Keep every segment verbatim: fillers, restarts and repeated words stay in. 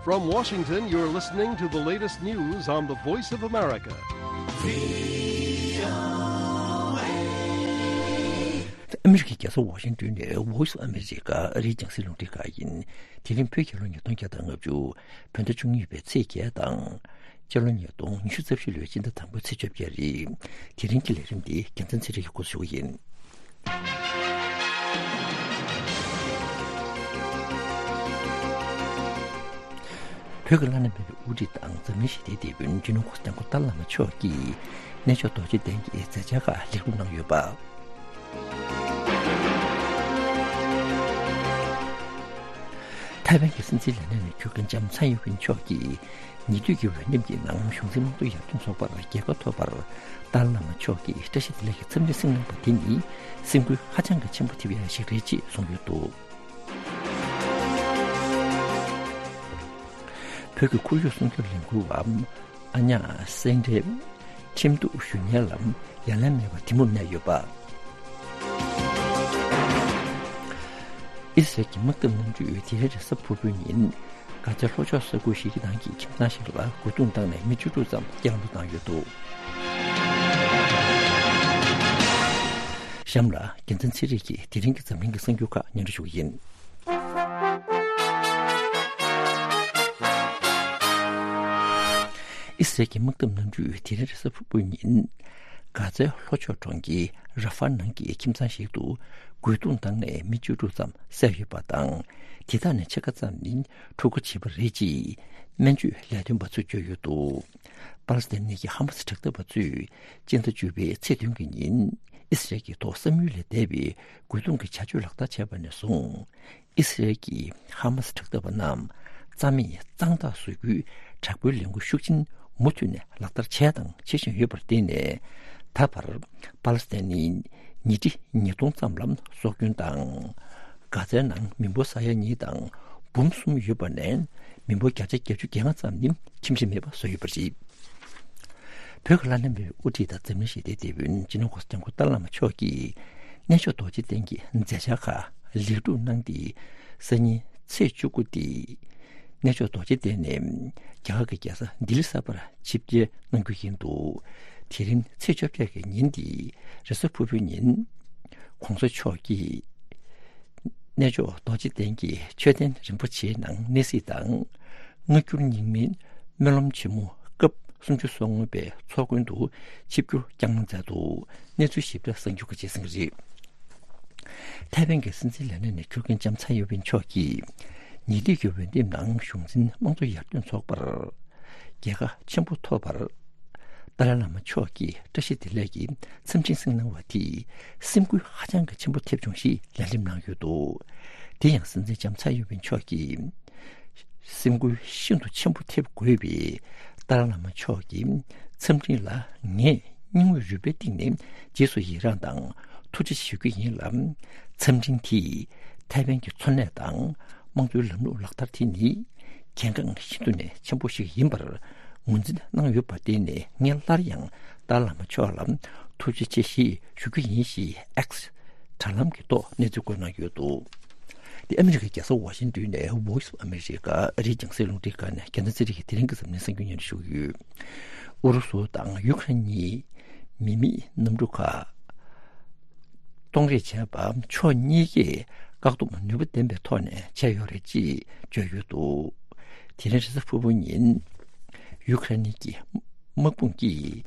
From Washington, you're listening to the latest news on the Voice of America. ཨ་མི་རི་ཀའི་རྒྱལ་ས་ཝ་ཤིང་ཏོན་ནས་Voice of America ཨ་རིའི་རྒྱང་སྲིང་རླུང་འཕྲིན་ཁང་ཡིན། དེ་རིང་བོད་རྒྱལ་ལོ་ཉིས་སྟོང་བརྒྱ་དང་ལྔ་བཅུ། བོད་ཟླ་བཅུ་གཉིས་པའི་ཚེས་བརྒྱད་དང་། སྤྱི་ལོ་ཉིས་སྟོང་ཉི་ཤུ་རྩ་བཞི་ལོའི་སྤྱི་ཟླ་དང་པོའི་ཚེས་བཅོ་བརྒྱད་རེད། དེ་རིང་གི་ལས་རིམ་འདི་རྒྱལ་མཚན་ཚེ་རིང་གིས་འགོ་འཛུགས་ཞུ་གི་ཡིན། བོད་ཀྱི་བླ་ན་མེད་པའི་དབུ་ཁྲིད་དང་འཛམ་གླིང་ཞི་བདེའི་དེད་དཔོན་སྤྱི་ནོར་གོང་ས་སྐྱབས་མགོན་ཏཱ་ལའི་བླ་མ་མཆོག་གིས་གནས་མཆོག་རྡོ་རྗེ་གདན་གྱི་མཛད་འཆར་ཁག་ལེགས་གྲུབ་གནང་ཡོད་པ། ཐའེ་ཝན་གྱི་སྲིད་འཛིན་ལས་གནས་ནས་འཁྱུར་མཁན་ལྕམ་ཚའེ་ཡིན་ཝིན་མཆོག་གིས་ཉེ་དུས་ཀྱི་འོས་འདེམས་ཀྱི་ནང་གཞུང་འཛིན་དམངས་གཙོ་ཡར་ཐོན་ཚོགས་པར་རྒྱལ་ཁ་ཐོབ་པར་ཏཱ་ལའི་བླ་མ་མཆོག་གིས་བཀྲ་ཤིས་བདེ་ལེགས་ཀྱི་འཚམས་འདྲི་གསུངས་གནང་བ་དེ་ནི་སེམས་འགུལ་ཧ་ཅང་གི་ཆེན་པོ་ཐེབས་ཡ་ཞིག་རེད་ཅེས་གསུངས་ཡོད་འདུག་བོད་ཀྱི་ཁོར་ཡུག་སྲུང་སྐྱོབ་ལས་འགུལ་བ་ཨ་ཉག་སེང་བྲན་ཁྲིམས་གཏུག་ཞུ་མཁན་ལ་ཡ་ལན་མེད་པར་གཏི་མུག་གནས་ཡོད་པ། ཨི་སི་རལ་གྱི་དམག་འཐབ་གནམ་གྲུས་དེ་རིང་རེས་གཟའ་ཕུར་བུའི་ཉིན་གྷ་ཛའི་ལྷོ་ཕྱོགས་ས་ཁུལ་ཞིག་གི་ནང་གི་ཁྱིམ་ཚང་ཞིག་ལ་རྒོལ་རྡུང་བཏང་ནས་མི་བཅུ་དྲུག་ཙམ་རྐྱེན་ངན་དུ་བཏང་ཡོད་འདུག་གཤམ་ལ་རྒྱལ་མཚན་ཚེ་རིང་གིས་དེ་རིང་གི་འཛམ་གླིང་གི་གསར་འགྱུར་ཁག་སྙན་སྒྲོན་ཞུ་གི་ཡིན། ཨི་སི་རལ་གྱི་དམག་འཐབ་གནམ་གྲུས་དེ་རིང་རེས་གཟའ་ཕུར་བུའི་ཉིན་གྷ་ཛའི་ལྷོ་ཕྱོགས་གྲོང་ཁྱེར་ར་ཧྥ་ནང་གི་ཁྱིམ་ཚང་ཞིག་ཏུ་རྒོལ་རྡུང་བཏང་ནས་མི་བཅུ་དྲུག་ཙམ་བསད་ཡོད་པ་དང་། དེ་དག་ནས་ཕྱེད་ཀ་ཙམ་ནི་འཁྲུག་པ་བྱས་པ་རེད་ཅེས་སྨན་བཅོས་ལས་དོན་པ་ཚོས་བརྗོད་ཡོད་འདུག་པ་ལི་སི་ཐན་གྱི་ཧ་མ་སི་དྲག་འཐབ་པ་ཚོས་སྤྱི་ཟླ་བཅུ་པའི་ཚེས་བདུན་གྱི་ཉིན་ཨི་སི་རལ་གྱི་ཐོག་བསམ་ཡུལ་ལས་འདས་པའི་རྒོལ་རྡུང་གི་བྱ་སྤྱོད་ལག་བསྟར་བྱས་པ་ནས་བཟུང་། ཨི་སི་རལ་གྱི་ཧ་མ་སི་དྲག་འཐབ་པ་རྣམས་རྩ་མེད་གཙང་དག་བཟོ་རྒྱུའི་དྲག་པོའི་ལས་འགུལ་ཤུགས་ཆེན་མུ་མཐུད་ནས་ལག་བསྟར་བྱས་དང་བྱེད་བཞིན་ཡོད་པར་བརྟེན་ནས། ད་བར་པ་ལི་སི་ཐན་ནི་ཉིས་ཁྲི་ཉིས་སྟོང་ཙམ་ལ་སྲོག་སྐྱོན་དང་། གྷ་ཛའི་ནང་མི་འབོར་ས་ཡ་གཉིས་དང་འབུམ་གསུམ་ཡོད་པ་ནས་མི་འབོར་བརྒྱ་ཆ་བརྒྱད་ཅུ་གྱ་ལྔ་ཙམ་ནི་ཁྱིམ་གཞིས་མེད་པ་བཟོས་ཡོད་པ་རེད། བོད་ཀྱི་བླ་ན་མེད་པའི་དབུ་ཁྲིད་དང་འཛམ་གླིང་ཞི་བདེའི་དེད་དཔོན་སྤྱི་ནོར་གོང་ས་སྐྱབས་མགོན་ཏཱ་ལའི་བླ་མ་མཆོག་གིས་གནས་མཆོག་རྡོ་རྗེ་གདན་གྱི་མཛད་འཆར་ཁག་ལེགས་གྲུབ་གནང་སྟེ། སང་ཉིན་ཚེས་བཅུ་དགུ་སྟེ། གནས་མཆོག་རྡོ་རྗེ་གདན་ནས་རྒྱ་གར་གྱི་རྒྱལ་ས་ལྡི་ལི་གསར་པར་ཆིབས་བསྒྱུར་གནང་རྒྱུ་ཡིན་འདུག་དེ་རིང་ཚེས་བཅོ་བརྒྱད་ཀྱི་ཉིན་ཏེ་རེས་གཟའ་ཕུར་བུའི་ཉིན། ྋགོང་ས་མཆོག་གིས་གནས་མཆོག་རྡོ་རྗེ་གདན་གྱི་མཆོད་རྟེན་རིན་པོ་ཆེའི་ནང་གནས་གཟིགས་དང་། སྔ་འགྱུར་རྙིང་མའི་སྨོན་ལམ་ཆེན་མོ་སྐབས་སུམ་ཅུ་སོ་ལྔ་པའི་ཚོགས་མགོན་དུ་ཆིབས་བསྒྱུར་བསྐྱངས་གནང་མཛད་འདུག་གནས་ཚུལ་ཞིབ་ཕྲ་གསར་འགྱུར་ཁག་རྗེས་གསན་གྱི་རེད། ཐའེ་ཝན་གྱི་སྲིད་འཛིན་ལས་གནས་ནས་འཁྱུར་མཁན་ལྕམ་ཚའེ་ཡིན་ཝིན་མཆོག་གིས་ཉེ་དུས་ཀྱི་འོས་འདེམས་ནང་གཞུང་འཛིན་དམངས་གཙོ་ཡར་ཐོན་ཚོགས་པར་རྒྱལ་ཁ་ཆེན་པོ་ཐོབ་པར། ཏཱ་ལའི་བླ་མ་མཆོག་གིས་བཀྲ་ཤིས་བདེ་ལེགས་ཀྱི་འཚམས་འཕྲིན་གསུངས་གནང་བ་དེས་སེམས་འགུལ་ཧ་ཅང་གི་ཆེན་པོ་ཐེབས་བྱུང་ཞེས་ལན་འདེབས་གནང་ཡོད་འདུག་དེ་ཡང་སྲིད་འཛིན་ལྕམ་ཚའེ་ཡིན་ཝིན་མཆོག་གིས། སེམས་འགུལ་ཤིན་ཏུ་ཆེན་པོ་ཐེབས་དགོས་པའི་ཏཱ་ལའི་བླ་མ་མཆོག་གི་འཚམས་འཕྲིན་ལ་ངས་སྙིང་དབུས་རུས་པའི་གཏིང་ནས་རྗེས་སུ་ཡི་རངས་དང་ཐུགས་རྗེ་ཆེ་ཞུ་རྒྱུ་ཡིན་ལ། འཚམས་འཕྲིན་དེས་ཐའེ་ཝན་གྱི་འཚོ་གནས་དང་དམངས་གཙོའི་ལམ་ལུགས་ལག་བསྟར་དེ་ནི་གལ་འགངས་ཤིན་ཏུ་ནས་ཆེན་པོ་ཞིག་ཡིན་པར་ངོས་འཛིན་གནང་ཡོད་པར་བརྟེན་ནས། ངས་སླར་ཡང་ཏཱ་ལའི་བླ་མ་མཆོག་ལ་ཐུགས་རྗེ་ཆེ་ཞེས་ཞུ་རྒྱུ་ཡིན་ཞེས་ཨེགས་དྲ་ལམ་གྱི་ཐོག་གནས་ཚུལ་བཀོད་གནང་ཡོད་འདུག་དེ་ཨ་མི་རི་ཀའི་རྒྱལ་ས་ཝ་ཤིང་ཏོན་ནས་Voice of America ཨ་རིའི་རྒྱང་སྲིང་རླུང་འཕྲིན་ཁང་ནས་རྒྱལ་མཚན་ཚེ་རིང་གིས་དེ་རིང་གི་འཛམ་གླིང་གསར་འགྱུར་སྙན་སྒྲོན་ཞུ་གི་ཡོད། ཨུ་རུ་སུ་དང་ཡུ་ཁ་རེན་གཉིས་མི་མེད་གནམ་གྲུ་ཁག་གཏོང་རེས་བྱས་པ་ཕྱོགས་གཉིས་ཀས་བཀག་སྡོམ་ནུས་པ་ལྡན་པའི་ཐོག་ནས་བྱས་ཡོད་རེད་ཅེས་བརྗོད་ཡོད་འདུག་དེ་རིང་རེས་གཟའ་ཕུར་བུ་ཉིན་ཡུ་ཁ་རེན་གྱི་དམག་དཔུང་གིས་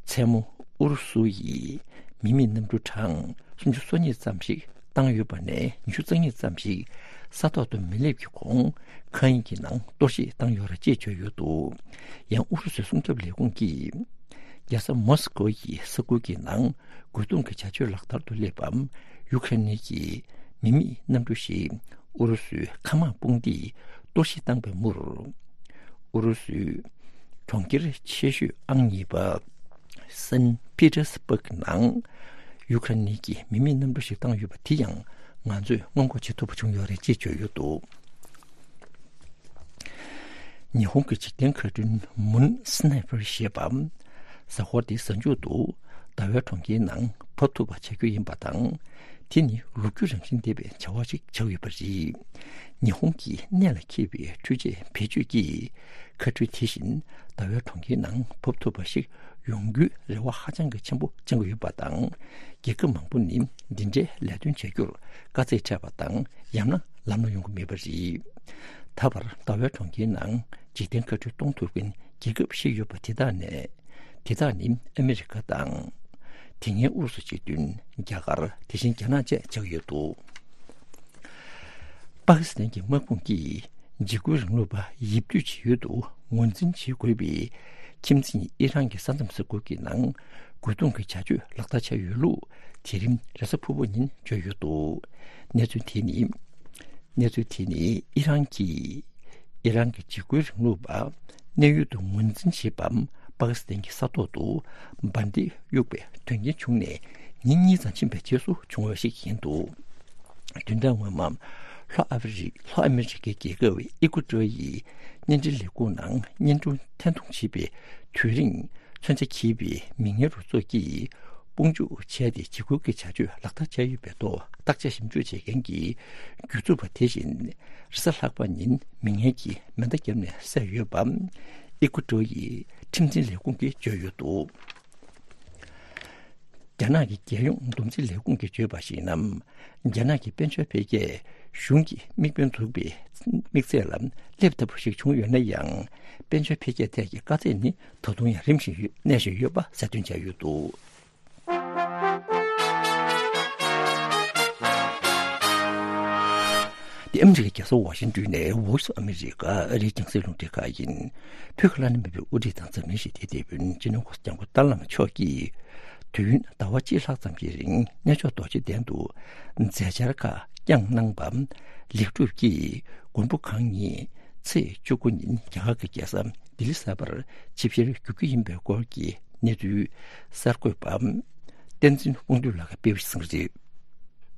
མཚན་མོ་ཨུ་རུ་སུ་ཡིས་མི་མེད་གནམ་གྲུ་གྲངས་སུམ་ཅུ་སོ་གཉིས་ཙམ་ཞིག་བཏང་ཡོད་པ་ནས་ཉི་ཤུ་རྩ་གཉིས་ཙམ་ཞིག་ས་ཐོག་ཏུ་མི་སླེབས་ཀྱི་གོང་མཁའ་དབྱིངས་ཀྱི་ནང་གཏོར་བཤིག་བཏང་ཡོད་རེད་ཅེས་བརྗོད་ཡོད་འདུག་ཡང་ཨུ་རུ་སུའི་སྲུང་སྐྱོབ་ལས་ཁུངས་ཀྱིས་རྒྱལ་ས་མོ་སི་ཀོ་ཡི་ས་ཁུལ་གྱི་ནང་རྒོལ་རྡུང་གི་བྱ་སྤྱོད་ལག་བསྟར་དུ་སླེབས་པ། ཡུ་ཁ་རེན་གྱི་མི་མེད་གནམ་གྲུ་ཞིག་ཨུ་རུ་སུའི་མཁའ་དམག་དཔུང་སྡེས་གཏོར་བཤིག་བཏང་པའི་མུར། ཨུ་རུ་སུའི་གྲོང་ཁྱེར་ཆེ་ཤོས་ཨང་གཉིས་པ་སན་པི་ཏེར་སི་བྷག་ནང་ཡུ་ཁ་རེན་གྱི་མི་མེད་གནམ་གྲུ་ཞིག་བཏང་ཡོད་པ་དེ་ཡང་ང་ཚོས་སྔོན་འགོག་བྱེད་ཐུབ་པ་བྱུང་ཡོད་རེད་ཅེས་བརྗོད་ཡོད་འདུག་ཉི་ཧོང་གི་འཇིག་རྟེན་མཁའ་སྐྲུན་མུན་སི་ནའི་ཕར་ཞེས་པ། གཟའ་འཁོར་འདིའི་གཟའ་མཇུག་ཏུ་ཟླ་བའི་གྲོང་ཁྱེར་ནང་ འབབ་ཐུབ་པ་བྱ་རྒྱུ་ཡིན་པ་དང་། དེ་ནི་ལོ་རྒྱུས་རང་བཞིན་ལྡན་པའི་བྱ་བ་ཞིག་ཆགས་ཡོད་པ་རེད། ཉི་ཧོང་གི་གནད་ལ་འཁེལ་བའི་འཕྲུལ་ཆས་བེད་སྤྱོད་ཀྱིས་མཁའ་འགྲུལ་དེ་བཞིན་ཟླ་བའི་གྲོང་ཁྱེར་ནང་འབབ་ཐུབ་པ་ཞིག་ཡོང་རྒྱུའི་རེ་བ་ཧ་ཅང་གི་ཆེན་པོ་བཅངས་ཀྱི་ཡོད་པ་དང་། རྒྱལ་ཁབ་མང་པོ་ནི་འདི་འདྲའི་ལས་དོན་བྱ་རྒྱུར་དཀའ་ཚེགས་འཕྲད་པ་དང་ཡང་ན་ལམ་ལྷོང་ཡོང་གི་མེད་པ་རེད། ད་བར་ཟླ་བའི་གྲོང་ཁྱེར་ནང་འཇིག་རྟེན་མཁའ་འགྲུལ་གཏོང་ཐུབ་མཁན་རྒྱལ་ཁབ་བཞི་ཡོད་པ་དེ་དག་ནས། དེ་དག་ནི་ཨ་མི་རི་ཀ་དང་། དེ་སྔའི་ཨུ་རུ་སུ་སྤྱི་མཐུན། རྒྱ་གར། དེ་བཞིན་རྒྱ་ནག་བཅས་ཆགས་ཡོད་འདུག་པ་ཀི་སི་ཐན་གྱི་དམག་དཔུང་གིས་འཇིགས་སྐུལ་རིང་ལུགས་པ་ཡིབ་སྡུད་བྱེད་ཡུལ་དུ་ངོས་འཛིན་བྱེད་དགོས་པའི་ཁྱིམ་མཚེས་ཨི་རན་གྱི་ས་མཚམས་ས་ཁུལ་གྱི་ནང་རྒོལ་རྡུང་གི་བྱ་སྤྱོད་ལག་བསྟར་བྱས་ཡོད་ལུགས་དེ་རིང་རེས་གཟའ་ཕུར་བུ་ཉིན་བརྗོད་ཡོད་འདུག་གནས་ཚུལ་དེ་ནི། གནས་ཚུལ་དེ་ནི་ཨི་རན་གྱིས། ཨི་རན་གྱི་འཇིགས་སྐུལ་རིང་ལུགས་པ་གནས་ཡུལ་དུ་ངོས་འཛིན་བྱེད་པའམ་པ་ཀི་སི་ཐན་གྱི་ས་ཐོག་ཏུ་འབར་མདེལ་གཡུགས་པའི་དོན་རྐྱེན་བྱུང་ནས་ཉིན་གཉིས་ཙམ་ཕྱིན་པའི་རྗེས་སུ་བྱུང་བ་ཞིག་ཡིན་འདུག་བདུན་ཕྲག་སྔོན་མ་ལྷོ་ཨ་ཧྥེ་རི་ལྷོ་ཨ་མི་རི་ཀའི་རྒྱལ་ཁབ་ཨི་ཀུ་ཏྲོ་ཡི་བརྙན་འཕྲིན་ལས་ཁུངས་ནང་བརྙན་ཐུང་འཐེན་གཏོང་བྱེད་པའི་དུས་རིང་མཚོན་ཆ་འཁྱེར་བའི་མི་ངན་རུ་ཚོགས་ཀྱིས། དཔུང་འཇུག་བྱས་ཏེ་འཇིགས་སྐུལ་གྱི་བྱ་སྤྱོད་ལག་བསྟར་བྱས་ཡོད་པའི་ཐོག་བརྟག་དཔྱད་ཞིབ་འཇུག་བྱེད་མཁན་གྱི་སྒྱུ་རྩལ་པ་དེ་བཞིན་རེས་གཟའ་ལྷག་པ་ཉིན་མི་ངན་གྱིས་མེ་མདའ་བརྒྱབ་ནས་བསད་ཡོད་པ་ཨི་ཀུ་ཏྲོ་ཡི་ཁྲིམས་འཛིན་ལས་ཁུངས་ཀྱིས་བརྗོད་ཡོད་འདུག་རྒྱ་ནག་གི་རྒྱལ་ཡོངས་བསྡོམས་རྩིས་ལས་ཁུངས་ཀྱིས་བརྗོད་པར་གཞིགས་ན། རྒྱ་ནག་གི་དཔལ་འབྱོར་འཕེལ་རྒྱས་གཞུང་གི་དམིགས་འབེན་འཛུགས་པའི་དམིགས་ཚད་ལ་སླེབས་ཐབས་ཤིག་བྱུང་ཡོད་ན་ཡང་། དཔལ་འབྱོར་འཕེལ་རྒྱས་ཐད་ཀྱི་དཀའ་ཚེགས་ནི་ད་དུང་ཡང་རིམ་བཞིན་ཡོད་གནས་བཞིན་ཡོད་པ་གསལ་སྟོན་བྱས་ཡོད་འདུག་འདི་ཨ་མི་རི་ཀའི་རྒྱལ་ས་ཝ་ཤིང་ཏོན་ནས་Voice of America ཨ་རིའི་རྒྱང་སྲིང་རླུང་འཕྲིན་ཁང་ཡིན། བོད་ཀྱི་བླ་ན་མེད་པའི་དབུ་ཁྲིད་དང་འཛམ་གླིང་ཞི་བདེའི་དེད་དཔོན་སྤྱི་ནོར་༧གོང་ས་༧སྐྱབས་མགོན་ཏཱ་ལའི་བླ་མ་མཆོག་གིས། དུས་ཡུན་ཟླ་བ་གཅིག་ལྷག་ཙམ་གྱི་རིང་གནས་མཆོག་རྡོ་རྗེ་གདན་དུ་མཛད་འཆར་ཁག་བསྐྱངས་གནང་པ། ལེགས་གྲུབ་ཀྱིས་མགོན་པོ་གང་ཉིད་ཚེས་བཅུ་དགུ་ཉིན་རྒྱ་གར་གྱི་རྒྱལ་ས་ལྡི་ལི་གསར་པར་ཆིབས་བསྒྱུར་བསྒྱུར་རྒྱུ་ཡིན་པའི་སྐོར་གྱི་གནས་ཚུལ་གསར་འགོད་པ་བསྟན་འཛིན་དབང་འདུས་ལགས་ཀྱིས་སྤེལ་བ་ཞིག་གསན་གྱི་རེད།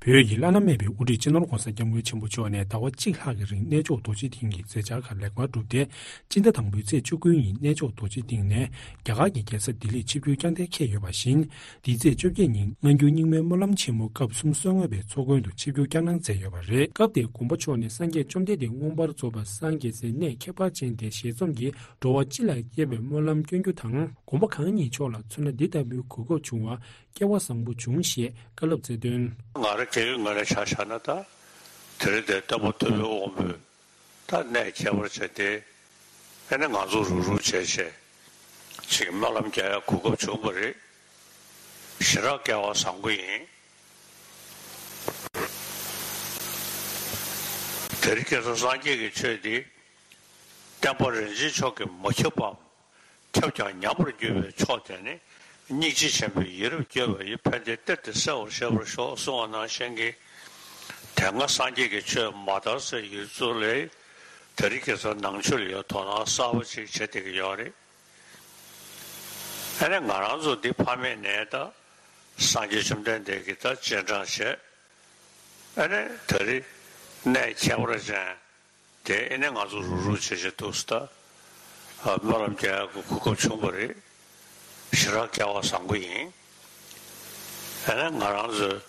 བོད་ཀྱི་བླ་ན་མེད་པའི་དབུ་ཁྲིད་སྤྱི་ནོར་༧གོང་ས་༧སྐྱབས་མགོན་ཆེན་པོ་མཆོག་ནས་ཟླ་བ་གཅིག་ལྷག་གི་རིང་གནས་མཆོག་རྡོ་རྗེ་གདན་གྱི་མཛད་འཆར་ཁག་ལེགས་པར་གྲུབ་སྟེ། སྤྱི་ཟླ་དང་པོའི་ཚེས་བཅུ་དགུ་ཉིན་གནས་མཆོག་རྡོ་རྗེ་གདན་ནས་རྒྱ་གར་གྱི་རྒྱལ་ས་ལྡི་ལིར་ཆིབས་བསྒྱུར་བསྐྱངས་གཏན་འཁེལ་ཡོད་པ་བཞིན། འདིའི་ཚེས་བཅོ་བརྒྱད་ཉིན་སྔ་འགྱུར་རྙིང་མའི་སྨོན་ལམ་ཆེན་མོ་སྐབས་གསུམ་གསོལ་དངོས་པའི་ཚོགས་མགོན་དུ་ཆིབས་བསྒྱུར་བསྐྱངས་གནང་མཛད་ཡོད་པ་རེད། སྐབས་དེར་མགོན་པོ་མཆོག་ནས་སངས་རྒྱས་བཅོམ་ལྡན་འདས་མངོན་པར་རྫོགས་པར་སངས་རྒྱས་སའི་གནས་ཁྱད་པར་ཅན་དེ་ཞལ་འཛོམས་ཀྱིས་འགྲོ་བ་སྤྱི་ལ་དགེ་བའི་སྨོན་ལམ་སྐྱོན་རྒྱུ་དང་། མགོན་པོ་གང་ཉིད་མཆོག་ལ་མཚོན་ན་འདི་ལྟ་བུའི་གོ་སྐབས་བྱུང་བ་སྐལ་བ་བཟང་པོ་བྱུང་ཞེས་བཀའ་སློབ་སྩལ་དོན། ང་རང་སྐྱེ་བོའི་ངོས་ནས་ཆ་བཞག་ན་ད། དེ་རིང་འདིར་སྟོན་པ་ཐུབ་པའི་དབང་པོས་ད་གནས་ཁྱད་པར་ཅན་དེ། ཨ་ནི་ང་ཚོ་རུག་རུག་བྱས་བྱས་ཅིག་སྨོན་ལམ་རྒྱག་ཡ་གོ་སྐབས་བྱུང་བ་རེད། ཞེ་དྲག་སྐལ་བ་བཟང་པོ་ཡིན། དེ་རིང་ཁ་སང་སངས་རྒྱས་ཀྱི་ཆོས་འདི་བསྟན་པ་རིན་ཆེན་མཆོག་གིས་མ་ཁྱབ་པའམ། ཁྱབ་ཀྱང་ཉམས་པར་འགྱུར་བའི་ཕྱོགས་དེ་ནི། སྙིང་རྗེ་ཆེན་པོས་ཡིད་རབ་བསྐྱོད་པ་ཡིས་ཕན་བདེའི་གཏེར་དེ་གསལ་བར་ཤེས་པར་ཤོག་གསུངས་པ་ནང་བཞིན་གྱི། དེ་སྔ་སངས་རྒྱས་ཀྱི་ཆོས་མ་དར་སའི་ཡུལ་ཚོ་ལས། དེ་རིང་ཁ་སང་ནང་ཆོས་ལ་ཡང་དོ་སྣང་གསར་པ་ཅིག་བྱེད་བསྡད་ཀྱི་ཡོད་རེད། ཨ་ནི་ང་རང་ཚོ་འདི་ཕ་མེས་ནས་ད་སངས་རྒྱས་བཅོམ་ལྡན་འདས་ཀྱི་ད་རྗེས་འབྲང་བྱས། ཨ་ནི་ད་རེས་གནས་ཁྱད་པར་ཅན། དེ་ཨེ་ནས་ང་ཚོ་རུག་རུག་བྱེད་བྱེད་འདུག་སེ་ད། ཨ། སྨོན་ལམ་རྒྱག་ཡག་གི་གོ་སྐབས་བྱུང་བ་རེད། ཞེ་དྲག་སྐལ་བ་བཟང་པོ་ཡིན། ཨེ་ནས་ང་རང་ཚོས་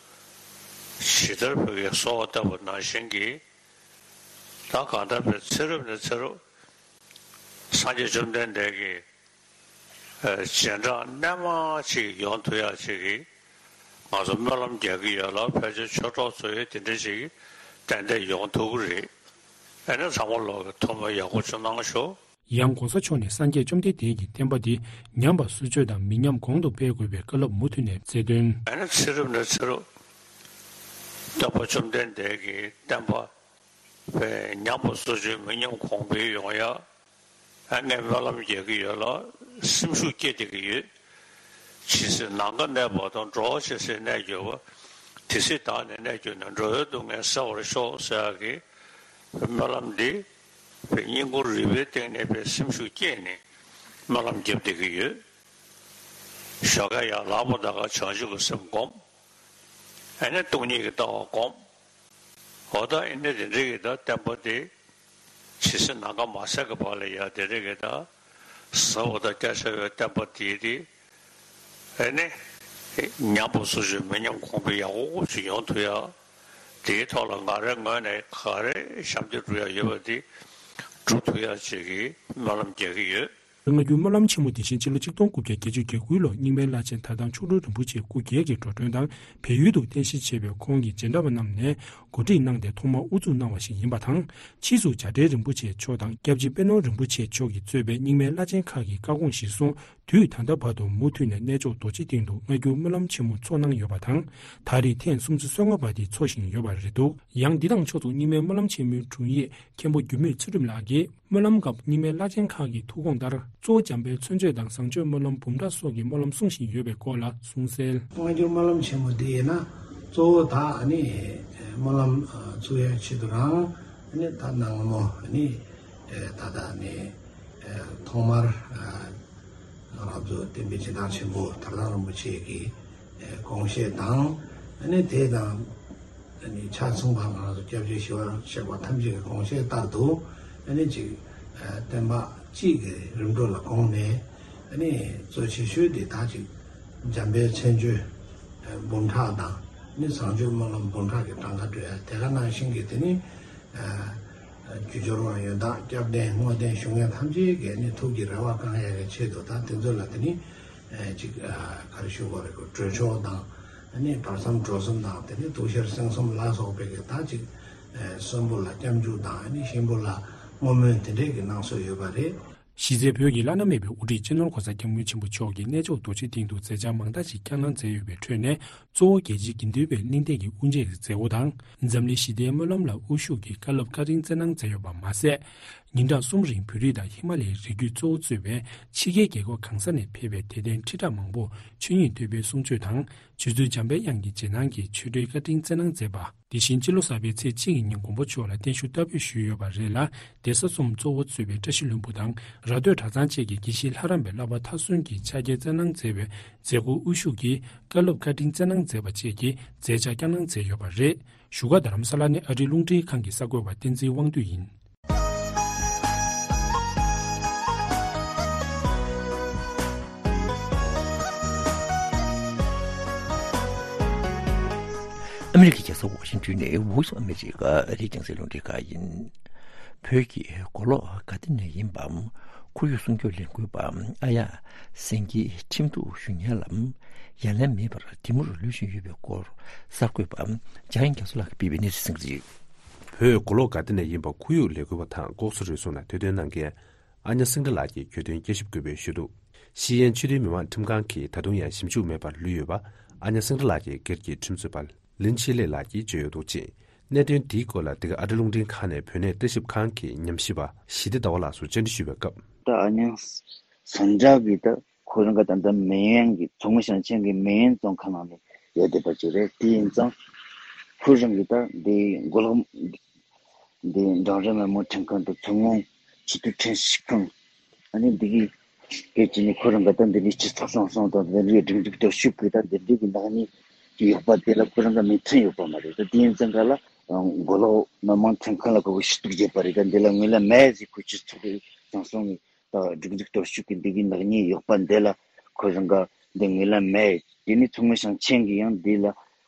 ཇི་ལྟར་བོད་ཀྱི་གསོལ་བ་བཏབ་པ་ནང་བཞིན་གྱི། ད་གང་ལྟར་བའི་ཚེ་རབས་ནས་ཚེ་རབས། སངས་རྒྱས་བཅོམ་ལྡན་འདས་ཀྱི། ཨ། རྗེས་འབྲང་རྣལ་མ་ཅིག་ཡོང་ཐུབ་ཡག་ཅིག་གི། ང་ཚོ་སྨོན་ལམ་རྒྱག་གི་ཡོད་ལ། ཕལ་ཆེར་ཆོས་གྲོགས་ཚོ་ཡང་དེ་འདྲ་ཞིག་ཏན་ཏན་ཡོང་ཐུབ་ཀྱི་རེད། ཨ་ནི་ཚང་མ་ལོག་གི་ཐུགས་སྨོན་ཡག་པོ་ཅིག་གནང་ཤོག། ཡང་༧གོང་ས་མཆོག་ནས་སངས་རྒྱས་བཅོམ་ལྡན་འདས་ཀྱི་བསྟན་པ་འདི་ཉམས་པ་སོར་ཆུད་དང་མི་ཉམས་གོང་དུ་སྤེལ་དགོས་པའི་བཀའ་སློབ་མུ་མཐུད་ནས་སྩལ་དོན། ཨ་ནི་ཚེ་རབས་ནས་ཚེ་རབས་སྟོན་པ་བཅོམ་ལྡན་འདས་ཀྱི་བསྟན་པ་ཉམས་པ་སོར་ཆུད་མི་ཉམས་གོང་འཕེལ་ཡོང་ཡག། ཨ། ངས་སྨོན་ལམ་རྒྱག་གི་ཡོད་ལ། སེམས་ཤུགས་སྐྱེད་བསྡད་ཀྱི་ཡོད། ཇི་སྲིད་ནམ་མཁའ་གནས་པ་དང་། འགྲོ་བ་ཇི་སྲིད་གནས་གྱུར་པ། དེ་སྲིད་བདག་ནི་གནས་གྱུར་ནས། འགྲོ་བའི་སྡུག་བསྔལ་སེལ་བར་ཤོག་ཟེར་ཡག་གི་སྨོན་ལམ་འདི་སྙིང་ཁོང་རུས་པའི་གཏིང་ནས་སེམས་ཤུགས་སྐྱེད་ནས་སྨོན་ལམ་རྒྱབ་བསྡད་ཀྱི་ཡོད། ཞོགས་ཀས་ཡར་ལངས་པ་དང་། བྱང་ཆུབ་ཀྱི་སེམས་བསྒོམ། ཨ་ནི་སྟོང་ཉིད་ཀྱི་ལྟ་བ་བསྒོམ། འོ་ད་ཨེ་ནི་དེ་འདྲའི་གི་ད་བསྟན་པ་དེ་ཇི་སྲིད་ནམ་མཁའ་མ་ཟད་ཀྱི་བར་ལ་ཡ་དེ་འདྲའི་གི་ད་ཟབ་པ་དང་རྒྱ་ཆེ་བའི་བསྟན་པ་དེ་དེ་ཨེ་ནི་ ཉམས་པ་སོ་སོས་མི་ཉམས་གོང་འཕེལ་ཡག་པོ་ཞིག་ཡོང་ཐུབ་ཡ། དེའི་ཐོག་ལ་ང་རའི་ངོས་ནས་ག་རེ་ཞབས་འདེགས་སྒྲུབ་ཡ་ཡོད་པ་དེ་སྒྲུབ་ཐུབ་ཡ་ཅིག་གི་སྨོན་ལམ་རྒྱག་གི་ཡོད། སྔ་འགྱུར་སྨོན་ལམ་ཆེན་མོ་དེ་བཞིན་སྤྱི་ལོ་གཅིག་སྟོང་དགུ་བརྒྱ་བརྒྱད་ཅུ་གྱ་དགུ་ལོར་རྙིང་མའི་བླ་ཆེན་དར་ཐང་མཆོག་སྤྲུལ་རིན་པོ་ཆེ་སྐུ་སྒེར་གྱིས་འགྲོ་གྲོན་དང་བལ་ཡུལ་དུ་རྟེན་གཞི་བྱས་པའི་ཁོང་གི་མཇལ་འཕྲད་པ་རྣམས་ནས་གོ་སྒྲིག་གནང་སྟེ་ཐོག་མར་དབུ་འཛུགས་གནང་བ་ཞིག་ཡིན་པ་དང་། ཕྱིས་སུ་བྱ་བྲལ་རིན་པོ་ཆེ་མཆོག་དང་སྐྱབས་རྗེ་པད་ནོར་རིན་པོ་ཆེ་མཆོག་གིས་གཙོས་པའི་རྙིང་མའི་བླ་ཆེན་ཁག་གིས་བཀའ་དགོངས་གཞིར་བཟུང་དུས་ད་ལྟ་བར་དུ་མུ་མཐུད་ནས་གནས་མཆོག་རྡོ་རྗེ་གདན་དུ་སྔ་འགྱུར་སྨོན་ལམ་ཆེན་མོ་འཚོགས་གནང་ཡོད་པ་དང་། ད་རེས་ཐེངས་སུམ་ཅུ་སོ་ལྔ་པ་དེ་འཚོགས་བཞིན་ཡོད་པ་རེད་འདུག་ཡང་འདི་དང་ཕྱོགས་མཚུངས་རྙིང་མའི་སྨོན་ལམ་ཆེན་མོའི་དྲུང་ཡིག་མཁན་པོ་འགྱུར་མེད་ཚུལ་ཁྲིམས་ལགས་ཀྱིས། སྨོན་ལམ་སྐབས་རྙིང་མའི་བླ་ཆེན་ཁག་གི་ཐུགས་དགོངས་ལྟར། གཙོ་བོ་འཇམ་དཔལ་མཚན་བརྗོད་དང་བཟང་སྤྱོད་སྨོན་ལམ་འབུམ་ཕྲག་སོགས་ཀྱི་སྨོན་ལམ་གསུང་བཞིན་ཡོད་པའི་སྐོར་ལ་གསུངས་གསལ། སྔ་འགྱུར་སྨོན་ལམ་ཆེན་མོ་འདི་ཡིན་ན་གཙོ་བོ་ད་ཨ་ནི་སྨོན་ལམ་ཚུགས་ཡ་ཆེད་དུ་རང་ཨ་ནི་ད་ནང་མོ་ཨ་ནི་ད་ད་ཨ་ནི་ཐོག་མར་ང་རང་ཚོ་བསྟན་པའི་སྦྱིན་བདག་ཆེན་པོ་དར་ཐང་རིན་པོ་ཆེ་གི་དགོངས་བཞེད་དང་ཨ་ནི་དེ་དང་། ཆ་ཚང་བ་ང་རང་ཚོ་སྐྱབས་རྗེ་ཞི་བ་གཤེགས་པ་ཐམས་ཅད་ཀྱི་དགོངས་བཞེད་ལྟར་དུ་ཨ་ནི་ཅིག་བསྟན་པ་གཅིག་གི་རིམ་གྲོ་ལ་དགོངས་ནས་ཨ་ནི་གཙོ་ཆེ་ཤོས་དེ་ད་ཅིག་འཇམ་དཔལ་མཚན་བརྗོད་འབུམ་ཕྲག་དང་ཨ་ནི་བཟང་སྤྱོད་སྨོན་ལམ་འབུམ་ཕྲག་གི་གྲངས་ཀ་སྤྲོད་ཡ་དེ་ག་ནང་བཞིན་གྱི་དེ་ནི་རྒྱུ་སྦྱོར་དབང་ཡོན་བདག་སྐྱབས་གདན་བསྔོ་རྟེན་ཞུ་མཁན་ཐམས་ཅད་ཀྱི་ཨ་ནི་ཐུགས་ཀྱི་རེ་བ་བསྐང་ཡ་གི་ཆེད་དུ་ད་དེ་ཚོ་ལ་དེ་ནི། ཅིག་ག་རེ་ཞུ་དགོས་རེད་གོ་གྲོས་ཆོད་དང་ཨ་ནི་བར་མཚམས་གྲོལ་གསུམ་དང་དེ་ནས་ཐུགས་བཞེད་གསན་གསུམ་ལ་སོགས་པའི་གི་ད་ཅིག་གསོན་པོ་ལ་སྐྱབས་འཇུག་དང་ཨ་ནི་གཤིན་པོ་ལ་བསྔོ་སྨོན་དེ་འདྲས་ཀྱི་གནང་སྲོལ་ཡོད་པ་རེད། གཞི་རྩའི་བོད་ཀྱི་བླ་ན་མེད་པའི་དབུ་ཁྲིད་སྤྱི་ནོར་༸གོང་ས་༸སྐྱབས་མགོན་ཆེན་པོ་མཆོག་གིས་གནས་མཆོག་རྡོ་རྗེ་གདན་དུ་མཛད་འཆར་མང་དག་ཅིག་བསྐྱངས་གནང་མཛད་ཡོད་པའི་ཁྲོད་ནས་གཙོ་བོ་རྒྱལ་སྤྱིའི་དགེ་འདུན་པའི་གླེང་སྟེགས་ཀྱི་དབུ་འབྱེད་ཀྱི་མཛད་སྒོ་དང་། འཛམ་གླིང་ཞི་བདེའི་སྨོན་ལམ་ལ་དབུ་བཞུགས་ཀྱིས་བཀའ་སློབ་བཀའ་དྲིན་སྩལ་གནང་མཛད་ཡོད་པ་མ་ཟད། ཉིན་གྲངས་གསུམ་རིང་བོད་རིགས་དང་ཧི་མ་ལ་ཡའི་རི་རྒྱུད་གཙོ་བོ་གཙོས་པའི་ཕྱི་རྒྱལ་རྒྱལ་ཁབ་གང་ས་ནས་ཕེབས་པའི་དད་ལྡན་ཁྲི་ཕྲག་མང་པོར་ཆོས་ཉིད་ཐོས་པའི་གསུང་ཆོས་དང་། རྗེ་བཙུན་འཇམ་དཔལ་དབྱངས་ཀྱི་རྗེས་གནང་གི་ཆོས་འབྲེལ་བཀའ་དྲིན་སྩལ་གནང་མཛད་པ། དེ་བཞིན་སྤྱི་ལོ་གསར་པའི་ཚེས་གཅིག་གི་ཉིན་མགོན་པོ་མཆོག་ལ་བརྟན་བཞུགས་བསྟར་འབུལ་ཞུས་ཡོད་པ་རེད་ལ། གདན་ས་གསུམ་གཙོ་བོ་གཙོས་པའི་བཀྲ་ཤིས་ལྷུན་པོ་དང་ར་སྟོད་གྲྭ་ཚང་བཅས་ཀྱི་དགེ་བཤེས་ལྷ་རམས་པའི་བསླབ་པ་མཐར་སོན་གྱི་ཕྱག་འཁྱེར་སྩལ་གནང་མཛད་པའི་མཛད་སྒོར་དབུ་བཞུགས་ཀྱིས་བཀའ་སློབ་བཀའ་དྲིན་སྩལ་གནང་མཛད་པ་བཅས་ཀྱི་མཛད་འཆར་བསྐྱངས་གནང་མཛད་ཡོད་པ་རེད། བཞུགས་སྒར་རྡ་རམ་ས་ལ་ནས་ཨ་རིའི་རླུང་འཕྲིན་ཁང་གི་གསར་འགོད་པ་བསྟན་འཛིན་དབང་འདུས་ཡིན། ཨ་མི་རི་ཀའི་རྒྱལ་ས་ཝ་ཤིང་ཏོན་ནས་Voice of America ཨ་རིའི་རྒྱང་སྲིང་རླུང་འཕྲིན་ཁང་ཡིན། བོད་ཀྱི་མགོ་ལོག་ག་ཏེ་ནས་ཡིན་པའམ་ཁོར་ཡུག་སྲུང་སྐྱོབ་ལས་འགུལ་པ་ཨ་ཡ་སེང་གེ་ཁྲིམས་གཏུག་ཞུ་མཁན་ལ་ཡ་ལན་མེད་པར་དེ་མུར་ལུས་བཞིན་ཡོད་པའི་སྐོར་གསར་འགོད་པ་འཇམ་དབྱངས་རྒྱ་མཚོ་ལགས་ཀྱིས་སྤེལ་བའི་གནས་ཚུལ་ཟིན་གྱི་རེད། བོད་མགོ་ལོག་ག་ཏེ་ནས་ཡིན་པ་ཁོར་ཡུག་ལས་འགུལ་བ་དང་ལྐོག་ཟ་རུལ་སུངས་ནང་དོ་སྣང་གནང་མཁན་ཨ་ཉ་སེང་བཀྲ་ལགས་ཀྱིས་གྱོད་དོན་བསྐྱར་ཞིབ་དགོས་པའི་ཞུ་གཏུག་ཤེས་ཡོན་ཆེས་མཐོའི་མི་དམངས་ཁྲིམས་ཁང་གིས་ད་དུང་ཡང་ཞིབ་འཇུག་མེད་པར་ལུས་ཡོད་པ་ཨ་ཉ་སེང་བཀྲ་ལགས་ཀྱི་སྒེར་གྱི་ཁྲིམས་རྩོད་པ་ལིན་ཆི་ལེ་ལགས་ཀྱིས་བརྗོད་ཡོད་འདུག་ཅིང་། གནད་དོན་འདིའི་སྐོར་ལ་འདི་ག་ཨ་རི་རླུང་འཕྲིན་ཁང་ནས་བོད་གནས་ལྟ་ཞིབ་ཁང་གི་ཉམས་ཞིབ་པ་ཞི་བདེ་ཟླ་བ་ལགས་སུ་བཅར་འདྲི་ཞུས་པའི་སྐབས། ད་ཨ་ཉ་སེང་བཀྲ་གིས་ད་ཁོ་རང་གི་ད་ལྟ་མེན་གྱི་མཚོ་སྔོན་ཞིང་ཆེན་གྱི་མེན་རྫོང་ཁག་ནང་ནས་ཡོད་བསྡད་པ་ཅིག་རེད། དེ་ཡིན་ཙང་ཁོ་རང་གི་ད་འདི་མགོ་ལོག་འདི་འབྲིང་རིམ་མི་དམངས་ཁྲིམས་ཁང་དང་མཚོ་སྔོན་ཆེས་མཐོའི་ཁྲིམས་ཞིབ་ཁང་། ཨ་ནི་འདི་གི་སྐད་ཅིག་ནི་ཁོ་རང་གི་ད་འདི་འདྲའི་སྤྱི་ཚོགས་བཟང་སྤྱོད་དང་འདི་འདྲའི་སྒྲིག་འཛུགས་སྟོབས་ཤུགས་ཀྱི་ད་འདི་འདྲའི་གི་ནག་ཉེས་ཀྱི་ཡོད་པ་དེ་ལ་ཁོ་རང་གི་མོས་མཐུན་ཡོད་པ་མ་རེད། ད་དེ་ཡིན་ཙང་ག་ལ་མགོ་ལོག་མི་དམངས་ཁྲིམས་ཁང་ལ་ཁོ་གི་ཞུ་གཏུག་བྱས་པ་རེད། ད་འདི་ལ་ངོས་ལེན་མེད་ཟེར་ཁོ་སྤྱི་ཚོགས་ཀྱི་བཟང་སྤྱོད་ནི་ད་སྒྲིག་འཛུགས་སྟོབས་ཤུགས་ཀྱི་འདི་གི་ནག་ཉེས་ཡོད་པ་འདི་ལ་ཁོ་རང་ག་འདི་ངོས་ལེན་མེད། དེ་ནི་མཚོ་སྔོན་ཞིང་ཆེན་གྱི་ཡང་འདི་ལ་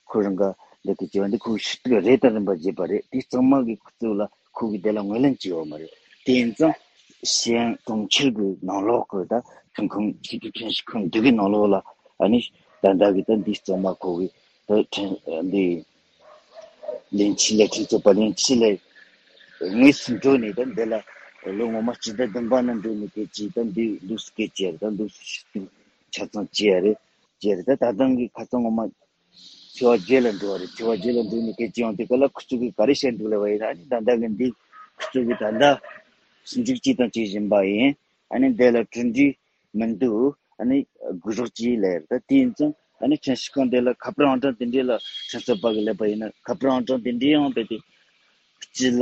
ཁོ་རང་ག་འདི་གི་བྱས་པ་འདི་ཁོ་ཞུ་གཏུག་རེ་དང་རིམ་པ་བྱས་པ་རེད། དེ་གཙང་མ་གི་ཁུ་ཚུར་ལ་ཁོ་གི་དེ་ལ་ངོས་ལེན་བྱས་ཡོད་མ་རེད། དེ་ཡིན་ཙང་ཤེས་ཡོན་གྲོང་ཁྱེར་གྱི་ནང་ལོགས་ཀྱི་ད་ཁྲིམས་ཁང་ཆེས་མཐོའི་ཁྲིམས་ཞིབ་ཁང་འདི་གི་ནང་ལོགས་ལ་ཨ་ནི་ད་ལྟ་གི་ད་འདི་གཙང་མ་ཁོ་གི་ད་ཁྲིམས་འདི་ལིན་ཆི་ལེ་ཁྲིམས་རྩོད་པ་ལིན་ཆི་ལེ་དངོས་སུ་འགྲོ་ནས་ད་འདི་ལ་ལོ་ངོ་མ་སྤྱི་ཟླ་བདུན་པ་ནང་འགྲོ་ནས་སྐད་ཅིག་ད་འདི་འདུག་སེ་སྐད་ཅིག་ཡ་རེད། ད་འདུག་སེ་ཞུ་གཏུག་ཆ་ཚང་བྱས་ཡ་རེད། བྱས་རེད། ད་ད་ཐེངས་ཀྱི་ཁ་སང་ངོ་མ་ཚེས་པ་བརྒྱད་ལ་འགྲོ་བ་རེད། ཚེས་པ་བརྒྱད་ལ་འགྲོ་ནས་སྐད་ཅིག་ཡང་དེ་ག་ལ་ཁུ་ཚུར་གི་ག་རེ་བཤད་འདུག་ལབ་པ་ཡིན་ན། ཨ་ནི་ད་ལྟ་གི་འདི་ཁུ་ཚུར་གི་ད་ལྟ་ཞིབ་འཇུག་ཅིག་དང་བྱེད་བཞིན་པ་ཡིན། ཨ་ནི་འདི་ལ་གྲུབ་འབྲས་མི་འདུག་ཨ་ནི་དགོས་རོགས་ཅིག་ལབ་ཡ་རེད། ད་དེ་ཡིན་ཙང་ཨ་ནི་ཁྲིམས་ཞིབ་ཁང་འདི་ལ་ཁ་པར་ཨང་གྲངས་དེ་འདྲས་ལ་ཁྲིམས་རྩོད་པ་གི་ལབ་པ་ཡིན་ན། ཁ་པར་ཨང་གྲངས་དེ་འདྲས་ཡང་རྦད་དེ་སྤྱི་ལ་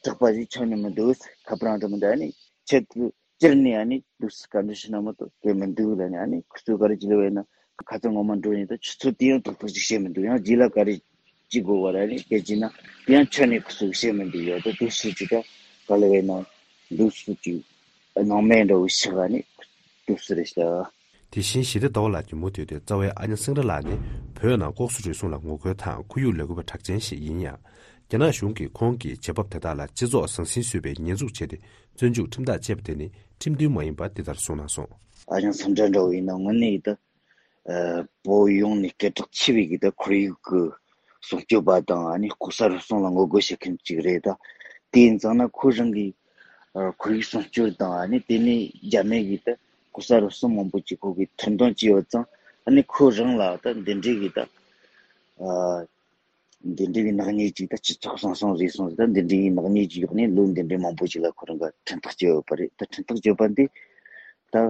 དག་པ་ཞིག་ཆགས་ནི་མི་འདུག་ཁ་པར་ཨང་གྲངས་མི་འདུག་ཨ་ནི་ཁྱེད་ཀྱི་སྤྱིར་ནས་ཨ་ནི་འདུག་སེ་བཀའ་འདྲི་ཞུ་ན་མ་གཏོགས་དེ་མི་འདུག་ལབ་ནས། ཨ་ནི་ཁོ་ཚོས་ག་རེ་ཅིག་ལབ་པ་ཡིན་ན། ཁ་སང་ངོ་མ་འགྲོ་ཡིན་ད་ཆུ་ཚོད་དེ་ཡང་ཏག་ཏག་ཅིག་བཤད་མི་འདུག་ཡང་རྗེས་ལ་ག་རེ་ཅིག་དགོས་པ་རེད། ཨ་ནི་སྐད་ཅིག་ན་དེ་ཡང་ཁྱོན་ནས་ཁོ་ཚོས་བཤད་མི་འདུག་ཡ་ད་འདུག་སེ་ཅིག་ད་ག་ལབ་པ་ཡིན་ན་འདུག་སེ་ཅིག་སྣང་མེད་འདྲ་བོ་ཞིག་ཨ་ནི་འདུག་སེ་རེད་ཤག་དེ་བཞིན་ཞི་བདེ་ཟླ་བ་ལགས་ཀྱི་མུ་མཐུད་དེ་རྩ་བའི་ཨ་ཉ་སེང་ར་ལགས་ནི་བོད་ནང་ལྐོག་ཟ་རུལ་སུངས་ལ་ངོ་རྒོལ་དང་ཁོར་ཡུག་ལས་འགུལ་བ་གྲགས་ཅན་ཞིག་ཡིན་ཡང་། རྒྱ་ནག་གཞུང་གིས་ཁོང་གི་བྱེད་བབ་དེ་དག་ལ་སྤྱི་ཚོགས་ཟང་ཟིང་བཟོས་པའི་ཉེས་འཛུགས་བྱས་ཏེ་བཙོན་འཇུག་ཁྲིམས་ཐག་བཅད་པ་དེ་ནི་ཁྲིམས་མཐུན་མ་ཡིན་པ་འདི་ལྟར་གསུངས་གནང་སོང་། ཨ་ཉ་སེང་ར་འདྲ་བོ་ཡིན་ན་དངོས་གནས་ཡིན་ད། ཨ། བོད་ཡོངས་ནས་སྐད་གྲགས་ཆེ་བའི་གི་ད་ཁོར་ཡུག་གི་སྲུང་སྐྱོབ་པ་དང་ཨ་ནི་ལྐོག་ཟ་རུལ་སུངས་ལ་ངོ་རྒོལ་བྱེད་མཁན་ཅིག་རེད་ད། དེ་ཡིན་ཙང་ན་ཁོ་རང་གིས་ཨ་ཁོར་ཡུག་སྲུང་སྐྱོབ་དང་ཨ་ནི་དེ་ནས་རྒྱ་མི་གིས་ད་ལྐོག་ཟ་རུལ་སུངས་མང་པོ་ཅིག་ཁོ་གིས་ཐེར་འདོན་བྱས་ཡོད་ཙང་ཨ་ནི་ཁོ་རང་ལ་ད་འདི་འདྲའི་གི་ད་ཨ། འདི་འདྲའི་གི་ནག་ཉེས་ཅིག་ད་སྤྱི་ཚོགས་ཟང་ཟིང་བཟོས་སོང་ཟེར། ད་འདི་འདྲའི་གི་ནག་ཉེས་ཅིག་ཡོད་ནས་ལོ་འདི་འདྲའི་མང་པོ་ཅིག་ལ་ཁོ་རང་ག་ཁྲིམས་ཐག་བཅད་ཡོད་པ་རེད། ད་ཁྲིམས་ཐག་བཅད་པ་འདི་ད་ཨ་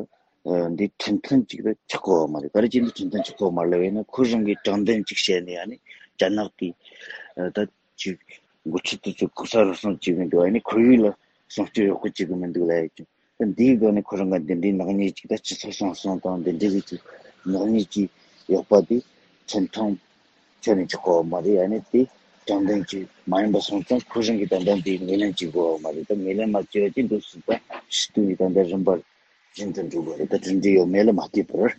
འདི་ཁྲིམས་མཐུན་ཅིག་ད་ཆགས་ཀྱི་ཡོད་མ་རེད། ག་རེ་བྱས་འདི་ཁྲིམས་མཐུན་ཆགས་ཀྱི་ཡོད་མ་རེད་ལབ་ཡིན་ན་ཁོ་རང་གིས་དྲང་བདེན་ཅིག་བཤད་ནས་ཨ་ནི་རྒྱ་ནག་གིས་ཨ་ད་ཅིག་འགོ་ཁྲིད་དེ་ཚོ་ལྐོག་ཟ་རུལ་སུངས་བྱེད་གི་འདུག་ཨ་ནི་ཁོར་ཡུག་ལ་སྲུང་སྐྱོབ་ཡག་པོ་བྱེད་གི་མི་འདུག་ལབ་ཡ་ཅིག་ད་འདིའི་སྒང་ནས་ཁོ་རང་ག་འདི་འདྲའི་ནག་ཉེས་ཅིག་ད་སྤྱི་ཚོགས་ཟང་ཟིང་དང་འདི་འདྲའི་གི་ཅིག་ནག་ཉེས་ཅིག་ཡོད་པ་དེ་ཁྲིམས་མཐུན་ཁྱོན་ནས་ཆགས་ཀྱི་ཡོད་མ་རེད། ཨ་ནི་དེ་དྲང་བདེན་ཅིག་མ་ཡིན་པ་སོང་ཙང་ཁོ་རང་གིས་ད་ལྟ་འདི་ངོས་ལེན་བྱེད་དགོས་ཡོད་མ་རེད། ད་ངོས་ལེན་མ་བྱས་པ་ཅིག་འདུག་སྲིད་ད་ཞི་དུ་ཡི་ད་ལྟ་རིམ་པར་རྒྱུན་དུ་འགྲོ་དགོས་རེད། ད་གྲུབ་འབྲས་ཡོད་མེད་ལ་མ་ལྟོས་པར།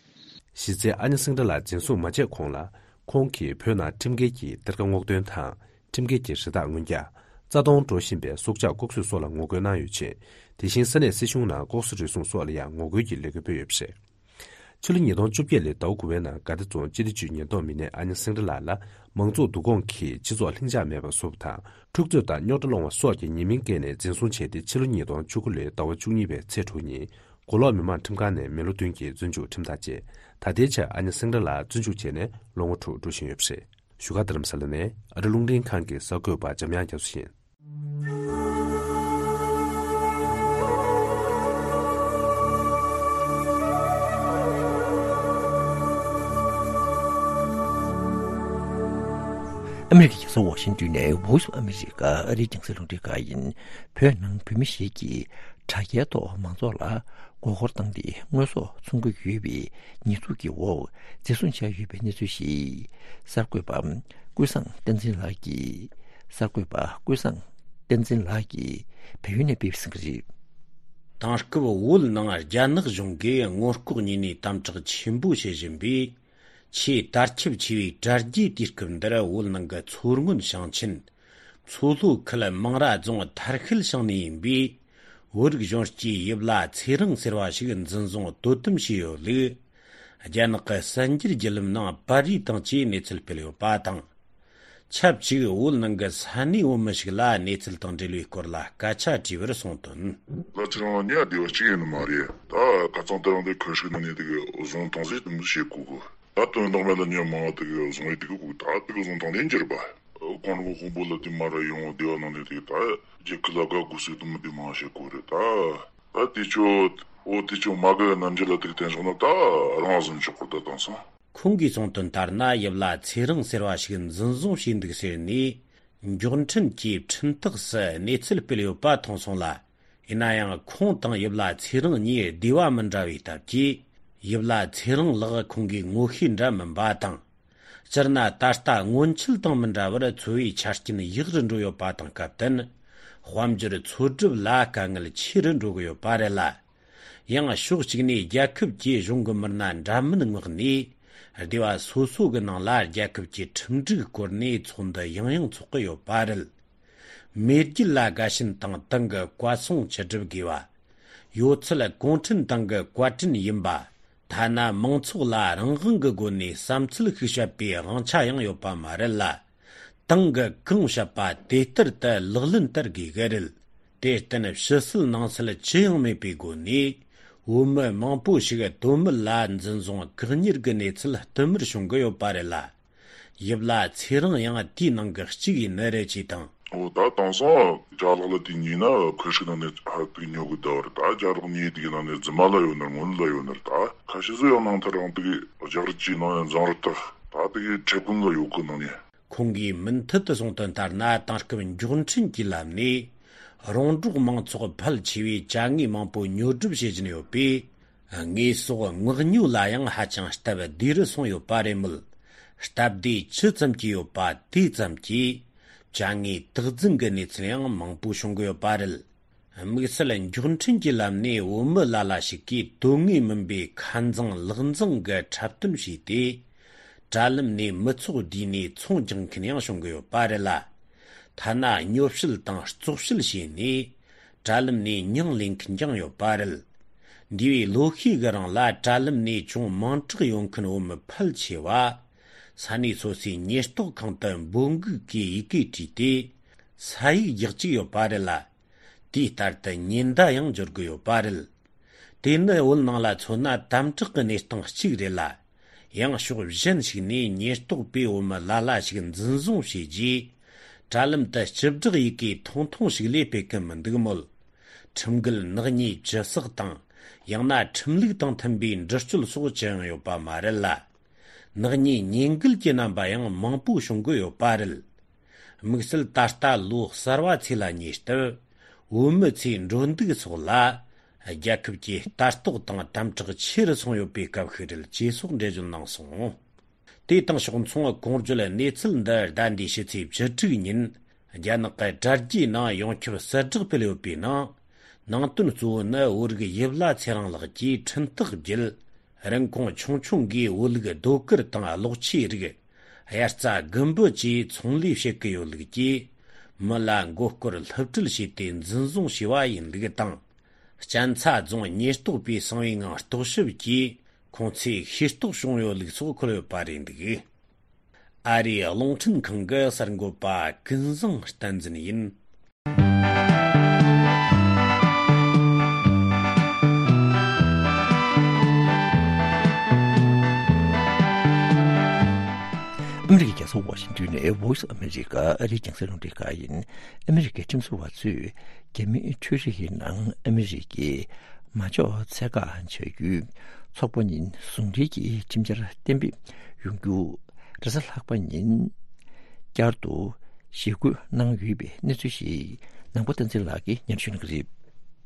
གཞི་རྩའི་ཨ་ཉ་སེང་ར་ལགས་འཛིན་བཟུང་མ་བྱས་གོང་ལ་ཁོང་གིས་བོད་ནང་ཁྲིམས་འགལ་གྱི་གཏེར་ཁ་སྔོག་འདོན་དང་། ཁྲིམས་འགལ་གྱི་རི་དྭགས་རྔོན་རྒྱག་རྩ་སྟོང་འགྲོ་བཞིན་པའི་སྲོག་ཆགས་ལྐོག་གསོད་སོགས་ལ་ངོ་རྒོལ་གནང་ཡོད་ཅིང་། དེ་བཞིན་ས་གནས་སྲིད་གཞུང་ནང་ལྐོག་ཟ་རུལ་སུངས་སོགས་ལ་ཡང་ངོ་རྒོལ་གྱི་ལས་འགུལ་སྤེལ་ཡོད་པ་རེད། ཕྱི་ལོ་ཉིས་སྟོང་བཅོ་བརྒྱད་ལོའི་ཟླ་བ་དགུ་པའི་ནང་དགའ་བདེ་རྫོང་སྤྱི་བདེ་ཅུས་ཉེན་རྟོག་མི་སྣས་ཨ་ཉ་སེང་ར་ལགས་ལ་མང་གཙོ་བསྡུ་སྐོང་གིས་སྤྱི་ཚོགས་ལྷིང་འཇགས་མེད་པར་བཟོ་བ་དང་། འཁྲུག་རྩོད་དང་རྙོག་དྲ་སློང་བ་སོགས་ཀྱི་ཉེས་མིང་བཀལ་ནས་འཛིན་བཟུང་བྱས་ཏེ་ཕྱི་ལོ་ཉིས་སྟོང་བཅུ་དགུ་ལོའི་ཟླ་བ་བཅུ་གཉིས་པའི་ཚེས་དྲུག་ཉིན་མགོ་ལོག་མི་དམངས་ཁྲིམས་ཁང་ནས་མི་ལོ་བདུན་གྱི་བཙོན་འཇུག་ཁྲིམས་ཐག་བཅད། ད་ལྟའི་ཆར་ཨ་ཉ་སེང་ར་ལགས་བཙོན་འཇུག་བྱས་ནས་ལོ་ངོ་དྲུག་འགྲོ་བཞིན་ཡོད་པ་རེད། བཞུགས་སྒར་རྡ་རམ་ས་ལ་ནས་ཨ་རི་རླུང་འཕྲིན་ཁང་གི་གསར་འགོད་པ་འཇམ་དབྱངས་རྒྱ་མཚོ་ཡིན། ཨ་མེ་རི་ཁའི་རྒྱལ་ས་ཝ་ཤིང་ཏོན་ནས་Voice of America ཨ་རིའི་རྒྱང་སྲིང་རླུང་འཕྲིན་ཁང་ཡིན། བོད་ནང་བོད་མི་ཞིག་གིས་དྲ་རྒྱའི་ཐོག་མང་ཚོགས་ལ་མགོ་སྐོར་བཏང་སྟེ་དངོས་ཟོག་འཚོང་གི་ཡོད་པའི་ཉེས་འཛུགས་ཀྱི་འོག་འཛིན་བཟུང་བྱས་ཡོད་པའི་གནས་ཚུལ་ཞིག་གསར་འགོད་པ་ཀུན་བཟང་བསྟན་འཛིན་ལགས་ཀྱིས། གསར་འགོད་པ་ཀུན་བཟང་བསྟན་འཛིན་ལགས་ཀྱིས་བལ་ཡུལ་ནས་སྤེལ་ཟིན་གྱི་རེད། དེང་སྐབས་བོད་ནང་རྒྱ་ནག་གཞུང་གིས་སྔོན་ལྐོག་ཉིད་ནས་དམ་དྲག་ཆེན་པོ་བྱེད་བཞིན་པའི་ཆེས་དར་ཁྱབ་ཆེ་བའི་དྲ་རྒྱའི་དུས་སྐབས་འདིར་བོད་ནང་གི་མཚོ་སྔོན་ཞིང་ཆེན་མཚོ་ལྷོ་ཁུལ་མང་ར་རྫོང་ཐར་ཤུལ་ཞིང་ནས་ཡིན་པའི་བོད་རིགས་གཞོན་སྐྱེས་ཡིབ་ལ་ཚེ་རིང་ཟེར་བ་ཞིག་འཛིན་བཟུང་དོ་དམ་བྱས་ཡོད་ལུགས། རྒྱ་ནག་གི་གསར་འགྱུར་བརྒྱུད་ལམ་ནང་པར་རིས་དང་བཅས་གནས་ཚུལ་སྤེལ་ཡོད་པ་དང་། ཆབས་ཅིག་བོད་ནང་གི་ས་གནས་བོད་མི་ཞིག་ལ་གནས་ཚུལ་དང་འབྲེལ་བའི་སྐོར་ལ་སྐད་ཆ་དྲིས་པར་གསུངས་དོན། ལ་ཚེ་རིང་ལ་ཉེ་བ་བདེ་བ་གཅིག་ཡིན་ནི་མ་རེད། ད་ཁ་སང་དེ་རིང་འདི་ཁུལ་ཞིག་ནང་ནས་དེ་བཟུང་བཏང་ཟེར་དེ་མོ་བཤད་གོ་གི། ད་དོན་དག་མེད་ལ་ཉེ་མང་བ་དེ་བཟུང་ཡོད་དེ་གི་གོ་གི། ད་དེ་གི་བཟུང་བཏང་དེ་འགྱུར་བ། ཁོང་རང་དཔོན་པོ་ལ་དེ་མ་ར་ཡོང་བ་བདེ་བ་ནང་ནས་དེ་ད་རྒྱལ་ཁབ་ལ་དགའ་དགོས་ཟེར་དེ་མོ་དེ་མང་བཤད་གོ་རེད་ད། ད་དེ་ཆོ་འོ་དེ་ཆོ་མ་དགའ་རྣམ་འགྱུར་ལ་དེ་གི་བརྟེན་སོང་ན་ད་རང་བཟུང་ཆོག་གོ་ད་དེང་སང་། ཁོང་གིས་གསུངས་དོན་ལྟར་ན་ཡིབ་ལ་ཚེ་རིང་ཟེར་བ་ཞིག་འཛིན་བཟུང་བྱས་འདུག་ཟེར་ནས་མགྱོགས་འཕྲིན་གྱི་འཕྲིན་སྟེགས་སུ་གནས་ཚུལ་སྤེལ་ཡོད་པ་མཐོང་སོང་ལ། ཡིན་ན་ཡང་ཁོང་དང་ཡིབ་ལ་ཚེ་རིང་གཉིས་སྡེ་བ་མི་འདྲ་བའི་སྟབས་ཀྱིས་ཡིབ་ལ་ཚེ་རིང་ལགས་ཁོང་གིས་ངོ་ཤེས་འདྲ་མིན་པ་དང་། སྤྱིར་ན་ད་ལྟ་སྔོན་ཆད་དང་མི་འདྲ་བར་འཚོ་བའི་ཆ་རྐྱེན་ཡག་རུ་འགྲོ་ཡོད་པ་དང་སྐབས་བསྟུན། དཔལ་འབྱོར་འཚོ་སྒྲུབ་ལ་དཀའ་ངལ་ཆེ་རུ་འགྲོ་གི་ཡོད་པ་རེད་ལ། ཡང་ཕྱོགས་གཅིག་ནས་རྒྱལ་ཁབ་ཀྱིས་གཞུང་གི་མི་སྣ་འདྲ་མིན་མངགས་ནས། སྡེ་བ་སོ་སོ་གི་ནང་ལ་རྒྱལ་ཁབ་ཀྱི་ཁྲིམས་སྒྲིག་སྐོར་ནས་ཚོགས་འདུ་ཡང་ཡང་འཚོགས་ཀྱི་ཡོད་པ་རེད། མེས་རྒྱལ་ལ་དགའ་ཞེན་དང་ཏང་གི་བཀའ་གསུང་ཅི་སྒྲུབ་དགོས་པ། ཡོད་ཚད་གུང་ཁྲན་ཏང་གི་བཀའ་དྲིན་ཡིན་པ། ཐ་ན་མང་ཚོགས་ལ་རང་དབང་གི་སྒོ་ནས་བསམ་ཚུལ་ཤིག་བཤད་པའི་དབང་ཆ་ཡང་ཡོད་པ་མ་རེད་ལ། ཏང་གི་གང་བཤད་པ་དེ་ལྟར་དུ་ལག་ལེན་བསྟར་དགོས་ཀྱི་རེད། དེར་བརྟེན་ཕྱི་སྲིད་ནང་སྲིད་ཅི་ཡང་མེད་པའི་སྒོ་ནས་བོད་མི་མང་པོ་ཞིག་དོན་མེད་ལ་འཛིན་བཟུང་བཀག་ཉར་གྱི་གནས་ཚུལ་བསྟུད་མར་བྱུང་གི་ཡོད་པ་རེད་ལ། ཡིབ་ལ་ཚེ་རིང་ཡང་དེའི་ནང་གི་གཅིག་ཡིན་ནི་རེད་ཅེས་དང་། འོ་ད་དེང་སང་ཅ་ལག་ལ་དེ་ཉོས་ན་ཁོ་ཤི་ནང་ནས་ཧ་ཏིག་ཉོ་གི་ད་བར་ད་ཅ་ལག་ཉོས་དེ་གི་ནང་ནས་རྫུན་མ་ལ་ཡོད་ནར་དངོས་གནས་ལ་ཡོད་ནར་ད་ཁ་ཤས་སུ་ཡང་ནང་ཐར་རང་དེ་གི་རྒྱག་རེས་ཀྱི་ནང་ཡང་འཛིང་རེས་ད་ད་དེ་གི་ཁྲེ་ཀུན་ལ་ཡོད་གི་ནང་ནས། ཁོང་གིས་མུ་མཐུད་དུ་གསུངས་དོན་ལྟར་ན་དེང་སྐབས་མགྱོགས་འཕྲིན་གྱི་ལམ་ནས་རོང་འབྲོག་མང་ཚོགས་ཕལ་ཆེ་བས་ཅ་དངོས་མང་པོ་ཉོ་སྒྲུབ་བྱེད་བཞིན་ཡོད་པས། དངོས་ཟོག་མངགས་ཉོ་ལ་ཡང་ཧ་ཅང་སྟབས་བདེ་རུ་སོང་ཡོད་པ་རེད་མོད། སྟབས་བདེ་ཇི་ཙམ་གྱིས་ཡོད་པ་དེ་ཙམ་གྱིས་ཅ་དངོས་དག་འཛིན་གྱི་གནས་ཚུལ་ཡང་མང་པོ་བྱུང་གི་ཡོད་པ་རེད། དམིགས་བསལ་མགྱོགས་འཕྲིན་གྱི་ལམ་ནས་བོད་མི་ལ་ལ་ཞིག་གིས་དོན་དངོས་མིན་པའི་ཁ་འཛིང་ལག་འཛིང་གི་འཁྲབ་སྟོན་བྱས་ཏེ། དྲ་ལམ་ནས་མི་ཚོགས་བསྡུས་ནས་ཚོང་རྒྱག་མཁན་ཡང་བྱུང་གི་ཡོད་པ་རེད་ལ། ཐ་ན་སྨྱོ་བཤད་དང་བཙོག་བཤད་བྱས་ནས་དྲ་ལམ་ནས་མྱིང་ལེན་མཁན་ཀྱང་ཡོད་པ་རེད། འདས་པའི་ལོ་ཤས་ཀྱི་རིང་ལ་དྲ་ལམ་ནས་ཅུང་མིང་གྲགས་ཡོད་མཁན་བོད་མི་ཕལ་ཆེ་བ། ས་གནས་སོ་སོའི་ཉེན་རྟོག་ཁང་དུ་འབོད་འགུག་གི་ཡི་གེ་བྲིས་ཏེ། ས་ཡིག་རྒྱག་བཅུག་ཡོད་པ་རེད་ལ། དེའི་ལྟར་དུ་ཉེན་བརྡ་ཡང་འབྱོར་གི་ཡོད་པ་རེད། དེ་ནི་བོད་ནང་ལ་མཚོན་ན་དམ་དྲག་གི་གནས་སྟངས་གཅིག་རེད་ལ། ཡང་ཕྱོགས་གཞན་ཞིག་ནས་ཉེན་རྟོག་པས་བོད་མི་ལ་ལ་ཞིག་འཛིན་བཟུང་བྱས་རྗེས། དྲ་ལམ་དུ་སྤྱི་བསྒྲགས་ཡི་གེ་ཐུང་ཐུང་ཞིག་ལས་སྤེལ་གི་མི་འདུག་མོད། ཁྲིམས་འགལ་ནག་ཉེས་ཇི་བསགས་དང་། ཡང་ན་ཁྲིམས་ལུགས་དང་མཐུན་པའི་འདྲི་གཅོད་སོགས་ཅི་ཡང་ཡོད་པ་མ་རེད་ལ། ནག་ཉེས་ཉེས་འགལ་གྱི་རྣམ་པ་ཡང་མང་པོ་བྱུང་གི་ཡོད་པ་རེད། དམིགས་བསལ་ད་ལྟ་ལོ་གསར་བ་ཚེས་ལ་ཉེ་སྟབས། བོད་མི་ཚོས་འགྲོ་འདུག་སོགས་ལ། རྒྱལ་ཁབ་ཀྱི་ལྟ་རྟོག་དང་དམ་དྲག་ཆེ་རུ་སོང་ཡོད་པའི་སྐབས་ཤིག་རེད་ཅེས་སོགས་འགྲེལ་བརྗོད་གནང་སོང་། དེ་དང་ཕྱོགས་མཚུངས་གོང་བརྗོད་གནས་ཚུལ་འདི་ཟླ་འདིའི་ཕྱི་ཚེས་བཅུ་དྲུག་ཉིན། རྒྱ་ནག་གི་དྲ་རྒྱའི་ནང་ཡོངས་ཁྱབ་གསལ་བསྒྲགས་སྤེལ་ཡོད་པའི་ནང་། ནང་དོན་གཙོ་བོ་ནི་བོད་རིགས་ཡིབ་ལ་ཚེ་རིང་ལགས་ཀྱིས་འཕྲིན་ཐག་བརྒྱུད། རིན་གོང་ཆུང་ཆུང་གིས་བོད་ལུགས་རྡོ་དཀར་དང་གློག་ཆས་རིགས། དབྱར་རྩྭ་དགུན་འབུ་བཅས་ཚོང་ལས་བྱེད་ཀྱི་ཡོད་ལུགས་ཀྱིས། མི་ལ་མགོ་སྐོར་སློབ་ཁྲིད་བྱས་ཏེ་འཛིན་བཟུང་བྱས་པ་ཡིན་ལུགས་དང་། གཅན་ཚ་རྫོང་ཉེན་རྟོག་པས་གསང་བའི་ངང་རྟོག་ཞིབ་ཀྱིས་ཁོང་ཚོས་ཤེས་རྟོགས་བྱུང་ཡོད་ལུགས་སོགས་འཁོད་ཡོད་པ་རེད་འདུག། ཨ་རིའི་རླུང་འཕྲིན་ཁང་གི་གསར་འགོད་པ་ཀུན་བཟང་བསྟན་འཛིན་ཡིན། ཨ་མི་རི་ཀའི་རྒྱལ་ས་ཝ་ཤིང་ཏོན་ནས་Voice of America ཨ་རིའི་རྒྱང་སྲིང་རླུང་འཕྲིན་ཁང་ཡིན། ཨ་མི་རི་ཀའི་ཁྲིམས་བཟོ་བ་ཚོས་རྒྱ་མིའི་འཕྲུལ་རིག་གི་ནང་ཨ་མི་རི་ཀའི་མ་འཇོག་ཚད་བཀག་བྱ་རྒྱུའི་ཚོགས་པ་གཉིས་ཟུང་འབྲེལ་གྱིས་ཁྲིམས་འཆར་གཏན་འབེབས་ཡོང་རྒྱུ། རེས་གཟའ་ལྷག་པ་ཉིན་བསྐྱར་དུ་ཞི་རྒོལ་གནང་ཡོད་པའི་གནས་ཚུལ་ཞིག་ནང་པ་བསྟན་འཛིན་ལགས་ཀྱིས་སྙན་ཞུ་གནང་གི་རེད།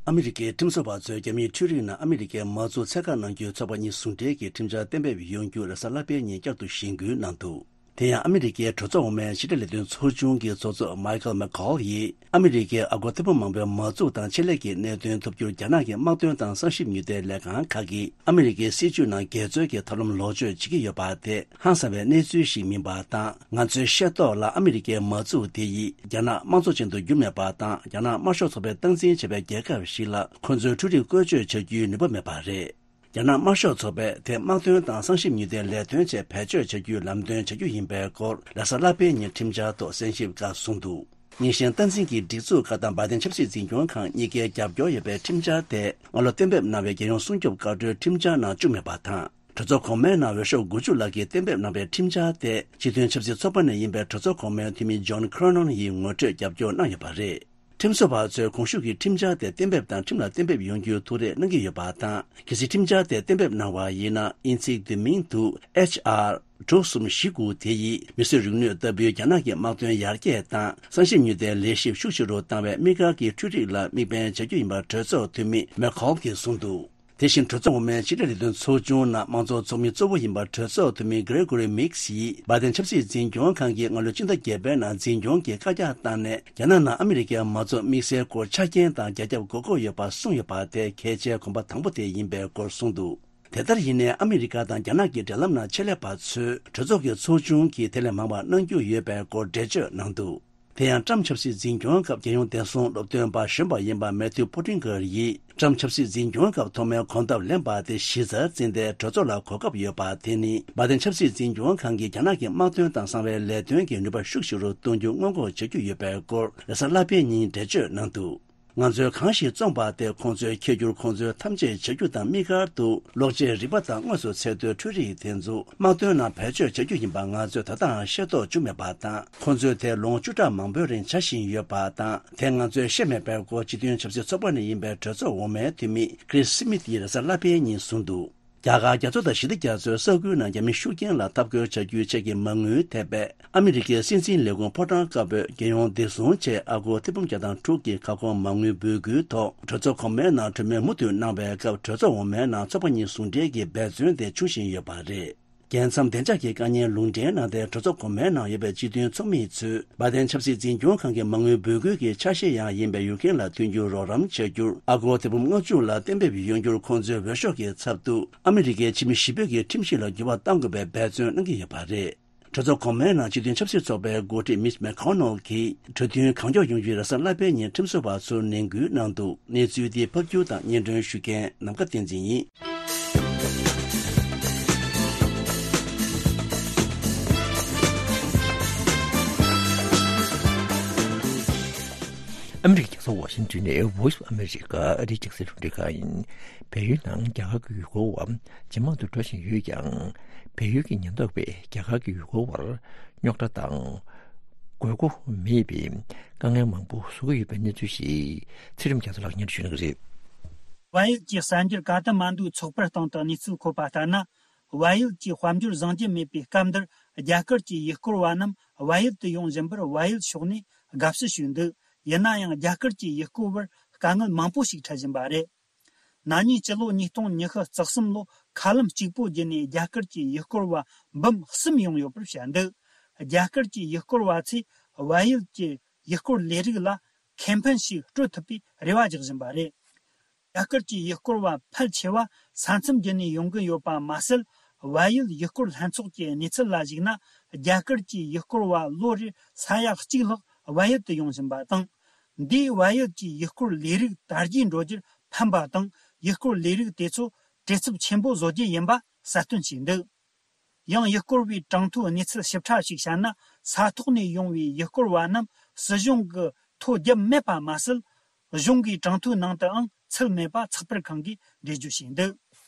ཨ་མི་རི་ཀའི་ཁྲིམས་བཟོ་བ་ཚོས་རྒྱ་མིའི་འཕྲུལ་རིག་ནང་ཨ་མི་རི་ཀའི་མ་འཇོག་ཚད་བཀག་གནང་རྒྱུའི་ཚོགས་པ་གཉིས་ཟུང་འབྲེལ་གྱིས་ཁྲིམས་འཆར་གཏན་འབེབས་ཡོང་རྒྱུ་རེས་གཟའ་ལྷག་པའི་ཉིན་བསྐྱར་དུ་གཞེན་སྐུལ་གནང་འདུག། དེ་ཡང་ཨ་མི་རི་ཀའི་གྲོས་ཚོགས་འོག་མའི་ཕྱི་དྲིལ་ལས་དོན་ཚོགས་ཆུང་གི་ཚོགས་གཙོ་Michael McCaul ཡིས། ཨ་མི་རི་ཀའི་ཨ་སྒོར་ཐེར་འབུམ་མང་པོའི་མ་འཇོག་དང་ཆེད་ལས་ཀྱི་གནད་དོན་ཐུབ་རྒྱུར་རྒྱ་ནག་གི་དམག་དོན་དང་གསང་ཞིབ་ཉུལ་ཐེབས་ལས་ཁང་ཁག་གིས་ཨ་མི་རི་ཀའི་སྲིད་བྱུས་ནང་འགལ་འཛོལ་གྱི་ཐབས་ལམ་ལོག་སྤྱོད་བྱེད་ཀྱི་ཡོད་པ་དེ་ཧང་སང་བའི་གནས་ཚུལ་ཞིག་མིན་པ་དང་། ང་ཚོའི་ཤེས་རྟོགས་ལ་ཨ་མི་རི་ཀའི་མ་འཇོག་དེ་ཡིས་རྒྱ་ནག་དམངས་གཙོ་ཅན་དུ་འགྱུར་མེད་པ་དང་། རྒྱ་ནག་དམར་ཤོག་ཚོགས་པས་སྟངས་འཛིན་བྱས་པའི་རྒྱལ་ཁབ་ཞིག་ལ་ཁོ་ཚོའི་འཕྲུལ་རིག་བཀོལ་སྤྱོད་བྱ་རྒྱུའི་ནུས་པ་མེད་པ་རེད། རྒྱ་ནག་དམར་ཤོག་ཚོགས་པས་དེ་དམག་དོན་དང་གསང་ཞིབ་ཉུལ་ཐེབས་ལས་དོན་ཆེད་བེད་སྤྱོད་བྱ་རྒྱུའི་ལམ་སྟོན་བྱ་རྒྱུ་ཡིན་པའི་སྐོར་རེས་གཟའ་ལྷག་པའི་ཉིན་ཁྲིམས་འཆར་ཐོག་གསན་ཞིབ་སྐབས་གསུངས་འདུག། ཉིན་ཤས་སྟངས་འཛིན་གྱི་སྒྲིག་འཛུགས་ཁག་དང་བའི་ཏན་ཆབ་སྲིད་འཛིན་སྐྱོང་ཁང་གཉིས་ཀའི་རྒྱབ་སྐྱོར་ཡོད་པའི་ཁྲིམས་འཆར་དེ་སྔ་ལོ་གཏན་འབེབས་གནང་བའི་རྒྱལ་ཡོངས་སྲུང་སྐྱོབ་བཀའ་འཁྲོལ་ཁྲིམས་འཆར་ནང་བཅུག་མེད་པ་དང་། གྲོས་ཚོགས་གོང་མའི་ནང་འོས་ཤོག་དགུ་བཅུ་ལྷག་གིས་གཏན་འབེབས་གནང་བའི་ཁྲིམས་འཆར་དེ་སྤྱི་མཐུན་ཆབ་སྲིད་ཚོགས་པ་ནས་ཡིན་པའི་གྲོས་ཚོགས་གོང་མའི་འཐུས་མི་John Cornyn ཡིས་ངོ་སྤྲོད་རྒྱབ་སྐྱོར་གནང་ཡོད་པ་རེད། ཁྲིམས་བཟོ་བ་ཚོས་གོང་ཞུས་ཀྱི་ཁྲིམས་འཆར་དེ་གཏན་འབེབས་དང་ཁྲིམས་ལ་གཏན་འབེབས་ཡོང་རྒྱུའི་ཐུགས་རེ་གནང་གི་ཡོད་པ་དང་། གལ་སྲིད་ཁྲིམས་འཆར་དེ་གཏན་འབེབས་གནང་བ་ཡིན་ན། དབྱིན་ཚིག་བསྡུས་མིང་དུ་H R དྲུག་གསུམ་བཞི་དགུ་དེ་ཡིས་མིས་བཟོས་རིག་ནུས་ལྟ་བུའི་རྒྱ་ནག་གི་དམག་དོན་ཡར་རྒྱས་དང་གསང་ཞིབ་ཉུལ་ཐེབས་ལས་གཞི་ཤུགས་ཆེ་རུ་བཏང་བའི་དམིགས་བཀར་གྱི་འཕྲུལ་རིག་ལ་དམིགས་འབེན་བྱ་རྒྱུ་ཡིན་པ་གྲོས་ཚོགས་འཐུས་མི་McCaul གྱིས་གསུངས་འདུག། དེ་བཞིན་གྲོས་ཚོགས་འོག་མའི་ཕྱི་དྲིལ་ལས་དོན་ཚོགས་ཆུང་ནང་དམངས་གཙོ་ཚོགས་མི་གཙོ་བོ་ཡིན་པ་གྲོས་ཚོགས་འཐུས་མི་Gregory Meeks ཡིས་བའི་ཏན་ཆབ་སྲིད་འཛིན་སྐྱོང་ཁང་གིས་སྔ་ལོ་སྤྱི་ཟླ་བརྒྱད་པའི་ནང་འཛིན་སྐྱོང་གི་བཀའ་རྒྱ་བཏང་ནས་རྒྱ་ནག་ནང་ཨ་མི་རི་ཀའི་མ་འཇོག་དམིགས་བསལ་སྐོར་ཆ་རྐྱེན་དང་རྒྱ་ཁྱབ་དགོས་མཁོ་ཡོད་པ་གསུངས་ཡོད་པ་དེ་གལ་ཆེའི་གོམ་པ་དང་པོ་དེ་ཡིན་པའི་སྐོར་གསུངས་འདུག། དེ་ལྟར་ཡིན་ནའི་ཨ་མི་རི་ཀ་དང་རྒྱ་ནག་གི་འབྲེལ་ལམ་ནང་ཆེད་ལས་པ་ཚོས་གྲོས་ཚོགས་ཀྱི་ཚོགས་ཆུང་གིས་དེ་ལས་མང་བ་གནང་རྒྱུ་ཡོད་པའི་སྐོར་འགྲེལ་བརྗོད་གནང་འདུག། དེ་ཡང་ཀྲམ་ཆབ་སྲིད་འཛིན་སྐྱོང་སྐབས་རྒྱལ་ཡོངས་བདེ་སྲུང་སློབ་སྟོན་པ་གཞོན་པ་ཡིན་པ་Matthew Pottinger ཡིས་ཀྲམ་ཆབ་སྲིད་འཛིན་སྐྱོང་སྐབས་ཐོག་མའི་གོམ་སྟབས་ལེན་པ་དེ་གཞི་རྩར་འཛིན་ཏེ་གྲོས་ཚོགས་ལ་གོ་སྐབས་ཡོད་པ་དེ་ནི་བའི་ཏན་ཆབ་སྲིད་འཛིན་སྐྱོང་ཁང་གིས་རྒྱ་ནག་གི་དམག་དོན་དང་གསང་བའི་ལས་དོན་གྱི་ནུས་པ་ཤུགས་ཆེ་རུ་གཏོང་རྒྱུ་སྔོན་འགོག་བྱ་རྒྱུ་ཡོད་པའི་སྐོར་རེས་གཟའ་ལྷག་པའི་ཉིན་འགྲེལ་བརྗོད་གནང་འདུག། ང་ཚོས་གང་ཞིག་བཙོངས་པ་དེ་ཁོང་ཚོས་འཁྱེར་རྒྱུར་ཁོང་ཚོས་ཐམས་ཅད་བྱ་རྒྱུ་དང་དམིགས་བཀར་དུ་གློག་ཆས་རིག་པ་དང་དངོས་སུ་ཚད་མཐོའི་འཕྲུལ་རིག་དེ་ཚོ་དམག་དོན་ནང་བེད་སྤྱོད་བྱ་རྒྱུ་ཡིན་པ་ང་ཚོས་ད་ལྟའང་ཤེས་རྟོགས་བྱུང་མེད་པ་དང་། ཁོང་ཚོས་དེ་ལོ་ངོ་བཅུ་ཕྲག་མང་པོའི་རིང་བྱ་བཞིན་ཡོད་པ་དང་། དེ་ང་ཚོས་ཤེས་མེད་པའི་སྐོར་སྤྱི་མཐུན་ཆབ་སྲིད་ཚོགས་པ་ནས་ཡིན་པའི་གྲོས་ཚོགས་འོག་མའི་འཐུས་མི་Chris Smith ཡིས་རེས་གཟའ་ལྷག་པའི་ཉིན་གསུངས་འདུག། རྒྱ་གར་རྒྱ་མཚོ་དང་ཞི་བདེ་རྒྱ་མཚོའི་ས་ཁུལ་ནང་རྒྱ་མི་ཤུགས་རྐྱེན་ལ་འཐབ་རྒོལ་བྱ་རྒྱུའི་ཆེད་ཀྱི་མ་དངུལ་ཐེབས་པས། ཨ་མི་རི་ཀའི་སྲིད་འཛིན་ལས་ཁུངས་ཕོ་བྲང་དཀར་པོས་རྒྱལ་ཡོངས་བདེ་སྲུང་ཆེད་ཨ་སྒོར་ཐེར་འབུམ་བརྒྱ་དང་དྲུག་གི་ཁ་སྐོང་མ་དངུལ་འབུལ་སྐུལ་ཐོག་གྲོས་ཚོགས་གོང་མའི་ནང་གྲོས་མོལ་མུ་མཐུད་གནང་བའི་སྐབས། གྲོས་ཚོགས་འོག་མའི་ནང་ཚོགས་པ་གཉིས་ཟུང་འབྲེལ་གྱི་འབད་བརྩོན་དེ་འབྱུང་བཞིན་ཡོད་པ་རེད། རྒྱལ་མཚམས་བདེ་འཇགས་ཀྱི་དཀའ་ཉེན་ལུང་འདྲེན་གནང་སྟེ། གྲོས་ཚོགས་གོང་མའི་ནང་ཡོད་པའི་སྤྱི་མཐུན་ཚོགས་མི་ཚོས་བྷའི་ཏན་ཆབ་སྲིད་འཛིན་སྐྱོང་ཁང་གི་མ་དངུལ་འབོད་སྐུལ་གྱི་ཆ་ཤས་ཡང་ཡིན་པའི་ཡུཀ་རེན་ལ་མཐུན་འགྱུར་རོགས་རམ་བྱ་རྒྱུར་ཨ་སྒོར་ཐེར་འབུམ་ལྔ་བཅུ་ལ་གཏན་འབེབས་ཡོང་རྒྱུར་ཁོང་ཚོའི་འོས་ཤོག་གི་ཚབ་ཏུ་ཨ་མི་རི་ཀའི་ཕྱི་མི་བཞི་པོ་གི་ཁྲིམས་གཞི་ལ་འགྱུར་བ་གཏང་དགོས་པའི་འབད་བརྩོན་གནང་གི་ཡོད་པ་རེད། གྲོས་ཚོགས་གོང་མའི་ནང་སྤྱི་མཐུན་ཆབ་སྲིད་ཚོགས་པའི་འགོ་ཁྲིད་མིཆ་མེ་ཁོ་ནོ་གིས་གྲོས་མཐུན་གང་མགྱོགས་ཡོང་རྒྱུའི་རེ་ས་བསླབ་པའི་ཉིན་ཁྲིམས་བཟོ་བ་ཚོར་ནན་སྐུལ་གནང་འདུག་གནས་ཚུལ་འདི་ཕབ་སྒྱུར་དང་སྙན་སྒྲོན་ཞུ་མཁན་ནམ་མཁའ་བསྟན་འཛིན་ཡིན། ཨ་མི་རི་ཀའི་རྒྱལ་ས་ཝ་ཤིང་ཏོན་ནས་Voice of America ཨ་རིའི་རྒྱང་སྲིང་རླུང་འཕྲིན་ཁང་ཡིན། བལ་ཡུལ་ནང་རྒྱ་གར་གྱི་ཡུལ་སྐོར་བ་ཇེ་མང་དུ་འགྲོ་བཞིན་ཡོད་ཀྱང་། བལ་ཡུལ་གྱི་ཉེན་རྟོག་པས་རྒྱ་གར་གྱི་ཡུལ་སྐོར་བར་རྙོག་དྲ་དང་དགོས་མཁོ་མེད་པའི་དཀའ་ངལ་མང་པོ་བཟོ་གི་ཡོད་པའི་གནས་ཚུལ་ཞིག་ཚེ་རིང་རྒྱ་མཚོ་ལགས་སྙན་སྒྲོན་ཞུ་གནང་གི་རེད། བལ་ཡུལ་གྱི་གསར་འགྱུར་ཀ་ཐ་མན་ཌུའི་ཚོགས་པར་སྟེང་དུ་གནས་ཚུལ་འཁོད་པ་ལྟར་ན། བལ་ཡུལ་གྱི་དཔལ་འབྱོར་བཟང་རྒྱུ་མེད་པའི་སྐབས་འདིར། རྒྱ་གར་གྱི་ཡུལ་སྐོར་བ་རྣམས་བལ་ཡུལ་དུ་ཡོང་བཞིན་པར་བལ་ཡུལ་ཕྱོགས་ནས་དགའ་བསུ་ཞུས་འདུག་ཡིན་ན་ཡང་། རྒྱ་གར་གྱི་ཡུལ་སྐོར་བར་དཀའ་ངལ་མང་པོ་ཞིག་འཕྲད་བཞིན་པ་རེད། ན་ནིང་སྤྱི་ལོ་ཉིས་སྟོང་ཉི་ཤུ་རྩ་གསུམ་ལོ་མཁའ་ལམ་གཅིག་པོ་བརྒྱུད་ནས་རྒྱ་གར་གྱི་ཡུལ་སྐོར་བ་འབུམ་གསུམ་ཡོང་ཡོད་པར་བཤད་འདུག་རྒྱ་གར་གྱི་ཡུལ་སྐོར་བ་ཚོས་བལ་ཡུལ་གྱི་ཡུལ་སྐོར་ལས་རིགས་ལ་ཁེ་ཕན་ཞིག་སྤྲོད་ཐུབ་པའི་རེ་བ་རྒྱག་བཞིན་པ་རེད། རྒྱ་གར་གྱི་ཡུལ་སྐོར་བ་ཕལ་ཆེ་བ་ས་མཚམས་བརྒྱུད་ནས་ཡོང་གི་ཡོད་པ་མ་ཟད། བལ་ཡུལ་ཡུལ་སྐོར་ལྷན་ཚོགས་ཀྱི་གནས་ཚུལ་ལ་གཞིགས་ན། རྒྱ་གར་གྱི་ཡུལ་སྐོར་བ་ལོ་རེར་ས་ཡ་གཅིག་ལྷག་བལ་ཡུལ་དུ་ཡོང་བཞིན་པ་དང་། འདིས་བལ་ཡུལ་གྱི་ཡུལ་སྐོར་ལས་རིགས་དར་རྒྱས་འགྲོ་རྒྱུར་ཕན་པ་དང་། ཡུལ་སྐོར་ལས་རིགས་དེ་ཚོ་བྲེལ་འཚུབ་ཆེན་པོ་བཟོ་རྒྱུ་ཡིན་པ་གསལ་སྟོན་བྱས་འདུག་ཡང་ཡུལ་སྐོར་བའི་གྲངས་ཐོའི་གནས་ཚུལ་ཞིབ་ཕྲ་ཞིག་བཤད་ན། ས་ཐོག་ནས་ཡོང་བའི་ཡུལ་སྐོར་བ་རྣམས་སྲིད་གཞུང་གི་ཐོ་བརྒྱབ་མེད་པ་མ་ཟད། གཞུང་གི་གྲངས་ཐོའི་ནང་དུའང་ཚུད་མེད་པ་ཚགས་པར་ཁང་གིས་འགྲེལ་བརྗོད་བྱས་འདུག་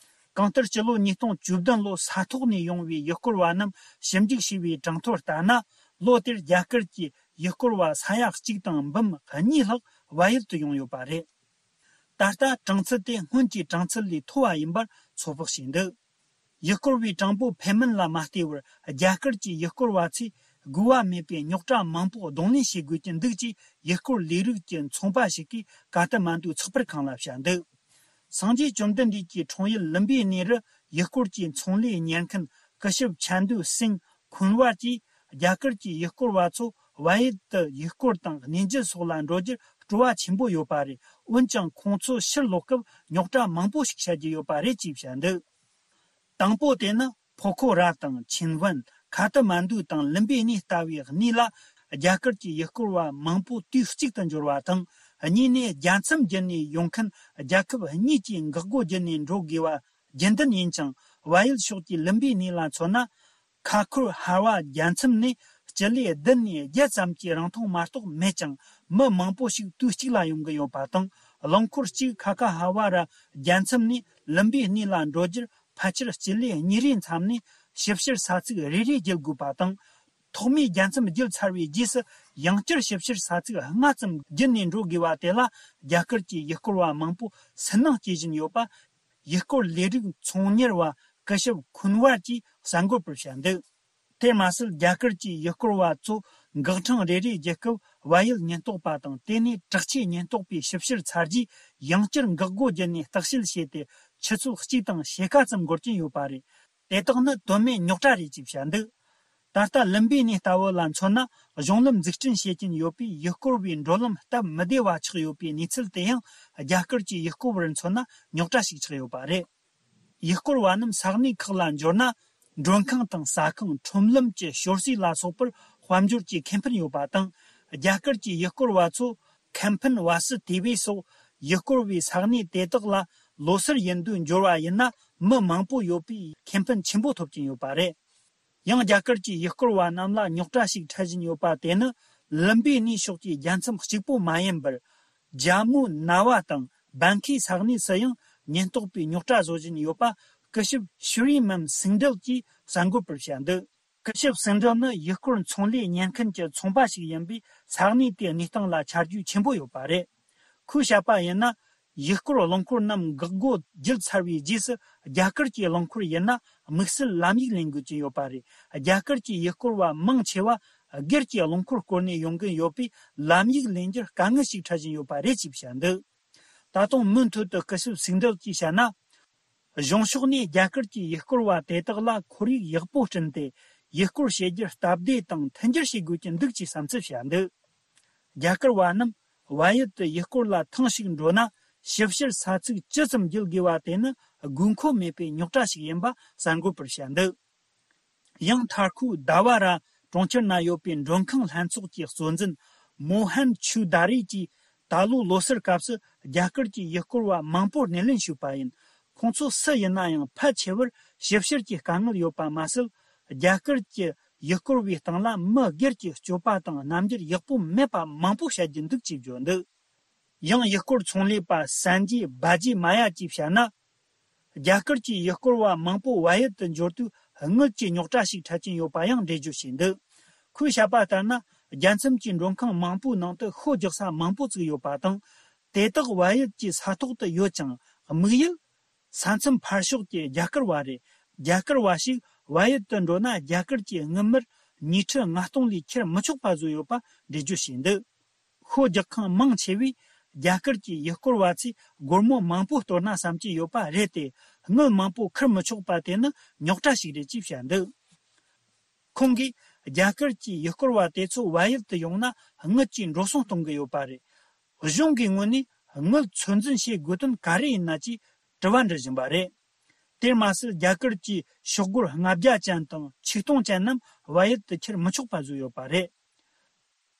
གང་ལྟར། སྤྱི་ལོ་ཉིས་སྟོང་བཅུ་བདུན་ལོ་ས་ཐོག་ནས་ཡོང་བའི་ཡུལ་སྐོར་བ་རྣམས་ཞིབ་འཇུག་བྱས་པའི་གྲངས་ཐོ་ལྟར་ན། ལོ་དེར་རྒྱ་གར་གྱི་ཡུལ་སྐོར་བ་ས་ཡ་གཅིག་དང་འབུམ་གཉིས་ལྷག་བལ་ཡུལ་དུ་ཡོང་ཡོད་པ་རེད། ད་ལྟ་གྲངས་ཚད་དེ་སྔོན་གྱི་གྲངས་ཚད་ལས་མཐོ་བ་ཡིན་པར་ཚོད་དཔག་བྱས་འདུག་ཡུལ་སྐོར་བའི་གྲངས་འབོར་འཕེལ་མིན་ལ་མ་ལྟོས་པར། རྒྱ་གར་གྱི་ཡུལ་སྐོར་བ་ཚོས་དགོས་པ་མེད་པའི་རྙོག་དྲ་མང་པོ་གདོང་ལེན་བྱེད་དགོས་ཀྱི་འདུག་ཅེས་ཡུལ་སྐོར་ལས་རིགས་ཀྱི་ཚོང་པ་ཞིག་གིས་ཀ་ཐ་མན་ཌུའི་ཚགས་པར་ཁང་ལ་བཤད་འདུག་སངས་རྒྱས་བཅོམ་ལྡན་འདས་ཀྱི་འཁྲུངས་ཡུལ་ལུམ་བི་ནི་རུ་ཡུལ་སྐོར་གྱི་ཚོང་ལས་གཉེར་མཁན་སྐུ་ཞབས་ཆན་དུ་སིན་ཁུན་ཝར་གྱིས། རྒྱ་གར་གྱི་ཡུལ་སྐོར་བ་ཚོ་བལ་ཡུལ་དུ་ཡུལ་སྐོར་དང་གནས་མཇལ་སོགས་ལ་འགྲོ་རྒྱུར་སྤྲོ་བ་ཆེན་པོ་ཡོད་པ་རེད། འོན་ཀྱང་། ཁོང་ཚོ་ཕྱིར་ལོག་སྐབས་རྙོག་དྲ་མང་པོ་ཞིག་བཤད་རྒྱུ་ཡོད་པ་རེད་ཅེས་བཤད་འདུག་དང་པོ་དེ་ནི། ཕོ་ཁོ་ར་དང་ཆིན་ཝན། ཁ་ཐ་མན་ཌུ་དང་ལུམ་བི་ནི་ལྟ་བུའི་གནས་ལ། རྒྱ་གར་གྱི་ཡུལ་སྐོར་བ་མང་པོ་དུས་གཅིག་ཏུ་འབྱོར་བ་དང་། གཉིས་ནས། རྒྱལ་མཚམས་བརྒྱུད་ནས་ཡོང་མཁན་རྒྱལ་ཁབ་གཉིས་ཀྱི་འགག་སྒོ་བརྒྱུད་ནས་འགྲོ་དགོས་པ་རྒྱུན་ལྡན་ཡིན་ཅིང་། བལ་ཡུལ་ཕྱོགས་ཀྱི་ལུམ་བི་ནི་ལ་མཚོན་ན། ཁ་ཁུར་ཧ་བ་རྒྱལ་མཚམས་ནས་སྤྱི་ལེ་བདུན་ནས་བརྒྱད་ཙམ་གྱི་རིང་ཐུང་མ་གཏོགས་མེད་ཅིང་། མི་མང་པོ་ཞིག་དུས་གཅིག་ལ་ཡོང་གི་ཡོད་པ་དང་། རླངས་འཁོར་གཅིག་ཁ་ཁ་ཧ་བ་ར་རྒྱལ་མཚམས་ནས་ལུམ་བི་ནི་ལ་འགྲོ་རྒྱུར། ཕལ་ཆེར་སྤྱི་ལེ་གཉིས་རེའི་མཚམས་ནས་ཞིབ་བཤེར་ས་ཚིགས་རེ་རེ་བརྒྱུད་དགོས་པ་དང་། ཐོག་མའི་རྒྱལ་མཚམས་བརྒྱུད་ཚར་བའི་རྗེས་སུ། ཡང་བསྐྱར་ཞིབ་བཤེར་ས་ཚིགས་ལྔ་ཙམ་བརྒྱུད་ནས་འགྲོ་དགོས་པ་དེ་ལ། རྒྱ་གར་གྱི་ཡུལ་སྐོར་བ་མང་པོ་སུན་སྣང་སྐྱེ་བཞིན་ཡོད་པ། ཡུལ་སྐོར་ལས་རིགས་ཚོང་གཉེར་བ་སྐུ་ཞབས་ཁུན་ཝར་གྱིས་གསར་འགོད་པར་བཤད་འདུག་དེར་མ་ཟད། རྒྱ་གར་གྱི་ཡུལ་སྐོར་བ་ཚོ་འགག་འཕྲང་རེ་རེ་བརྒྱུད་སྐབས། བལ་ཡུལ་ཉེན་རྟོག་པ་དང་། དེ་ནས་དྲག་ཆས་ཉེན་རྟོག་པས་ཞིབ་བཤེར་ཚར་རྗེས། ཡང་བསྐྱར་འགག་སྒོ་བརྒྱུད་ནས་བརྟག་དཔྱད་བྱས་ཏེ། ཆུ་ཚོད་གཅིག་དང་ཕྱེད་ཀ་ཙམ་འགོར་གྱིན་ཡོད་པ་རེད། དེ་དག་ནི་དོན་མེད་རྙོག་དྲ་རེད་ཅེས་བཤད་འདུག་ད་ལྟ་ལུམ་བི་ནི་ལྟ་བུ་ལ་མཚོན་ན། གཞུང་ལམ་འཛུགས་སྐྲུན་བྱེད་ཀྱིན་ཡོད་པས། ཡུལ་སྐོར་བའི་འགྲོ་ལམ་སྟབས་མི་བདེ་བ་ཆགས་ཡོད་པའི་གནས་ཚུལ་དེ་ཡང་། རྒྱ་གར་གྱི་ཡུལ་སྐོར་བར་མཚོན་ན་རྙོག་དྲ་ཞིག་ཆགས་ཡོད་པ་རེད། ཡུལ་སྐོར་བ་རྣམས་ས་གནས་ཁག་ལ་འབྱོར་ན། མགྲོན་ཁང་དང་ཟ་ཁང་། ཁྲོམ་ལམ་གྱི་ཞོར་ཟས་ལ་སོགས་པར་དཔལ་འབྱོར་གྱི་ཁེ་ཕན་ཡོད་པ་དང་། རྒྱ་གར་གྱི་ཡུལ་སྐོར་བ་ཚོ་ཁེ་ཕན་བ་སི་ཏི་བི་སོགས་ཡུལ་སྐོར་བའི་ས་གནས་དེ་དག་ལ་ལོ་སར་ཡིན་དུས་འབྱོར་བ་ཡིན་ན། མི་མང་པོ་ཡོད་པས་ཁེ་ཕན་ཆེན་པོ་ཐོབ་ཀྱིན་ཡོད་པ་རེད། ཡང་རྒྱ་གར་གྱི་ཡུལ་སྐོར་བ་རྣམས་ལ་རྙོག་དྲ་ཞིག་འཕྲད་བཞིན་ཡོད་པ་དེ་ནི། ལུམ་བི་ནི་ཕྱོགས་ཀྱི་རྒྱལ་མཚམས་གཅིག་པོ་མ་ཡིན་པར། ཇམ་མུ་ན་བ་དང་བན་ཁའི་ས་གནས་སུ་ཡང་ཉེན་རྟོག་པས་རྙོག་དྲ་བཟོ་བཞིན་ཡོད་པ། སྐུ་ཞབས་ཤུ་རི་མམ་སིང་འབྲེལ་གྱིས་གསར་འགོད་པར་བཤད་འདུག་སྐུ་ཞབས་སིང་འབྲེལ་ནི་ཡུལ་སྐོར་ཚོང་ལས་གཉེར་མཁན་གྱི་ཚོང་པ་ཞིག་ཡིན་པས། ས་གནས་དེའི་གནས་སྟངས་ལ་ཆ་རྒྱུས་ཆེན་པོ་ཡོད་པ་རེད། ཁོས་བཤད་པ་ཡིན་ན། ཡུལ་སྐོར་རླངས་འཁོར་རྣམས་འགག་སྒོ་བརྒྱུད་ཚར་བའི་རྗེས་སུ། རྒྱ་གར་གྱི་རླངས་འཁོར་ཡིན་ན་དམིགས་བསལ་ལམ་ཡིག་ལེན་དགོས་ཀྱི་ཡོད་པ་རེད། རྒྱ་གར་གྱི་ཡུལ་སྐོར་བ་མང་ཆེ་བ་སྒེར་གྱི་རླངས་འཁོར་བསྐོར་ནས་ཡོང་གིན་ཡོད་པས། ལམ་ཡིག་ལེན་རྒྱུར་དཀའ་ངལ་ཞིག་འཕྲད་བཞིན་ཡོད་པ་རེད་ཅེས་བཤད་འདུག་ད་དུང་མུ་མཐུད་དུ་སྐུ་ཞབས་སིང་འབྲེལ་གྱིས་བཤད་ན། གཞུང་ཕྱོགས་ནས་རྒྱ་གར་གྱི་ཡུལ་སྐོར་བ་དེ་དག་ལ་ཁོར་ཡུག་ཡག་པོ་བསྐྲུན་ཏེ། ཡུལ་སྐོར་བྱེད་རྒྱུར་སྟབས་བདེ་དང་མཐུན་འགྱུར་བྱེད་དགོས་ཀྱི་འདུག་ཅེས་བསམ་ཚུལ་བཤད་འདུག་རྒྱ་གར་བ་རྣམས་བལ་ཡུལ་དུ་ཡུལ་སྐོར་ལ་ཐེངས་ཤིག་འགྲོ་ན། ཞིབ་བཤེར་ས་ཚིགས་ཇི་ཙམ་བརྒྱུད་དགོས་པ་དེ་ནི་དགོས་མཁོ་མེད་པའི་རྙོག་དྲ་ཞིག་ཡིན་པ་གསར་འགོད་པར་བཤད་འདུག་ཡང་མཐར་ཁོས་ཟླ་བ་ར་གྲོང་ཁྱེར་ན་ཡོད་པའི་མགྲོན་ཁང་ལྷན་ཚོགས་ཀྱི་གཙོ་འཛིན་མོ་ཧན་ཆུ་དཱ་རི་གྱིས། ད་ལོའི་ལོ་སར་སྐབས་སུ་རྒྱ་གར་གྱི་ཡུལ་སྐོར་བ་མང་པོར་སྣེ་ལེན་ཞུས་པ་ཡིན། ཁོང་ཚོ་སུ་ཡིན་ན་ཡང་ཕལ་ཆེ་བར་ཞིབ་བཤེར་གྱི་དཀའ་ངལ་ཡོད་པ་མ་ཟད། རྒྱ་གར་གྱི་ཡུལ་སྐོར་བའི་སྟེང་ལ་མི་སྒེར་གྱི་སྤྱོད་པ་དང་རྣམ་འགྱུར་ཡག་པོ་མེད་པ་མང་པོ་བཤད་རྒྱུ་འདུག་ཅེས་བརྗོད་འདུག་ཡང་ཡུལ་སྐོར་ཚོང་ལས་པ་སན་ཇི་བྷ་ཇི་མ་ཡ་གྱིས་བཤད་ན། རྒྱ་གར་གྱི་ཡུལ་སྐོར་བ་མང་པོ་བལ་ཡུལ་དུ་འབྱོར་དུས་དངུལ་གྱི་རྙོག་དྲ་ཞིག་འཕྲད་ཀྱིན་ཡོད་པ་ཡང་འགྲེལ་བརྗོད་བྱས་འདུག་ཁོས་བཤད་པ་ལྟར་ན། རྒྱལ་མཚམས་ཀྱི་མགྲོན་ཁང་མང་པོའི་ནང་དུ་ཤོ་རྒྱག་ས་མང་པོ་བཙུགས་ཡོད་པ་དང་། དེ་དག་བལ་ཡུལ་གྱི་ས་ཐོག་ཏུ་ཡོད་ཀྱང་། དམིགས་ཡུལ་ས་མཚམས་ཕར་ཕྱོགས་ཀྱི་རྒྱ་གར་བ་རེད། རྒྱ་གར་བ་ཞིག་བལ་ཡུལ་དུ་འགྲོ་ན། རྒྱ་གར་གྱི་དངུལ་སྨར་ཉིས་ཁྲི་ལྔ་སྟོང་ལས་ཁྱེར་མི་ཆོག་པ་བཟོས་ཡོད་པ་འགྲེལ་བརྗོད་བྱས་འདུག་ཤོ་རྒྱག་མཁན་མང་ཆེ་བས་རྒྱ་གར་གྱི་ཡུལ་སྐོར་བ་ཚོས་སྒོར་མོ་མང་པོ་གཏོར་ན་བསམ་གྱི་ཡོད་པ་རེད་དེ། དངུལ་མང་པོ་ཁུར་མི་ཆོག་པ་དེ་ནི་རྙོག་དྲ་ཞིག་རེད་ཅེས་བཤད་འདུག་ཁོང་གིས་རྒྱ་གར་གྱི་ཡུལ་སྐོར་བ་དེ་ཚོ་བལ་ཡུལ་དུ་ཡོང་ན་དངུལ་གྱི་འགྲོ་སོང་གཏོང་གི་ཡོད་པ་རེད། གཞུང་གི་ངོས་ནས་དངུལ་ཚོད་འཛིན་བྱེད་དགོས་དོན་ག་རེ་ཡིན་ན་ཅེས་དྲི་བ་འདྲི་བཞིན་པ་རེད། དེར་མ་ཟད། རྒྱ་གར་གྱི་ཤོག་སྒོར་ལྔ་བརྒྱ་ཅན་དང་ཆིག་སྟོང་ཅན་རྣམས་བལ་ཡུལ་དུ་ཁྱེར་མི་ཆོག་པ་བཟོས་ཡོད་པ་རེད།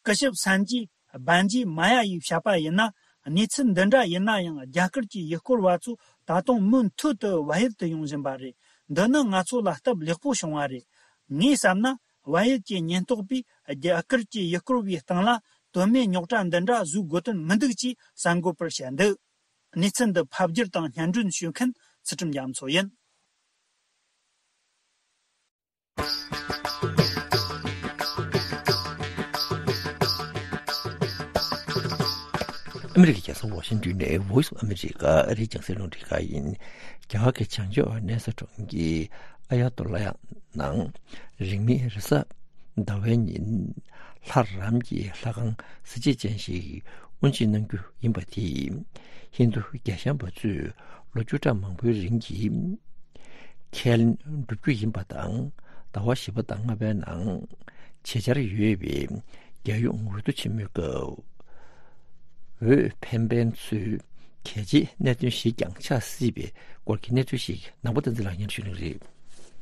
སྐུ་ཞབས་སན་ཇི་བྷན་ཇི་མ་ཡ་ཡིས་བཤད་པ་ཡིན་ན། གནས་ཚུལ་འདི་འདྲ་ཡིན་ན་ཡང་། རྒྱ་གར་གྱི་ཡུལ་སྐོར་བ་ཚོ་ད་དུང་མུ་མཐུད་དུ་བལ་ཡུལ་དུ་ཡོང་བཞིན་པ་རེད། འདི་ནི་ང་ཚོ་ལ་སྟབས་ལེགས་པོ་བྱུང་བ་རེད། ངས་བསམ་ན། བལ་ཡུལ་གྱི་ཉེན་རྟོག་པས་རྒྱ་གར་གྱི་ཡུལ་སྐོར་བའི་སྟེང་ལ་དོན་མེད་རྙོག་དྲ་འདི་འདྲ་བཟོ་དགོས་དོན་མི་འདུག་ཅེས་གསར་འགོད་པར་བཤད་འདུག་གནས་ཚུལ་འདི་ཕབ་བསྒྱུར་དང་སྙན་སྒྲོན་ཞུ་མཁན་ཚུལ་ཁྲིམས་རྒྱ་མཚོ་ཡིན། ཨ་མི་རི་ཀའི་རྒྱལ་ས་ཝ་ཤིང་ཏོན་ནས་Voice of America ཨ་རིའི་རྒྱང་སྲིང་རླུང་འཕྲིན་ཁང་ཡིན། རྒྱ་གར་གྱི་བྱང་ཕྱོགས་གནས་ས་གྲོང་ཁྱེར་ཨ་ཡ་ཏོ་ལ་ཡ་ནང་རིང་མིན་རེས་གཟའ་ཟླ་བའི་ཉིན་ལྷ་རམས་ཀྱི་ལྷ་ཁང་གཟི་བརྗིད་ཅན་ཞིག་དབུ་འབྱེད་གནང་རྒྱུ་ཡིན་པ་དེས། ཧིན་རྡུ་རྒྱལ་ཞེན་པ་ཚོས་ལོ་བཅུ་ཕྲག་མང་པོའི་རིང་གི་ཁས་ལེན་བསྒྲུབ་རྒྱུ་ཡིན་པ་དང་། ཟླ་བ་བཞི་པ་དང་ལྔ་པའི་ནང་བྱེད་འཆར་ཡོད་པའི་རྒྱལ་ཡོངས་འོས་བསྡུ་ཆེན་མོའི་སྐབས། འོས་འཕེན་མཁན་ཚོའི་གལ་ཆེའི་གནད་དོན་ཞིག་ཀྱང་ཆགས་སྲིད་པའི་སྐོར་གྱི་གནས་ཚུལ་ཞིག་ནང་པ་བསྟན་འཛིན་ལགས་སྙན་ཞུ་གནང་གི་རེད།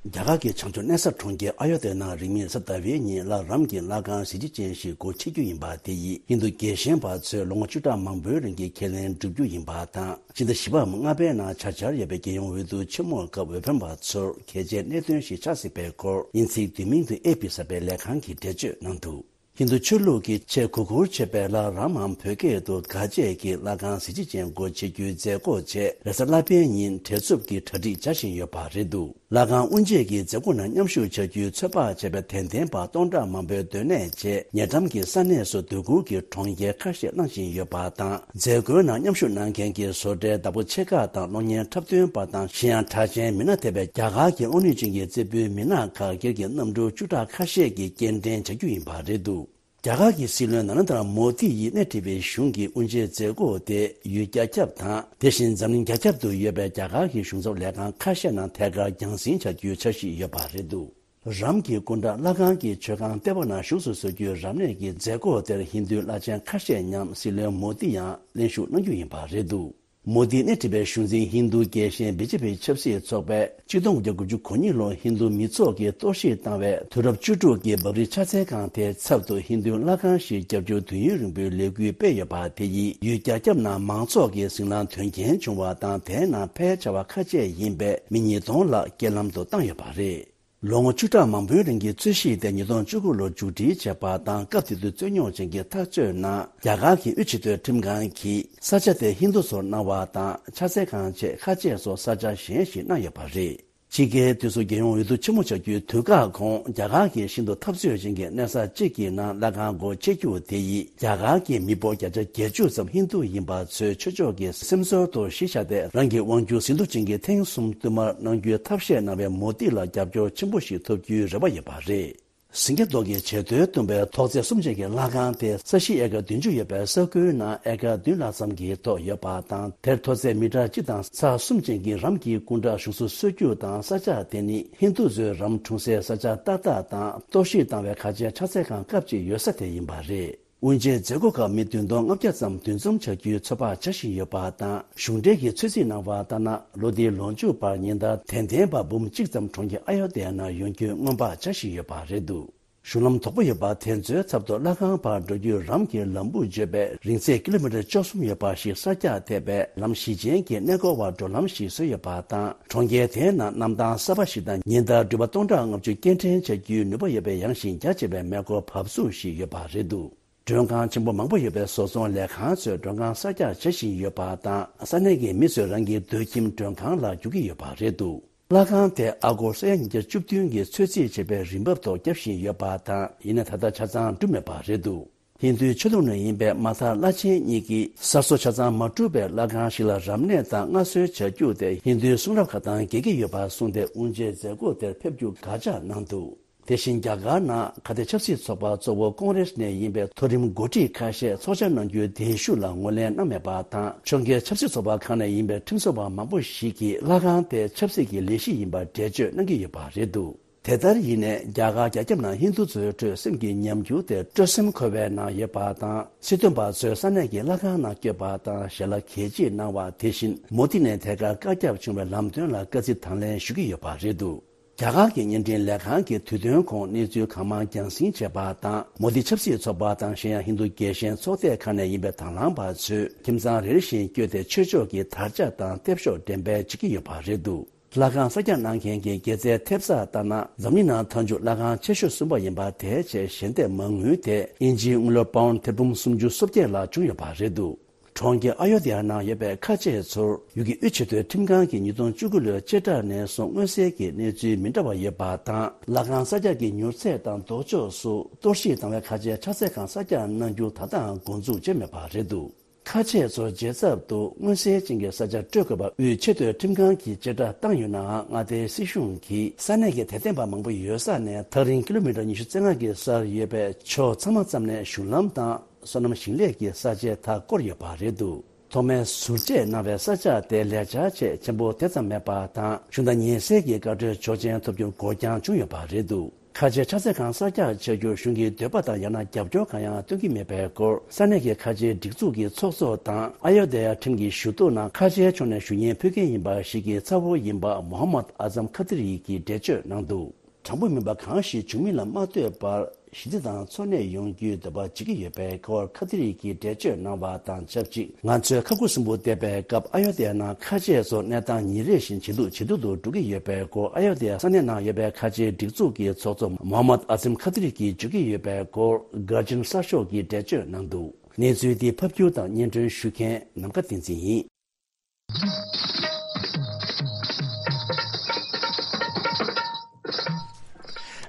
རྒྱ་གར་གྱི་བྱང་ཕྱོགས་གནས་ས་གྲོང་ཁྱེར་ཨ་ཡོ་ཏེ་ནང་རིང་མིན་གཟའ་ཟླ་བའི་ཉིན་ལྷ་རམས་ཀྱི་ལྷ་ཁང་གཟི་བརྗིད་ཅན་ཞིག་སྒོ་ཕྱེ་རྒྱུ་ཡིན་པ་དེ་ཡིས་ཧིན་རྡུ་རྒྱལ་ཞེན་པ་ཚོས་ལོ་ངོ་བཅུ་ཕྲག་མང་པོའི་རིང་གི་ཁས་ལེན་བསྒྲུབ་རྒྱུ་ཡིན་པ་དང་། ཕྱི་ཟླ་བཞི་པའམ་ལྔ་པའི་ནང་བྱ་འཆར་ཡོད་པའི་རྒྱལ་ཡོངས་འོས་བསྡུ་ཆེན་མོའི་སྐབས་འོས་འཕེན་པ་ཚོར་གལ་ཆེའི་གནད་དོན་ཞིག་ཆགས་སྲིད་པའི་སྐོར་དབྱིན་ཚིག་བསྡུས་མིང་དུ་ཨེ་པི་གསར་པའི་ལས་ཁང་གིས་འགྲེལ་བརྗོད་གནང་འདུག་ཧིན་རྡུ་ཆོས་ལུགས་ཀྱི་ཆེས་གུས་བཀུར་བྱེད་པའི་ལྷ་རམ་འམ་བོད་སྐད་དུ་ག་བཅས་ཀྱི་ལྷ་ཁང་གཟི་བརྗིད་ཅན་སྒོ་ཕྱེ་རྒྱུའི་མཛད་སྒོ་ཆེད་རེས་གཟའ་ལྷག་པའི་ཉིན་བྲེལ་འཚུབ་ཀྱིས་གྲ་སྒྲིག་བྱ་བཞིན་ཡོད་པ་རེད་འདུག་ལྷ་ཁང་དབུ་འབྱེད་ཀྱི་མཛད་སྒོ་ནང་མཉམ་ཞུགས་བྱ་རྒྱུའི་ཚོད་དཔག་བྱས་པའི་དད་ལྡན་པ་སྟོང་ཕྲག་མང་པོའི་སྡོད་གནས་བཅས་ཉེ་འགྲམ་གྱི་ས་གནས་སུ་སྡོད་ཁུལ་གྱི་གྲོང་ཁྱེར་ཁ་ཤས་གནང་བཞིན་ཡོད་པ་དང་། མཛད་སྒོའི་ནང་མཉམ་ཞུགས་གནང་མཁན་གྱི་བཟོ་གྲྭའི་བདག་པོ་ཆེ་ཁག་དང་གློག་བརྙན་འཁྲབ་སྟོན་པ་དང་གཞན་ཡང་གྲགས་ཅན་མི་སྣ་ཐེ་བའི་རྒྱ་གར་གྱི་གློག་བརྙན་བྱིངས་ཀྱི་རྩེ་ཕུད་མི་སྣ་ཁག་སྒེར་གྱི་གནམ་གྲུ་བཅུ་ཕྲག་ཁ་ཤས་ཀྱིས་སྐྱེལ་འདྲེན་བྱ་རྒྱུ་ཡིན་པ་རེད་འདུག་རྒྱ་གར་གྱི་སྲིད་བློན་ན་རེན་དྲ་མོ་དི་ཡིས་སྣེ་ཁྲིད་པའི་གཞུང་གི་དབུ་འབྱེད་མཛད་སྒོ་དེ་ཡུལ་རྒྱ་ཁྱབ་དང་། དེ་བཞིན་འཛམ་གླིང་རྒྱ་ཁྱབ་ཏུ་ཡོད་པའི་རྒྱ་གར་གྱི་གཞུང་ཚབ་ལས་ཁང་ཁ་ཤས་ནང་ཐད་ཀར་རྒྱང་སྲིང་བྱ་རྒྱུའི་འཆར་གཞི་ཡོད་པ་རེད་འདུག་རམ་གྱི་སྐུ་འདྲ་ལྷ་ཁང་གི་མཆོད་ཁང་ལྟེ་བ་ནང་བཞུགས་སུ་གསོལ་རྒྱུའི་རབ་གནས་ཀྱི་མཛད་སྒོ་དེར་ཧིན་རྡུའི་བླ་ཆེན་ཁ་ཤས་མཉམ་སྲིད་བློན་མོ་དི་ཡང་ལྷན་ཞུགས་གནང་རྒྱུ་ཡིན་པ་རེད་འདུག་མོ་དི་སྣེ་ཁྲིད་པའི་གཞུང་འཛིན་ཧིན་རྡུ་རྒྱལ་ཞེན་བི་ཇེ་པི་ཆབ་སྲིད་ཚོགས་པས་ཆིག་སྟོང་དགུ་བརྒྱ་དགུ་བཅུ་གོ་གཉིས་ལོར་ཧིན་རྡུ་མི་ཚོགས་ཀྱིས་གཏོར་བཤིག་བཏང་བའི་དུས་རབས་བཅུ་དྲུག་གི་བག་རི་ཕྱག་འཚལ་ཁང་དེའི་ཚབ་ཏུ་ཧིན་རྡུའི་ལྷ་ཁང་ཞིག་བརྒྱབ་རྒྱུའི་དུས་ཡུན་རིང་པོའི་ལས་འགུལ་སྤེལ་ཡོད་པ་དེ་ཡིས་ཡུལ་རྒྱ་ཁྱབ་ནང་མང་ཚོགས་ཀྱིས་ཟིང་ལངས་དོན་རྐྱེན་བྱུང་བ་དང་། དེའི་ནང་ཕལ་ཆེ་བ་ཁ་ཆད་ཡིན་པས་མི་ཉིས་སྟོང་ལྷག་རྐྱེན་ལམ་དུ་བཏང་ཡོད་པ་རེད། ལོ་ངོ་བཅུ་ཕྲག་མང་པོའི་རིང་གི་རྩོད་གཞི་དེ་ཉིས་སྟོང་བཅུ་དགུ་ལོར་མཇུག་སྒྲིལ་བྱས་པ་དང་། སྐབས་དེ་དུས་རྩོད་རྙོག་ཅན་གྱི་འཐབ་རྩོད་ནང་རྒྱ་གར་གྱི་དབུས་སྤྱི་མཐོའི་ཁྲིམས་ཁང་གིས་ས་ཆ་དེ་ཧིན་རྡུ་ཚོར་གནང་བ་དང་། ཕྱག་འཚལ་ཁང་བཅས་ཁ་ཆད་སོགས་ས་ཆ་གཞན་ཞིག་གནང་ཡོད་པ་རེད། ཕྱི་རྒྱལ་དུས་སུ་རྒྱལ་ཡོངས་འོས་བསྡུ་ཆེན་མོ་བྱ་རྒྱུའི་དུས་བཀག་གོང་རྒྱ་གར་གྱི་ཤིན་ཏུ་འཐབ་རྩོད་ཅན་གྱི་གནས་ས་གཅིག་གི་ནང་ལྷ་ཁང་སྒོ་ཕྱེ་རྒྱུ་དེ་ཡིས་རྒྱ་གར་གྱི་མི་འབོར་བརྒྱ་ཆ་བརྒྱད་ཅུ་ཙམ་ཧིན་རྡུ་ཡིན་པ་ཚོའི་ཆོས་ཕྱོགས་ཀྱི་སེམས་ཚོར་དུ་གཞི་བཞག་སྟེ། རང་གི་དབང་སྒྱུར་ཟིན་ཐོ་ཅན་གྱི་ཐེངས་གསུམ་བསྟུད་མར་གནང་རྒྱུའི་ཐབས་ཤེས་གནང་བའི་མོ་དི་ལ་རྒྱབ་སྐྱོར་ཆེན་པོ་ཞིག་ཐོབ་རྒྱུའི་རེ་བ་ཡོད་པ་རེད། ཟིང་སྐྱ་མདོག་གི་བྱེ་རྡོས་བཏུམས་པའི་ཐོག་ཚད་གསུམ་ཅན་གྱི་ལྷ་ཁང་དེ་ས་གཞི་ཨེ་ཀར་བདུན་ཅུ་ཡོད་པའི་ས་ཁུལ་ནང་ཨེ་ཀར་བདུན་ལྷག་ཙམ་གྱི་ཐོག་ཡོད་པ་དང་། དེར་མཐོ་ཚད་མི་ཊར་གཅིག་དང་ཚེག་གསུམ་ཅན་གྱི་རམ་གྱི་སྐུ་འདྲ་བཞུགས་སུ་གསོལ་རྒྱུ་དང་། ས་ཆ་དེ་ནི་ཧིན་རྡུ་ཚོའི་རམ་འཁྲུངས་སའི་ས་ཆ་ཏག་ཏག་དང་། གཏོར་བཤིག་བཏང་བའི་ཁ་ཆེའི་ཕྱག་འཚལ་ཁང་སྐབས་གཅིག་ཡོད་ས་དེ་ཡིན་པ་རེད། དབུ་འབྱེད་མཛད་སྒོ་ཁག་མི་བདུན་སྟོང་ལྔ་བརྒྱ་ཙམ་འདུ་འཛོམས་བྱ་རྒྱུའི་ཚོད་དཔག་བྱ་བཞིན་ཡོད་པ་དང་། གཞུང་འབྲེལ་གྱི་ཚོད་རྩིས་གནང་བ་ལྟར་ན། ལོ་འདིའི་ལོ་མཇུག་བར་ཉིན་ལྟར་དད་ལྡན་པ་འབུམ་གཅིག་ཙམ་གྲོང་ཁྱེར་ཨ་ཡོ་དྷ་ཡ་ནང་ཡོང་རྒྱུའི་སྔོན་དཔག་བྱ་བཞིན་ཡོད་པ་རེད་འདུག་གཞུང་ལམ་དོག་པོ་ཡོད་པ་དེ་ཚོའི་ཚབ་ཏུ་ལྷ་ཁང་བར་འགྲོ་རྒྱུའི་རམ་གྱི་ལམ་བུ་བརྗོད་པས་རིང་ཚད་ཀི་ལོ་མི་ཊར་བཅུ་གསུམ་ཡོད་པ་ཞིག་གསར་རྒྱག་ཐེབས་པས། ལམ་བཞི་ཅན་གྱི་གནས་སྐོར་བ་འགྲོ་ལམ་ཞིག་བཟོས་ཡོད་པ་དང་། གྲོང་ཁྱེར་དེའི་ནང་གནམ་ཐང་གསར་པ་ཞིག་དང་། ཉིན་ལྟར་འགྲུལ་པ་སྟོང་ཕྲག་ལྔ་བཅུ་སྐྱེལ་འདྲེན་བྱ་རྒྱུའི་ནུས་པ་ཡོད་པའི་ཡངས་ཤིང་རྒྱ་ཆེ་བའི་མེ་འཁོར་བབས་ཚུགས་ཤིག་ཡོད་པ་རེད་འདུག་མགྲོན་ཁང་ཆེན་པོ་མང་པོ་ཡོད་པའི་བཟོ་ཚོང་ལས་ཁང་ཚོས་མགྲོན་ཁང་གསར་རྒྱག་བྱེད་བཞིན་ཡོད་པ་དང་། ས་གནས་ཀྱི་མི་ཚོས་རང་གི་སྡོད་ཁྱིམ་མགྲོན་ཁང་ལ་བསྒྱུར་གྱི་ཡོད་པ་རེད་འདུག་ལྷ་ཁང་དེ་ཨ་སྒོར་ས་ཡ་ཉིས་བརྒྱ་བཅུ་བདུན་གྱི་ཚོད་རྩིས་བྱས་པའི་རིན་འབབ་ཐོག་བརྒྱབ་བཞིན་ཡོད་པ་དང་། ཡིན་ན་ད་ལྟ་ཆ་ཚང་གྲུབ་མེད་པ་རེད་འདུག་ཧིན་རྡུའི་ཆོས་ལུགས་ནང་ཡིན་པའི་མ་ཐར་བླ་ཆེན་གཉིས་ཀྱིས་གསར་བཟོ་ཆ་ཚང་མ་གྲུབ་པའི་ལྷ་ཁང་ཞིག་ལ་རབ་གནས་དང་མངའ་གསོལ་བྱ་རྒྱུ་དེ་ཧིན་རྡུའི་གསུང་རབ་ཁག་དང་འགལ་གྱི་ཡོད་པ་གསུངས་ཏེ། དབུ་འབྱེད་མཛད་སྒོ་དེར་ཕེབས་རྒྱུ་དགག་བྱ་གནང་འདུག་དེ་བཞིན་རྒྱ་གར་ནང་ཁ་གཏད་ཆབ་སྲིད་ཚོགས་པ་གཙོ་བོ་ཀོང་རེས་ནས་ཡིན་པའི་མཐོ་རིམ་འགོ་ཁྲིད་ཁ་ཤས་ཚོགས་བཅར་གནང་རྒྱུའི་གདན་ཞུ་ལ་ངོས་ལེན་གནང་མེད་པ་དང་། ཕྱོགས་འགལ་ཆབ་སྲིད་ཚོགས་པ་ཁག་ནས་ཡིན་པའི་ཁྲིམས་བཟོ་བ་མང་པོ་ཞིག་གིས་ལྷ་ཁང་དེ་ཆབ་སྲིད་ཀྱི་ལས་གཞི་ཡིན་པར་འགྲེལ་བརྗོད་གནང་གི་ཡོད་པ་རེད་འདུག་དེ་ལྟར་ཡིན་ནའི། རྒྱ་གར་རྒྱ་ཁྱབ་ནང་ཧིན་རྡུ་ཚོའི་ཁྲོད་སེམས་ཀྱི་ཉམས་འགྱུར་དེ་སྤྲོ་སེམས་འཁོལ་བའི་ནང་ཡོད་པ་དང་། སྲིད་དོན་པ་ཚོས་ས་གནས་ཀྱི་ལྷ་ཁང་ནང་བསྐྱོད་པ་དང་ཞལ་ལག་གད་ཕྱིས་གནང་བ། དེ་བཞིན་མོ་དི་ནས་ཐད་ཀར་བཀའ་ཁྱབ་བྱུང་བའི་ལམ་སྟོན་ལ་དཀའ་ཚེགས་དང་ལེན་ཞུ་གི་ཡོད་པ་རེད་འདུག་རྒྱ་གར་གྱི་བརྙན་འཕྲིན་ལས་ཁང་གིས་དུས་སྟོན་གོང་གནས་ཚུལ་གང་མང་རྒྱང་སྲིང་བྱས་པ་དང་། མོ་དི་ཆབ་སྲིད་ཚོགས་པ་དང་གཞན་ཡང་ཧིན་རྡུ་རྒྱལ་ཞེན་ཚོགས་སྡེ་ཁག་ནས་ཡིན་པའི་དང་བླངས་པ་ཚོས་ཁྱིམ་ཚང་རེ་རེ་བཞིན་བསྐྱོད་དེ་ཆོས་ཕྱོགས་ཀྱི་དར་ཆ་དང་ལྟེབ་ཤོག་འགྲེམས་སྤེལ་བྱེད་ཀྱི་ཡོད་པ་རེད་འདུག་ལྷ་ཁང་གསར་རྒྱག་གནང་མཁན་གྱི་དགེ་རྩའི་ཐེབས་རྩ་ལྟར་ན། འཛམ་གླིང་ནང་མཐའ་མཇུག་ལྷ་ཁང་ཆེ་ཤོས་གསུམ་པ་ཡིན་པ་དེའི་ཆེད་ཞལ་འདེབས་མ་དངུལ་དེ་དབྱིན་ཇིའི་དངུལ་ལོར་པའུན་ཐེར་འབུམ་སུམ་ཅུ་སོ་བརྒྱད་ལྷག་བྱུང་ཡོད་པ་རེད་འདུག་གྲོང་ཁྱེར་ཨ་ཡོ་དྷ་ཡ་ནང་ཡོད་པའི་ཁ་ཆེ་ཚོར་ཡུལ་གྱི་དབུས་ཆེས་མཐོའི་ཁྲིམས་ཁང་གིས་ཉིས་སྟོང་བཅུ་དགུ་ལོའི་དཔྱིད་གྲངས་ནས་བཟུང་མངོན་གསལ་གྱི་གནས་ཚུལ་མི་འདྲ་བ་ཡོད་པ་དང་། ལྷ་ཁང་གསར་རྒྱག་གི་མྱུར་ཚད་དང་ལྡོག་ཕྱོགས་སུ་གཏོར་བཤིག་བཏང་བའི་ཁ་ཆེའི་ཕྱག་འཚལ་ཁང་གསར་རྒྱག་གནང་རྒྱུ་ད་ལྟའང་འགོ་འཛུགས་བྱས་མེད་པ་རེད་འདུག་ཁ་ཆེ་ཚོར་རྗེས་ཚབ་ཏུ་མངོན་གསལ་ཅན་གྱི་ས་ཆ་སྤྲོད་དགོས་པ་དབུས་ཆེས་མཐོའི་ཁྲིམས་ཁང་གིས་བཅད་ཁྲ་བཏང་ཡོད་ནའང་། མངའ་སྡེའི་སྲིད་གཞུང་གིས་ས་གནས་ཀྱི་དད་ལྡན་པ་མང་པོ་ཡོད་ས་ནས་ཐག་རིང་ཀི་ལོ་མི་ཊར་ཉི་ཤུ་རྩ་ལྔ་གི་སར་ཡོད་པའི་ཕྱོགས་ཚང་མ་ཙམ་ནས་གཞུང་ལམ་དང་སོ་ནམ་ཞིང་ལས་ཀྱི་ས་ཆའི་མཐའ་བསྐོར་ཡོད་པ་རེད་འདུག་ཐོག་མའི་ཟུར་བཅད་གནང་བའི་ས་ཆ་དེ་ལས་འཆར་ཆེས་ཆེན་པོ་དེ་ཙམ་མེད་པ་དང་། གཞུང་དང་ཉེ་སའི་གི་བཀའ་འཁྲོལ་ཆོག་མཆན་ཐོབ་རྒྱུར་འགོར་འགྱངས་བྱུང་ཡོད་པ་རེད་འདུག་ཁ་ཆེའི་ཕྱག་འཚལ་ཁང་གསར་རྒྱག་བྱ་རྒྱུར་གཞུང་གིས་འདོད་པ་དང་ཡང་ན་རྒྱབ་སྐྱོར་གང་ཡང་སྟོན་གྱི་མེད་པའི་སྐོར། ས་གནས་ཀྱི་ཁ་ཆེའི་སྒྲིག་འཛུགས་ཀྱི་ཚོགས་གཙོ་དང་ཨ་ཡོ་དྷ་ཡ་ཁྲིམས་ཀྱི་ཞུ་གཏུག་ནང་ཁ་ཆེའི་ཕྱོགས་ནས་ཞུ་སྙན་ཕུལ་མཁན་ཡིན་པ་ཞིག་གི་ཚ་བོ་ཡིན་པ་མོ་ཧམ་མད་ཨ་ཛམ་ཁ་ཏི་རི་གིས་འགྲེལ་བརྗོད་གནང་འདུག་དྲང་པོ་མིན་པ་གང་ཞིག་བྱུང་མིན་ལ་མ་ལྟོས་པར་ཞི་བདེ་དང་འཚོ་གནས་ཡོང་རྒྱུའི་འདོད་པ་བྱེད་ཀྱི་ཡོད་པའི་སྐོར་ཁ་ཏི་རི་གིས་འགྲེལ་བརྗོད་གནང་བ་དང་ཆབས་ཅིག་ང་ཚོས་ཁ་ཁུ་སིམ་པོ་བསྡད་པའི་སྐབས་ཨ་ཡོ་དྷ་ཡ་ནང་ཁ་ཆེ་ཚོ་གནས་སྟངས་ཉིན་རེ་བཞིན་ཇེ་སྡུག་ཇེ་སྡུག་ཏུ་འགྲོ་གི་ཡོད་པའི་སྐོར། ཨ་ཡོ་དྷ་ཡ་ས་གནས་ནང་ཡོད་པའི་ཁ་ཆེའི་སྒྲིག་འཛུགས་ཀྱི་ཚོགས་གཙོ་མོ་ཧམ་མད་ཨ་ཛིམ་ཁ་ཏི་རི་གིས་བརྗོད་ཀྱི་ཡོད་པའི་སྐོར། གར་ཇན་གསར་ཤོག་གིས་འགྲེལ་བརྗོད་གནང་འདུག་གནས་ཚུལ་འདི་ཕབ་སྒྱུར་དང་སྙན་སྒྲོན་ཞུ་མཁན་ནམ་མཁའ་བསྟན་འཛིན་ཡིན།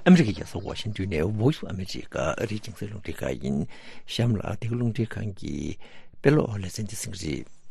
ཨ་མི་རི་ཀའི་རྒྱལ་ས་ཝ་ཤིང་ཏོན་ནས་Voice of America ཨ་རིའི་རྒྱང་སྲིང་རླུང་འཕྲིན་ཁང་ཡིན། གཤམ་ལ་འདི་ག་རླུང་འཕྲིན་ཁང་གི་དཔེ་ཀློག་ལེ་ཚན་འདི་གསན་གྱི་རེད།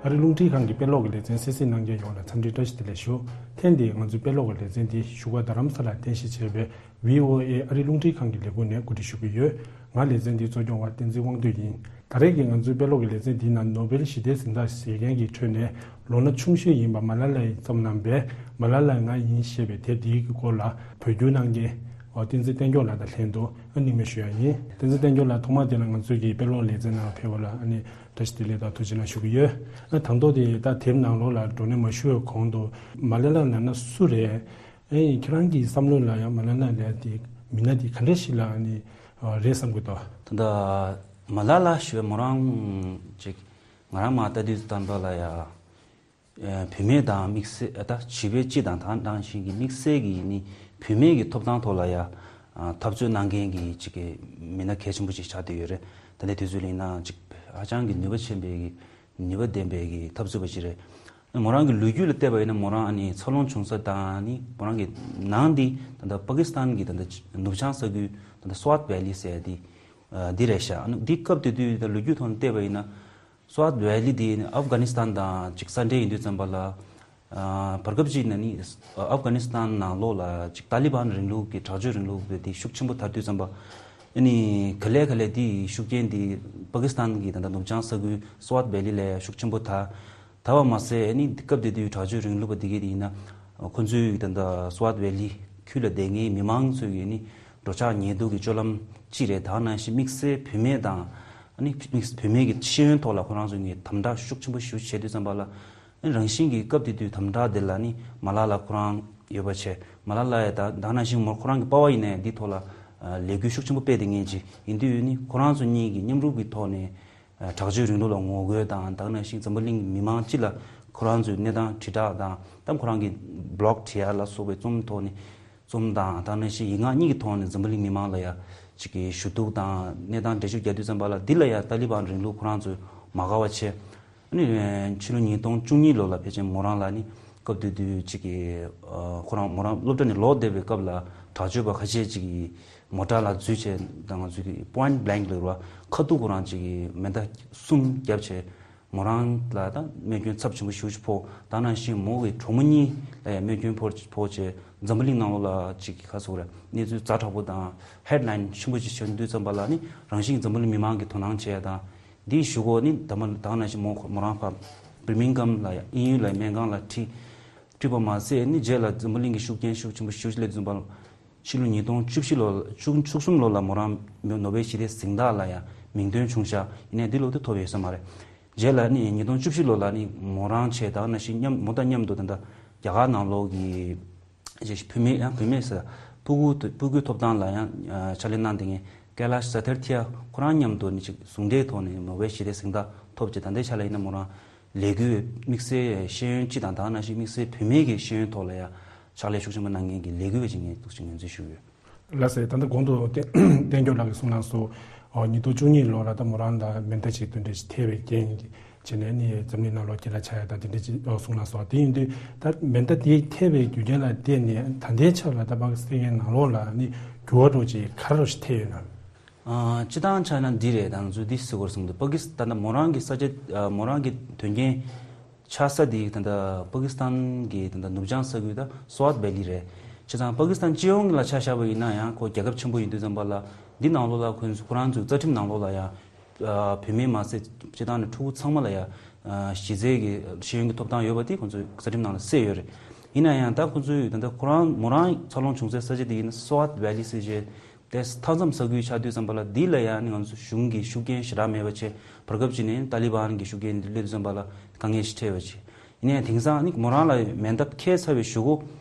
ཨ་རིའི་རླུང་འཕྲིན་ཁང་གི་དཔེ་ཀློག་གི་ལེ་ཚན་གསན་གཟིགས་གནང་མཁན་ཡོངས་ལ་འཚམས་འདྲི་བཀྲ་ཤིས་བདེ་ལེགས་ཞུ། ཐེངས་འདིའི་ང་ཚོའི་དཔེ་ཀློག་གི་ལེ་ཚན་འདི་བཞུགས་སྒར་རྡ་རམ་ས་ལར་རྟེན་གཞི་བྱས་པའི་བྷི་ཨོ་ཨེ་ཨ་རིའི་རླུང་འཕྲིན་ཁང་གི་ལས་ཁུངས་ནས་གོ་སྒྲིག་ཞུ་གི་ཡོད། ང་ལེ་ཚན་འདིའི་གཙོ་སྐྱོང་བ་བསྟན་འཛིན་དབང་འདུས་ཡིན། ད་རེས་ཀྱི་ང་ཚོའི་དཔེ་ཀློག་གི་ལེ་ཚན་འདིའི་ནང་ནོ་བེལ་ཞི་བདེའི་གཟེངས་རྟགས་བཞེས་མཁན་གྱི་ཁྲོད་ནས་ལོ་ན་ཆུང་ཤོས་ཡིན་པ་མ་ལ་ལ་ཡིས་བརྩམས་གནང་བའི་མ་ལ་ལ་ང་ཡིན་ཞེས་པའི་དེབ་འདིའི་སྐོར་ལ་བོད་བསྒྱུར་གནང་མཁན་བསྟན་འཛིན་བསྟན་སྐྱོང་ལགས་དང་ལྷན་དུ་སྣེ་ལེན་ཞུ་ཡ་ཡིན། བསྟན་འཛིན་བསྟན་སྐྱོང་ལགས་ཐོག་མ་དེ་ལ་ང་ཚོའི་གི་དཔེ་ཀློག་ལེ་ཚན་ནང་ཕེབས་པ་ལ་ཨ་ནི་བཀྲ་ཤིས་བདེ་ལེགས་དང་ཐུགས་རྗེ་གནང་ཞུ་གི་ཡོད། ཨ་དང་ཐོག་དེ་ད་དེབ་ནང་ལོགས་ལ་འགྲོ་གླེང་མ་ཞུ་བའི་གོང་དུ་མ་ལ་ལ་ལབ་ན་སུ་རེད། ཨེ་ཁྱེད་རང་གི་བསམ་བློ་ལ་ཡང་མ་ལ་ལ་ལབ་དེ་མི་སྣ་དེ་ག་འདྲ་ཞིག་ལ་ཨ་ནི་རེད་བསམ་གི་འདུག་ད་ལྟ་མ་ལ་ལ་ཞུ་བའི་མོ་རང་ཅིག་ང་རང་མ་ལྟ་དུས་ཙམ་པ་ལ་ཡ། ཨ་བུད་མེད་དང་དམིགས་བསལ་ཨ་ད་བྱིས་པའི་སྤྱི་དང་ད་ནང་བཞིན་གྱི་དམིགས་བསལ་གྱི་ནི་བུད་མེད་ཀྱི་ཐོབ་ཐང་ཐོག་ལ་ཡ་ཨ་འཐབ་རྩོད་གནང་མཁན་གྱི་ཅིག་གི་མི་སྣ་གལ་ཆེན་པོ་ཅིག་ཆགས་བསྡད་ཡོད་རེད། ད་ལྟའི་དུས་ཚོད་ལ་ཡིན་ན་ཅིག་ཧ་ཅང་གི་ནུས་པ་ཆེན་པོའི་གི་ནུས་པ་ལྡན་པའི་གི་འཐབ་རྩོད་པ་ཅིག་རེད། མོ་རང་གི་ལོ་རྒྱུས་ལ་བལྟས་པ་ཡིན་ན་མོ་རང་ཨ་ནི་འཚར་ལོངས་བྱུང་ས་དང་ནི་མོ་རང་གི་ནང་འདི་ད་ལྟ་པ་ཀི་སི་ཐན་གྱི་ད་ལྟ་ནུབ་བྱང་ས་ཁུལ་ད་ལྟ་སོ་ཝཊ་ཝེ་ལི་ཟེར་ཡ་འདི་འདི་རེད་ཤག་ཨ་ནི་འདི་སྐབས་དེ་དུས་ད་ལོ་རྒྱུས་ཐོག་ནས་བལྟས་པ་ཡིན་ན་སོ་ཝཊ་ཝེ་ལི་འདི་ཨབ་གྷ་ནི་སི་ཐན་དང་ཅིག་ས་འབྲེལ་ཡིན་དུས་ཙམ་པ་ལ། ཨ་བར་སྐབས་ཅིག་ན་ནི་ཨ་ཨབ་གྷ་ནི་སི་ཐན་ནང་ལོགས་ལ་ཅིག་ཏཱ་ལི་བན་རིང་ལུགས་ཀྱི་དྲག་སྤྱོད་རིང་ལུགས་དེ་ཤུགས་ཆེན་པོ་དར་དུས་ཙམ་པ། ཨ་ནི་ག་ལེ་ག་ལེ་དེའི་ཤུགས་རྐྱེན་དེ་པ་ཀི་སི་ཐན་གྱི་ད་ལྟ་ནུབ་བྱང་ས་ཁུལ་སོ་ཝཊ་ཝེ་ལི་ལ་ཤུགས་ཆེན་པོ་དར། དར་བ་མ་ཟད་ཨ་ནི་སྐབས་དེ་དུས་དྲག་སྤྱོད་རིང་ལུགས་པ་དེ་གས་དེ་ཡིན་ན་ཁོ་ཚོའི་ད་ལྟ་སོ་ཝཊ་ཝེ་ལི་ཁུལ་ལ་བསྡད་མཁན་མི་མང་ཚོའི་ཨ་ནི་འགྲོ་འཆག་ཉལ་འདུག་གི་སྤྱོད་ལམ་ཅི་རེད། ད་ནང་བཞིན་དམིགས་བསལ་བུད་མེད་དང་ཨ་ནི་དམིགས་བུད་མེད་ཀྱི་ཤེས་ཡོན་ཐོག་ལ་ཁོ་རང་ཚོ་ནས་དམ་དྲག་ཤུགས་ཆེན་པོ་ཞེ་པོ་བྱེད་དུས་ཙམ་པ་ལ། རང་བཞིན་གྱི་སྐབས་དེ་དུས་དམ་དྲག་དེ་ལ་ནི་མ་ལ་ལ་ཁོ་རང་ཡོད་པ་བྱས། མ་ལ་ལ་ཡ་ད་ད་ནང་བཞིན་མོ་ཁོ་རང་གི་པ་ཕ་ཡིན་ནའི་འདི་ཐོག་ལ་ལས་འགུལ་ཤུགས་ཆེན་པོ་སྤེལ་བསྡད་མཁན་ཅིག་ཡིན་དུས་ནི་ཁོ་རང་ཚོ་གཉིས་ཀྱི་མཉམ་རུབ་ཀྱི་ཐོག་ནས་དྲག་སྤྱོད་རིང་ལུགས་ལ་ངོ་རྒོལ་དང་ད་ནང་བཞིན་འཛམ་བུ་གླིང་གི་མི་མང་སྤྱི་ལ་ཁོ་རང་ཚོའི་གནས་སྟངས་དྲིལ་བསྒྲགས་དང་ད་ཁོ་རང་གི་བི་ལོག་བྲིས་ཡ་ལ་སོགས་པའི་རྩོམ་ཐོག་ནས། རྩོམ་དང་ད་ནང་བཞིན་ཡིག་ངག་གཉིས་ཀྱི་ཐོག་ནས་འཛམ་བུ་གླིང་མི་མང་ལ་ཡ་ཅིག་གི་ཞུ་གཏུག་དང་གནས་སྟངས་འགྲེལ་བརྗོད་རྒྱག་དུས་ཙམ་པ་ལ་འདི་ལ་ཡ་ཏཱ་ལི་བན་རིང་ལུགས་ཁོ་རང་ཚོས་མ་དགའ་བ་བྱས། ཨ་ནི་ཕྱི་ལོ་ཉིས་སྟོང་བཅུ་གཉིས་ལོ་ལ་ཕལ་ཆེར་མོ་རང་ལ་ནི་སྐབས་དེ་དུས་ཅིག་གི་ཁོ་རང་མོ་རང་སློབ་གྲྭ་ནས་ལོག་བསྡད་པའི་སྐབས་ལ་དྲག་སྤྱོད་པ་ཁ་ཤས་ཅིག་གིས་མོ་ཊ་ལ་འཛུལ་བྱས་དང་ང་ཚོས་ཀྱི་པོ་ཡིན་ཊི་བྷི་ལེང་ལབ་ར་ཁ་ཐུག་ཁོ་རང་ཅིག་གིས་མེ་མདའ་གསུམ་བརྒྱབ་བྱས། མོ་རང་ལ་ད་རྨས་སྐྱོན་ཚབས་ཆེན་པོ་ཞེ་པོ་ཅིག་ཕོག་ད་ནང་བཞིན་མོ་གི་གྲོགས་མོ་གཉིས་ལ་ཡང་རྨས་སྐྱོན་ཕོག་ཕོག་བྱས་འཛམ་བུ་གླིང་ནང་ལོགས་ལ་ཅིག་གི་ཁ་སོགས་རེད་གནས་ཚུལ་ཛ་དྲག་པོ་དང་ཧེཌ་ལའིན་ཆེན་པོ་ཅིག་བྱུང་དུས་ཙམ་པ་ལ་ནི་རང་བཞིན་འཛམ་བུ་གླིང་མི་མང་གིས་དོ་སྣང་བྱས་ཡ་དང་འདིའི་གཞུག་གུ་ནི་ད་མ་ད་ནང་བཞིན་མོ་མོ་རང་ཕ་བིར་མིང་གྷམ་ལ་ཡང་དབྱིན་ཡུལ་ལ་སྨན་ཁང་ལ་ཁྲིད་ཁྲིད་པ་མ་ཟད་ནི་རྗེས་ལ་འཛམ་བུ་གླིང་གི་ཤུགས་རྐྱེན་ཤུགས་ཆེན་པོ་ཞེ་པོ་ཅིག་སླེབས་ཙམ་པ་ལ། ཕྱི་ལོ་ཉིས་སྟོང་བཅུ་བཞི་ལོ་བཅུ་བཅུ་གསུམ་ལོ་ལ་མོ་རང་ནོ་བེལ་ཞི་བདེའི་གཟེངས་རྟགས་ལ་ཡང་མིང་འདོན་བྱུང་ཤག་ཡིན་ནའི་འདི་ལོ་དེ་ཐོབ་ཡོད་ས་མ་རེད། རྗེས་ལ་ནི་ཉིས་སྟོང་བཅུ་བཞི་ལོ་ལ་ནི་མོ་རང་བྱས་དང་ནང་བཞིན་མཉམ་མོ་དང་མཉམ་དུ་ད་ལྟ་རྒྱ་གར་ནང་ལོགས་ཀྱི་ཅིག་བུད་མེད་ཡང་བུད་མེད་ཟེར་ཕྲུ་གུ་ཕྲུ་གུའི་ཐོབ་ཐང་ལ་ཡང་ཕྱག་ལས་གནང་བསྡད་མཁན་ཀེ་ལཱཤ་ས་ཐར་ཐི་ཡ་ཁོ་རང་མཉམ་དུ་ནི་ཅིག་ཟུང་འབྲེལ་ཐོག་ནས་ནོ་བེལ་ཞི་བདེའི་གཟེངས་རྟགས་ཐོབ་ཅིག་ད་ལྟའི་ཆ་ལ་ཡིན་ན་མོ་རང་ལས་འགུལ་བའི་དམིགས་བསལ་ཤེས་ཡོན་སྤྱི་དང་ད་ག་ནང་བཞིན་དམིགས་བསལ་བུད་མེད་ཀྱི་ཤེས་ཡོན་ཐོག་ལ་ཡང་ཕྱག་ལས་ཤུགས་ཆེན་པོ་གནང་མཁན་གྱི་ལས་འགུལ་བ་ཅིག་ངས་འདུག་ཅིག་ངོས་འཛིན་ཞུ་གི་ཡོད། ལགས་སོ། ད་ལྟ་གོང་དུ་བསྟན་བསྟན་སྐྱོབ་ལགས་ཀྱིས་གསུངས་གནང་སོང་། ཨོ་ཉིས་སྟོང་བཅུ་གཉིས་ལོ་ལ་ད་མོ་རང་ལ་མེ་མདའ་ཅིག་དེ་འདྲ་ཞིག་ཐེབས་པའི་རྐྱེན་བྱས་ནས་ནི་འཛམ་གླིང་ནང་ལོགས་སྐད་གྲགས་ཆགས་ཡ་ད་དེ་འདྲ་ཅིག་ཨོ་གསུངས་གནང་སོང་། དེ་ཡིན་དུས་ད་མེ་མདའ་དེ་ཐེབས་པའི་རྒྱུ་རྐྱེན་ལ་བརྟེན་ནས་ད་ལྟའི་ཆར་ལ་ད་པ་ཀི་སི་ཐན་ནང་ལོགས་ལ་ནི་འགྱུར་བ་འགྲོ་ཅིག་ག་རེ་ཞིག་ཐེབས་ཡོད་ན། ཨ་སྤྱི་བཏང་ཆ་ན་འདི་རེད། ད་ང་ཚོས་འདི་ཟེར་དགོས་རེད་བསམ་འདུག་པ་ཀི་སི་ད་ལྟ་མོ་རང་གི་ས་ཆ་ཨ་མོ་རང་གི་དོན་རྐྱེན་ཆགས་ས་དེ་ད་ལྟ་པ་ཀི་སི་ཐན་གྱི་ད་ལྟ་ནུབ་བྱང་ས་ཁུལ་ད་སོ་ཝཊ་ཝེ་ལི་རེད། བྱས་ཙང་པ་ཀི་སི་ཐན་སྤྱི་ཡོངས་ལ་ཆ་བཞག་པ་ཡིན་ན་ཡང་ཁོ་རྒྱལ་ཁབ་ཆེན་པོ་ཡིན་དུས་ཙམ་པ་ལ་འདི་ནང་ལོགས་ལ་ཁོ་ཁོ་རང་ཚོའི་རྩ་ཁྲིམས་ནང་ལོགས་ལ་ཡང་ཨ་བུད་མེད་མ་ཟད་སྤྱི་བཏང་ནས་ཕྲུ་གུ་ཚང་མ་ལ་ཡང་ཨ་གཞི་རྩའི་གི་ཤེས་ཡོན་གྱི་ཐོབ་ཐང་ཡོད་པ་དེ་ཁོ་ཚོའི་རྩ་ཁྲིམས་ནང་ལ་གསལ་ཡོད་རེད། ཡིན་ན་ཡང་ད་ཁོ་ཚོའི་ད་ལྟ་ཁོ་རང་མོ་རང་འཚར་ལོངས་བྱུང་སའི་ས་ཆ་དེ་ཡིན་ན་སོ་ཝཊ་ཝེ་ལི་ཟེར་བྱས། དེ་མཐའ་མཚམས་ས་ཁུལ་ཆགས་དུས་ཙམ་པ་ལ་འདི་ལ་ཡང་ནི་ང་ཚོ་གཞུང་གི་ཤུགས་རྐྱེན་ཞེ་དྲག་མེད་པ་བྱས་བར་སྐབས་ཅིག་ནས་ཏཱ་ལི་བན་གྱི་ཤུགས་རྐྱེན་འདི་སླེབས་དུས་ཙམ་པ་ལ་དཀའ་ངལ་ཞིག་འཕྲད་པ་བྱས། ཡིན་ནའི་དེང་སང་ནི་མོ་རང་ལ་མེ་མདའ་འཁྱེར་ཚར་བའི་གཞུག་གུ་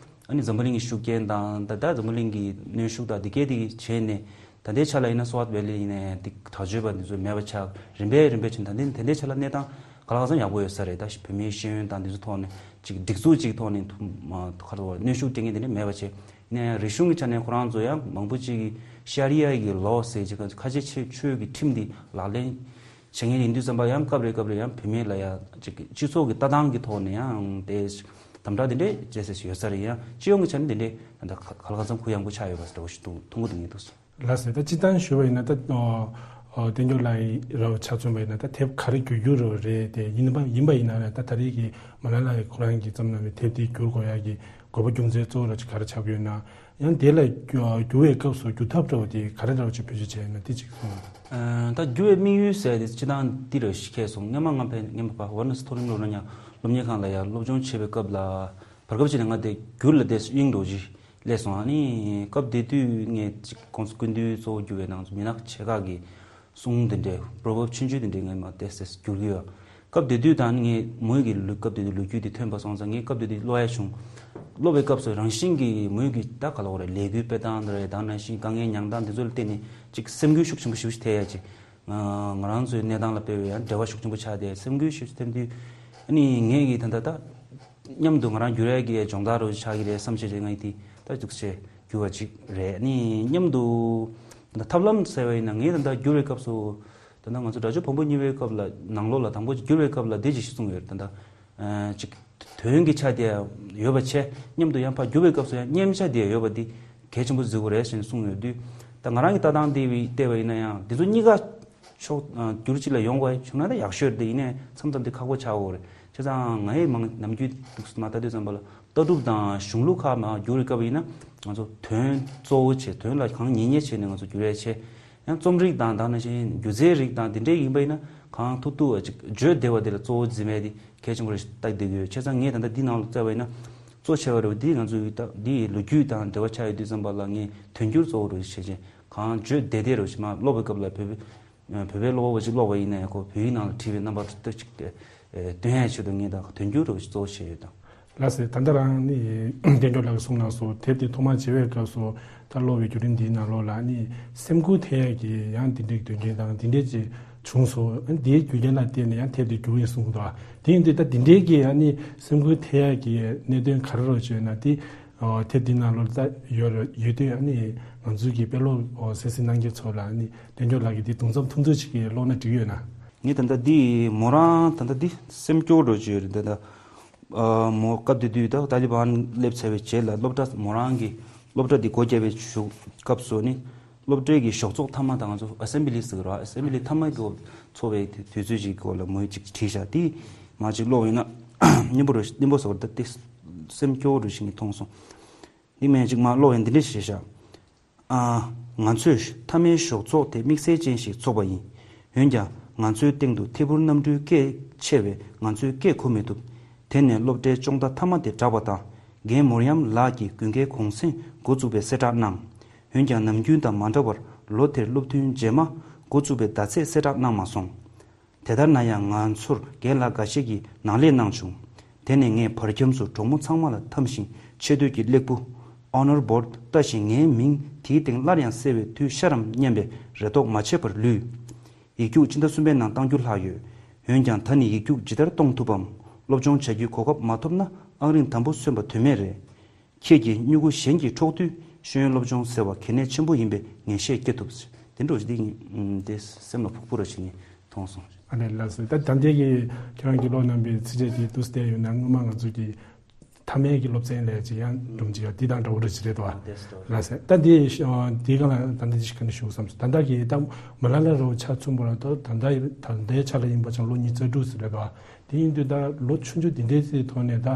ཨ་ནི་འཛམ་བུ་གླིང་གི་ཤུགས་རྐྱེན་དང་ད་ལྟ་འཛམ་བུ་གླིང་གི་གནོན་ཤུགས་དང་འདི་སྐད་འདི་གི་བྱས་ནས་ད་ལྟའི་ཆ་ལ་ཡིན་ན་སོ་ཝཊ་ཝེ་ལི་ཡིན་ནའི་འདི་དྲག་སྤྱོད་པ་འདི་ཚོ་མེད་པ་ཆགས་རིམ་པས་རིམ་པས་ཕྱིན། ད་ལྟའི་ད་ལྟའི་ཆ་ལ་གནས་སྟངས་ག་ལ་ག་ཚང་ཡག་པོ་ཡོད་ས་རེད། ད་བུད་མེད་ཤེས་ཡོན་དང་འདི་ཚོ་ཐོག་ནས་ཅིག་སྒྲིག་འཛུགས་ཅིག་ཐོག་ནས་ཐུ་མ་ག་རེ་གནོན་ཤུགས་སྤྲད་མཁན་དེ་འདྲ་མེད་པ་བྱས། ནས་རིག་གཞུང་གི་ཆ་ནས་ཁོ་རང་ཚོ་ཡང་མང་པོ་ཅིག་གིས་ཤ་རི་ཡ་གི་ལོ་ཟེར་ཅིག་ཁ་ཆེ་ཆེ་ཆོས་ཀྱི་ཁྲིམས་འདི་ལག་ལེན་བྱེད་མཁན་ཡིན་དུས་ཙམ་པ་ཡང་སྐབས་རེ་སྐབས་རེ་ཡང་བུད་མེད་ལ་ཡང་ཅིག་སྤྱི་ཚོགས་ཀྱི་ལྟ་སྟངས་ཀྱི་ཐོག་ནས་ཡང་དེ་དམ་དྲག་དེ་འདྲས་བྱེད་སྲིད་ཡོད་ས་རེད། ཡང་སྤྱི་ཡོངས་ཀྱི་ཆ་ནས་དེ་འདྲས་ད་ལྟ་ག་ལ་ག་ཚང་གུ་ཡངས་པོ་ཆགས་ཡོད་པ་འདྲ་བོ་ཞིག་འདུག་མཐོང་གི་འདུག་ངེས་འདུག་ལགས་སོ། ད་སྤྱིར་བཏང་ཞུ་བ་ཡིན་ན་ད་ཨོ་ཨོ་བསྟན་སྐྱོབ་ལགས་ར་ཆ་མཚོན་པ་ཡིན་ན་ད་དེབ་ག་རེ་བསྒྱུར་རྒྱུ་རེད་དེ་ཡིན་པ་ཡིན་པ་ཡིན་ན་ར་ད་ད་རེས་ཀྱི་མ་ལ་ལ་ཡི་ཁོ་རང་གིས་བརྩམས་གནང་བའི་དེབ་དེ་བསྒྱུར་དགོས་ཡ་གི་དགོས་པ་རྒྱུ་མཚན་གཙོ་བོ་ར་ཅིག་ག་རེ་ཆགས་ཀྱི་ཡོད་ན། ཡང་དེ་ལ་བསྒྱུར་བའི་སྐབས་སུ་བསྒྱུར་ཐབས་འདྲ་བོ་དེ་ག་རེ་འདྲ་བོ་ཅིག་བེད་སྤྱོད་བྱས་ཡོད་ན་དེ་ཅིག་གསུངས། ད་བསྒྱུར་བའི་དམིགས་ཡུལ་ཟེར་དེ་སྤྱིར་བཏང་འདི་རེ་ཞིག་ཁེལ་སོང་། སྔོན་མ་ང་ཕན་སྔོན་མ་ཕ་ཝར་ན་སི་མཐོ་རིམ་སློབ་གཉེར་སློབ་གཉེར་ཁང་ལ་ཡང་སློབ་སྦྱོང་བྱེད་པའི་སྐབས་ལ་བར་སྐབས་ཅིག་ནས་ང་དེ་བསྒྱུར་ལ་དེ་དབྱིངས་འགྲོ་གི་སླེབས་སོང་། ཨ་ནི་སྐབས་དེ་དུས་ངས་ཅིག་ཁོང་ཚོ་སྐུ་མདུན་གཙོ་བོ་གྱུར་བའི་ནང་ཚོ་མི་ནག་ཆེ་ཁག་གི་གསུང་དེ་འདྲའི་པོ་རོ་བརབ་ཆུང་ཆུང་དེ་འདྲའི་ངས་མར་ཏོག་ཙམ་བསྒྱུར་གྱི་ཡོད། སྐབས་དེ་དུས་ད་ནི་ངས་མོ་ཡི་གི་ལུས་སྐབས་དེ་དུས་ལོ་རྒྱུས་དེ་ཐོན་པ་སོང་ཙང་ངས་སྐབས་དེ་དུས་ཀློག་ཡ་བྱུང་། ཀློག་པའི་སྐབས་སུ་རང་བཞིན་གྱིས་མོ་ཡི་གི་ད་ག་ལ་འོ་རེད་ལས་འགུལ་སྤེལ་སྟངས་དེ་རེད་ད་ནང་བཞིན་དཀའ་ངལ་མྱངས་སྟངས་དེ་ཚོ་ལ་བརྟེན་ནས་ཅིག་སེམས་འགུལ་ཤུགས་ཆེན་པོ་ཞེ་པོ་ཞིག་ཐེབས་ཡ་ཅིག་ང་རང་ཚོའི་གནས་སྟངས་ལ་དཔེ་བའི་ཡང་འབྲེལ་བ་ཤུགས་ཆེན་པོ་ཆགས་ཏེ་སེམས་འགུལ་ཤུགས་ཆེ་ཐེབས་དུས་ཨ་ནི་ངས་ཀྱིས་ད་ལྟ་ད། མཉམ་དུ་ང་རང་བསྒྱུར་ཡས་ཀྱི་སྦྱོང་བརྡར་རོ་ཆགས་ཀྱི་རེད་བསམ་བྱས་རྗེས་ང་ཡི་དེ་ད་འདུག་སེ་བསྒྱུར་བ་ཅིག་རེད། ནི་མཉམ་དུ་ད་ཐབས་ལམ་ཟེར་བ་ཡིན་ན་ངས་ད་ལྟ་བསྒྱུར་བའི་སྐབས་སུ་ད་ལྟ་ང་ཚོ་སྒྲ་སྦྱོར་བམ་པོ་གཉིས་པའི་སྐབས་ལ་ནང་ལོགས་ལ་དང་པོ་ཅིག་བསྒྱུར་བའི་སྐབས་ལ་འདི་ཅིག་གསུངས་ཡོད་རེད། ད་ལྟ་ཅིག་ བོན་གྱི་ཆ་དེ་ཡོད་པ་བྱས། མཉམ་དུ་ཡང་ཕར་བསྒྱུར་བའི་སྐབས་སུ་ཡང་སྙན་ཆ་དེ་ཡོད་པ་འདི་གལ་ཆེན་པོ་བརྩི་དགོས་རེད་ཟེར་ནས་གསུངས་ཡོད་དུས། ད་ང་རང་གི་ལྟ་སྟངས་དེ་བལྟས་པ་ཡིན་ན་ཡང་འདི་ཚོ་གཉིས་ཀ་ཕྱོགས་བསྒྱུར་གཅིག་ལ་ཡོང་དགོས་བྱུང་ན་ད་ཡག་ཤོས་རེད། དེ་ཡིན་ནའི་མཚམས་མཚམས་དེ་ཁག་པོ་ཆགས་ཡོད་རེད། བྱས་ཙང་ང་ཡི་མང་ནམ་རྒྱུན་འདུག་སེ་མར་ལྟ་དུས་ཙམ་པ་ལ། ལྟ་གྲུབ་དང་གཞུང་ལུགས་ཁག་མར་བསྒྱུར་བའི་སྐབས་ཡིན་ན་ང་ཚོ་དོན་གཙོ་བོ་བྱས། དོན་ལ་གང་ཉེ་ཉེ་བྱས་ནས་ང་ཚོ་བསྒྱུར་ཡས་བྱས། ཡང་རྩོམ་རིག་དང་དེ་ནང་བཞིན་སྒྱུ་རྩལ་རིགས་དང་དེ་འདྲའི་ཡིན་པ་ཡིན་ན་གང་ཐུབ་ཐུབ་ཅིག་བརྗོད་བདེ་བ་དེ་ལ་གཙོ་བོ་འཛིན་པ་དེ་གལ་ཆེན་པོ་རེད་ལྟ་བསྡད་ཀྱི་ཡོད། བྱས་ཙང་ངས་ད་ལྟ་འདི་ནང་ལ་བལྟས་པ་ཡིན་ན་གཙོ་ཆེ་བ་རེད་པ། འདི་ང་ཚོའི་ད་འདི་ལོ་རྒྱུས་དང་འབྲེལ་བ་ཆགས་ཡོད་དུས་ཙམ་པ་ལ་ངས་དོན་འགྱུར་གཙོ་བོ་རུ་བྱས་བྱས། གང་བརྗོད་བདེ་བདེ་རུ་བྱས་མར་ཀློག་པའི་སྐབས་ལ་བོད་པའི་བོད་པའི་ཀློག་པ་པོ་ཅིག་ཀློག་པ་ཡིན་ན་ཡང་ཁོ་བོད་ཡིག་ནང་ལ་བྲིས་པའི་རྣམ་པ་ལྟ་ཅིག་སྟོན་ཡས་ཆེད་དུ་ངས་ད་དོན་འགྱུར་རུ་གཙོ་བོ་བྱས་ཡོད་དང་། ལགས་སེ། ད་ལྟ་རང་ནི་བསྟན་སྐྱོང་ལགས་ཀྱིས་གསུངས་གནང་སོང་། དེབ་དེ་ཐོག་མར་མཇལ་བའི་སྐབས་སུ་ད་ཀློག་པའི་བརྒྱུད་རིམ་འདིའི་ནང་ལོགས་ལ་ནི་སེམས་འགུལ་ཐེབས་ཡས་ཀྱི་ཡང་འདི་འདྲའི་དོན་རྐྱེན་དང་འདི་འདྲའི་ཅིག་བྱུང་སོང་། ཨ་ནི་དེའི་རྒྱུ་རྐྱེན་ལ་བརྟེན་ནས་ཡང་དེབ་དེ་བསྒྱུར་ཡིན་གསུངས་འདུག་དེ་ཡིན་དུས་ད་འདི་འདྲའི་གི་ཨ་ནི་སེམས་འགུལ་ཐེབས་ཡས་ཀྱི་གནད་དོན་ག་རེ་རོ་བྱས་ན་དེ། ཨོ། དེབ་འདི་ནང་ལོགས་ལ་ད་ཡོད་རེད། ཡོད་དུས་ཨ་ནི་ང་ཚོའི་གི་དཔེ་ཀློག་ཨོ་གསན་གཟིགས་གནང་མཁན་ཚོ་ལ་ཨ་ནི་བསྟན་སྐྱོང་ལགས་ཀྱིས་འདི་གདུང་རྩོམ་ཐུང་ཐུང་ཅིག་གི་ཀློག་ན་འགྲིག་ཡོད་ན། ངས་ད་ལྟ་འདི་མོ་རང་ད་ལྟ་འདི་སེམས་སྐྱོ་རུ་བྱས་ཡོད་རེད། ད་ལྟ་ཨ་མོ་སྐབས་དེ་དུས་ད་ཏཱ་ལི་བན་སླེབས་ཚར་བའི་རྗེས་ལ་སློབ་གྲྭ་མོ་རང་གི་སློབ་གྲྭ་འདི་སྒོ་བརྒྱབ་པའི་གཞུག་སྐབས་སུ་ནི། སློབ་གྲྭའི་གི་ཞོགས་ཚོགས་མཐའ་མ་དང་ང་ཚོ་ཨ་སེམ་བི་ལི་ཟེར་གི་རེད་པ། ཨ་སེམ་བི་ལི་མཐའ་མ་གི་འཚོགས་པའི་དུས་ཚོད་ཅིག་སྐོར་ལ་མོས་ཅིག་བྲིས་ཤག་དེ་མར་ཅིག་ཀློག་ཡིན་ན་སྙན་པོ་རུ་སྙན་པོ་བཟོ་བར་ད་དེ་སེམས་སྐྱོ་བོ་རུ་ཞིག་ནས་མཐོང་སོང་། འདི་མིན་ཅིག་མར་ཀློག་ཡིན། འདི་འདྲ་ཞིག་བྱས་ཤག་ཨ། ང་ཚོས་མཐའ་མའི་ཞོགས་ཚོགས་དེ་དམིགས་བསལ་ཅན་ཞིག་འཚོགས་པ་ཡིན། འོན་ཀྱང་ང་ཚོའི་སྟེང་དུ་ཐད་འཕུར་གནམ་གྲུའི་སྐད་ཆེ་བས་ང་ཚོས་སྐད་གོ་མི་ཐུབ། དེ་ནས་སློབ་གྲྭའི་ཅོང་བརྡ་མཐའ་མ་དེ་གྲགས་པ་དང་། རྒན་མོར་ཡམ་ལགས་ཀྱིས་དགུན་ཁའི་གུང་སེང་འགོ་བཙུགས་པའི་གསལ་བསྒྲགས་གནང་། འོན་ཀྱང་ནམ་རྒྱུན་དང་མ་འདྲ་བར་ལོ་དེར་སློབ་ཐུན་རྗེས་མ་འགོ་བཙུགས་པའི་ཟླ་ཚེས་གསལ་བསྒྲགས་གནང་མ་སོང་། དེ་ལྟར་ན་ཡང་ང་ཚོར་རྒན་ལགས་འགའ་ཤས་ཀྱིས་ནང་ལས་གནང་བྱུང་། དེ་ནས་ངས་བར་འཁྱམས་སུ་གྲོགས་མོ་ཚང་མ་ལ་འཐམས་ཤིང་ཆེ་བསྟོད་ཀྱི་སླེག་བུ། Honor Board། ལྟ་ཞིང་ངའི་མིང་དེའི་སྟེང་སླར་ཡང་གསལ་བའི་དུས་ཤར་རམ་སྙམ་པའི་རེ་དོགས་མ་ཆད་པར་ལུས། ཡིག་རྒྱུགས་ཕྱི་ཟླ་གསུམ་པའི་ནང་གཏང་རྒྱུ་ལྷག་ཡོད། འོན་ཀྱང་ད་ནི་ཡིག་རྒྱུགས་ཇི་ལྟར་གཏོང་ཐུབ་བམ། སློབ་སྦྱོང་བྱ་རྒྱུའི་གོ་སྐབས་མ་ཐོབ་ན་ཨང་རིམ་དང་པོ་སོན་པ་དོན་མེད་རེད། ཁྱེད་ཀྱི་སྨྱུ་གུ་གཞན་གྱིས་འཕྲོག་དུས་ཤེས་ཡོན་སློབ་སྦྱོང་ཟེར་བ་གལ་གནད་ཆེན་པོ་ཡིན་པའི་ངེས་ཤེས་སྐྱེ་ཐུབ། དེ་འདྲ་ཞིག་འདི་ངས་དེ་སེམས་ལ་ཕོག་པོ་ར་ཞིག་ངས་མཐོང་སོང་། ཨ་ལས་ལགས་སོ། ད་ད་ལྟའི་གི་ཁྱེད་རང་གི་ཀློག་གནང་པའི་ཚིགས་བཅད་དེ་འདུག་སེ་བལྟས་ཡོད་ན་སྔོན་མ་ང་ཚོ་གི་མཐའ་མའི་གི་སློབ་ཚན་ལས་ཅིག་ཡང་སྒྲུང་ཅིག་ཡང་འདི་དང་འདྲ་བོ་རེ་ཅིག་རེད་དོ། ལགས་སེ། ད་འདི་འདིའི་སྒང་ལ་ད་འདི་ཅིག་ག་འདྲ་ཞུ་བསམ་སོང་། ད་ལྟ་གི་ད་མ་ལ་ལ་རུ་ཆ་མཚོན་པ་ལ་ད་ད་ལྟའི་ཆ་ལ་ཡིན་པ་ཅང་ལོ་ཉི་ཤུ་རྩ་དྲུག་ཟེར་རེད་དོ། དེ་ཡིན་དུས་ད་ལོ་ཆུང་ཆུང་འདི་འདྲའི་ཚེ་ཐོག་ནས་ད་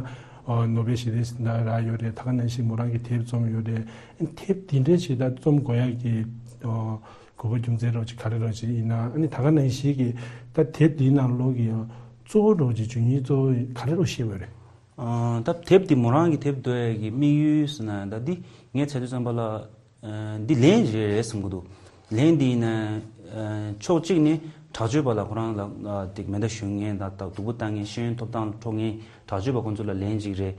ནོ་བེལ་ཞི་བདེའི་གཟེངས་རྟགས་རག་ཡོད་རེད། ད་ག་ནང་བཞིན་མོ་རང་གི་དེབ་རྩོམ་ཡོད་རེད། དེབ་འདི་འདྲའི་ཞིག་ད་རྩོམ་དགོས་ཡག་གི་དགོས་པ་རྒྱུ་མཚན་རོགས་ཅིག་ག་རེ་རོགས་ཅིག་ཡིན་ན། ཨ་ནི་ད་ག་ནང་བཞིན་གྱི་ད་དེབ་འདིའི་ནང་ལོགས་ཀྱི་གཙོ་བོ་རོགས་ཅིག་བྱུང་ཡིན་གཙོ་བོ་ག་རེ་རོགས་ཤེས་དགོས་རེད། ཨ། ད་དེབ་འདི་མོ་རང་གི་དེབ་འདོན་ཡག་གི་དམིགས་ཡུལ་ཟེར་ན་ད་འདི་ངས་བྱས་དུས་ཙམ་པ་ལ། ཨ། འདི་ལན་རེ་རེད་བསམ་གྱི་འདུག་ལན་འདི་ཡིན་ན། ཨ། ཕྱོགས་གཅིག་ནས་དྲག་སྤྱོད་པ་ལ་ཁོ་རང་ལ་ཨ། ཏིག་མེ་མདའ་གཞུ་མཁན་དང་སྡུག་པོ་བཏང་མཁན་ཤེས་ཡོན་ཐོབ་ཐང་འཕྲོག་མཁན་དྲག་སྤྱོད་པ་ཁོ་ཚོ་ལ་ལན་གཅིག་རེད།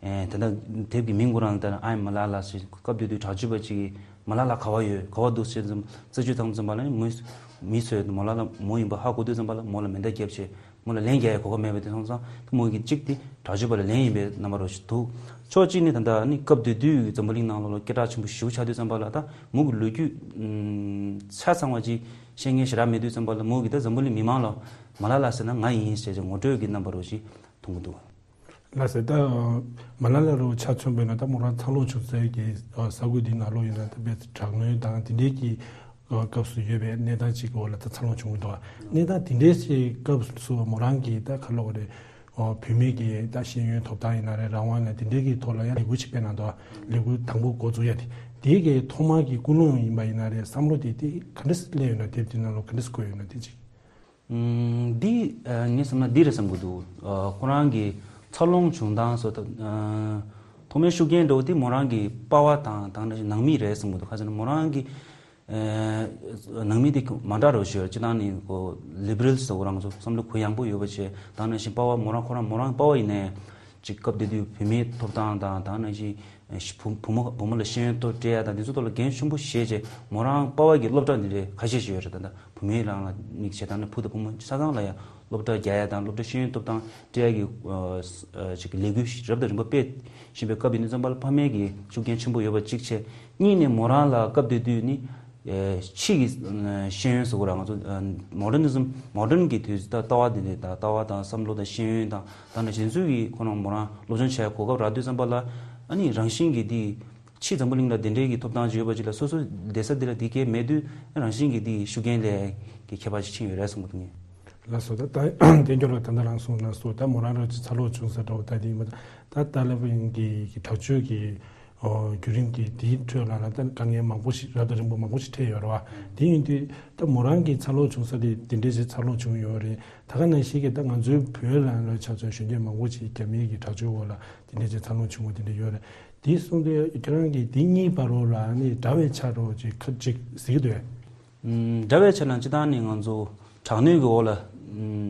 ཨེ། ད་ལྟ་དེབ་ཀྱི་མིང་ཁོ་རང་ལ་ལྟ་ན་ཨའི་མ་ལ་ལ་ཟེར། སྐབས་དེ་དུས་དྲག་སྤྱོད་པ་གཅིག་གིས་མ་ལ་ལ་ག་བ་ཡོད་ག་བ་འདུག་ཟེར་ཙམ་རྩད་གཅོད་བཏང་ཙམ་པ་ལ་ནི་མི་མི་ཚོས་མ་ལ་ལ་མོ་ཡིན་པ་ཧ་གོ་དུས་ཙམ་པ་ལ་མོ་ལ་མེ་མདའ་བརྒྱབ་བྱས་མོ་ལ་ལན་རྒྱག་ཡག་གོ་སྐབས་མེད་པ་དེ་སོང་ཙང་ད་མོ་གིས་གཅིག་དེ་དྲག་སྤྱོད་པ་ལ་ལན་ཡིན་པའི་རྣམ་པ་རོ་ཞིག་འདུག་ཕྱོགས་གཅིག་ནས་ད་ལྟ་ནི་སྐབས་དེ་དུས་འཛམ་བུ་གླིང་ནང་ལོགས་ལ་སྐད་གྲགས་ཆེན་པོ་ཞེ་པོ་ཆགས་དུས་ཙམ་པ་ལ་ད་མོ་གི་ལོ་རྒྱུས་ཆ་ཚང་བ་ཅིག་ཤེས་མཁན་ཞེ་དྲག་མེད་དུས་ཙམ་པ་ལ་མོ་གིས་ད་འཛམ་བུ་གླིང་མི་མང་ལ་མ་ལ་ལ་ཟེར་ན་ང་ཡིན་ཟེར་ཅིག་ངོ་སྤྲོད་ཀྱི་རྣམ་པ་རོ་ཞིག་མཐོང་གི་འདུག་ལགས་སེ། ད་མ་ལ་ལ་རུ་ཆ་མཚོན་པ་ཡིན་ན་ད་མོ་རང་འཚར་ལོངས་བྱུང་སའི་གི་ས་ཁུལ་འདི་ནང་ལོགས་ཡིན་ན་ད་དཔེ་དྲག་གནོན་དང་དེ་འདྲའི་གི་སྐབས་སུ་ཡོད་པའི་གནས་སྟངས་ཅིག་གི་འོག་ལ་ད་འཚར་ལོངས་བྱུང་གི་འདུག་གནས་སྟངས་དེ་འདྲའི་ཞིག་སྐབས་སུ་མོ་རང་གིས་ད་ག་ལབ་དགོས་རེད། བུད་མེད་ཀྱི་ད་ཤེས་ཡོན་ཐོབ་ཐང་ཡིན་ན་རེད། རང་དབང་ཡིན་ན་དེ་འདྲའི་གི་ཐོག་ལ་ཡང་ལས་འགུལ་ཅིག་སྤེལ་གནང་འདུག་ལས་འགུལ་དང་པོ་འགོ་འཛུགས་ཡ་དེ་དེའི་གི་ཐོག་མ་གི་ཀུན་སློང་ཡིན་པ་ཡིན་ན་རེད། བསམ་བློ་དེ་དེ་ག་འདྲ་སླེབས་ཡོད་ན་དེབ་དེ་ནང་ལོགས་ག་འདྲ་བཀོད་ཡོད་ན་དེ་ཅིག་ཨུམ། འདི་ཨ། ངས་བསམ་ན་འདི་རེད་བསམ་གྱི་འདུག་ཨ། ཁོ་རང་གི་འཚར་ལོངས་བྱུང་སྟངས་སོགས་དང་། ཨ། ཐོག་མའི་ཤུགས་རྐྱེན་འདྲ་བོ་དེ་མོ་རང་གི་པ་ཕ་དང་དེ་ནང་བཞིན་ནང་མི་རེད་བསམ་གྱི་འདུག་ག་ཟེར་ན་མོ་རང་གི་ཨ། ནང་མི་དེ་མ་འདྲ་རོ་ཞོར་སྤྱིར་བཏང་ནི་ཁོ་ལི་བྷི་རལ་ཟེར་བ་རང་ཚོ་བསམ་བློ་གུ་ཡངས་པོ་ཡོད་པ་བྱས། དེ་ནང་བཞིན་པ་ཕ་མོ་རང་ཁོ་རང་མོ་རང་པ་ཕ་ཡིན་ནའི་ཅིག་སྐབས་དེ་དུས་བུད་མེད་ཐོབ་ཐང་དང་དེ་ནང་བཞིན་བུ་བུ་མོ་བུ་མོ་ལ་ཤེས་ཡོན་ཐོག་སྤྲད་ཡ་དང་དེ་ཚོ་ཐོག་ལ་འགན་ཆེན་པོ་བཞེས་བྱས། མོ་རང་པ་ཕ་གི་སློབ་གྲྭ་འདི་རེད་ཁ་ཤས་ཤིག་ཡོད་རེད། ད་ལྟ་བུད་མེད་རང་ལ་དམིགས་བྱས་དང་ནི་བུ་དང་བུ་མོ་ཆ་ཚང་ལ་ཡང་སློབ་གྲྭ་རྒྱག་ཡ་དང་སློབ་གྲྭ་ཤེས་ཡོན་ཐོབ་ཐང་སྤྲད་ཡ་གི་ཨ། ཅིག་ལས་འགུལ་རབ་དང་རིམ་པ་སྤེལ་བཞིན་པའི་སྐབས་ཡིན་དུས་ཙམ་པ་ལ་ཕ་མའི་གི་ཤུགས་རྐྱེན་ཆེན་པོ་ཡོད་པ་གཅིག་བྱས། གཉིས་ནས་མོ་རང་ལ་སྐབས་དེ་དུས་ནི་ ཕྱི་གི་ཤེས་ཡོན་ཟེར་དགོས་ར། ང་ཚོ་མོ་ཌར་ནི་ཛམ། མོ་ཌརན་གྱི་དུས་ད་ལྟ་བ་དེ་འདྲའི་ད་ལྟ་བ་དང་བསམ་བློ་དང་ཤེས་ཡོན་དང་ད་ནི་གཞན་ཚོས་ཀྱི་ཁོ་རང་མོ་རང་སློབ་སྦྱོང་བྱས་གོ་སྐབས་རག་དུས་ཙམ་པ་ལ། ཨ་ནི་རང་བཞིན་གྱིས་དེ་ཕྱི་འཛམ་བུ་གླིང་ལ་དེ་འདྲའི་གི་ཐོབ་ཐང་ཅིག་ཡོད་པ་ཅིག་ལ་སོ་སོ་བསྡད་ས་དེ་ལ་དེ་གས་མེད་དུས་རང་བཞིན་གྱིས་དེ་ཤུགས་རྐྱེན་ལས་ཀྱི་ཁྱད་པར་ཅིག་ཕྱིན་ཡོད་རེད་བསམ་གྱི་འདུག་ངས། ལགས་སོ། ད་ད་བསྟན་འགྱུར་ལ་ད་ལྟ་རང་གསུངས་ན་སོ། ད་མོ་རང་རང་ཅིག་འཚར་ལོངས་བྱུང་ས་འདྲ་བོ་ད་དེ་ཡིན་པ། ད་ད་ལྟ་བུ་གི་གི་དྲག་སྤྱོད་ཀྱི་ཨོ་བརྒྱུད་རིམ་གྱི་དེའི་ཁྲོད་ལ་ལ་ད་དཀའ་ངལ་མང་པོ་ཞིག་རབ་དང་རིམ་པ་མང་པོ་ཞིག་འཕྲད་ཡོད་རེད་བ། དེ་ཡིན་དུས་ད་མོ་རང་གི་འཚར་ལོངས་བྱུང་ས་དེ་དེ་འདྲའི་ཞིག་འཚར་ལོངས་བྱུང་ཡོད་རེད། ད་ག་ནང་བཞིན་གྱི་ད་ང་ཚོའི་བོད་ལ་ལ་ཆ་མཚོན་གཞོན་སྐྱེས་མང་པོ་ཞིག་རྒྱ་མིའི་གི་དྲག་སྤྱོད་འོག་ལ་དེ་འདྲའི་ཞིག་འཚར་ལོངས་བྱུང་བ་དེ་འདྲ་ཡོད་རེད། དེ་གསུངས་དུས་ཁྱེད་རང་གིས་དེ་གཉིས་བར་རོ་ལ་ནི་འདྲ་བའི་ཆ་རོ་ཅིག་ཁ་ཅིག་གཟིགས་འདོད། ཨམ། འདྲ་བའི་ཆ་ལ་སྤྱི་བཏང་ནི་ང་ཚོ་དྲག་གནོན་གྱི་འོག་ལ་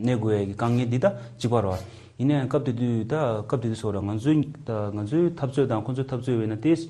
གནས་དགོས་ཡ་གི་དཀའ་ངལ་འདི་ད་གཅིག་པ་རེད་བ། ཡིན་ནའང་སྐབས་དེ་དུས་ད་སྐབས་དེ་དུས་སོགས་ར་ང་ཚོའི་ད་ང་ཚོའི་འཐབ་རྩོད་དང་ཁོ་ཚོའི་འཐབ་རྩོད་བས་ན་ཏེས་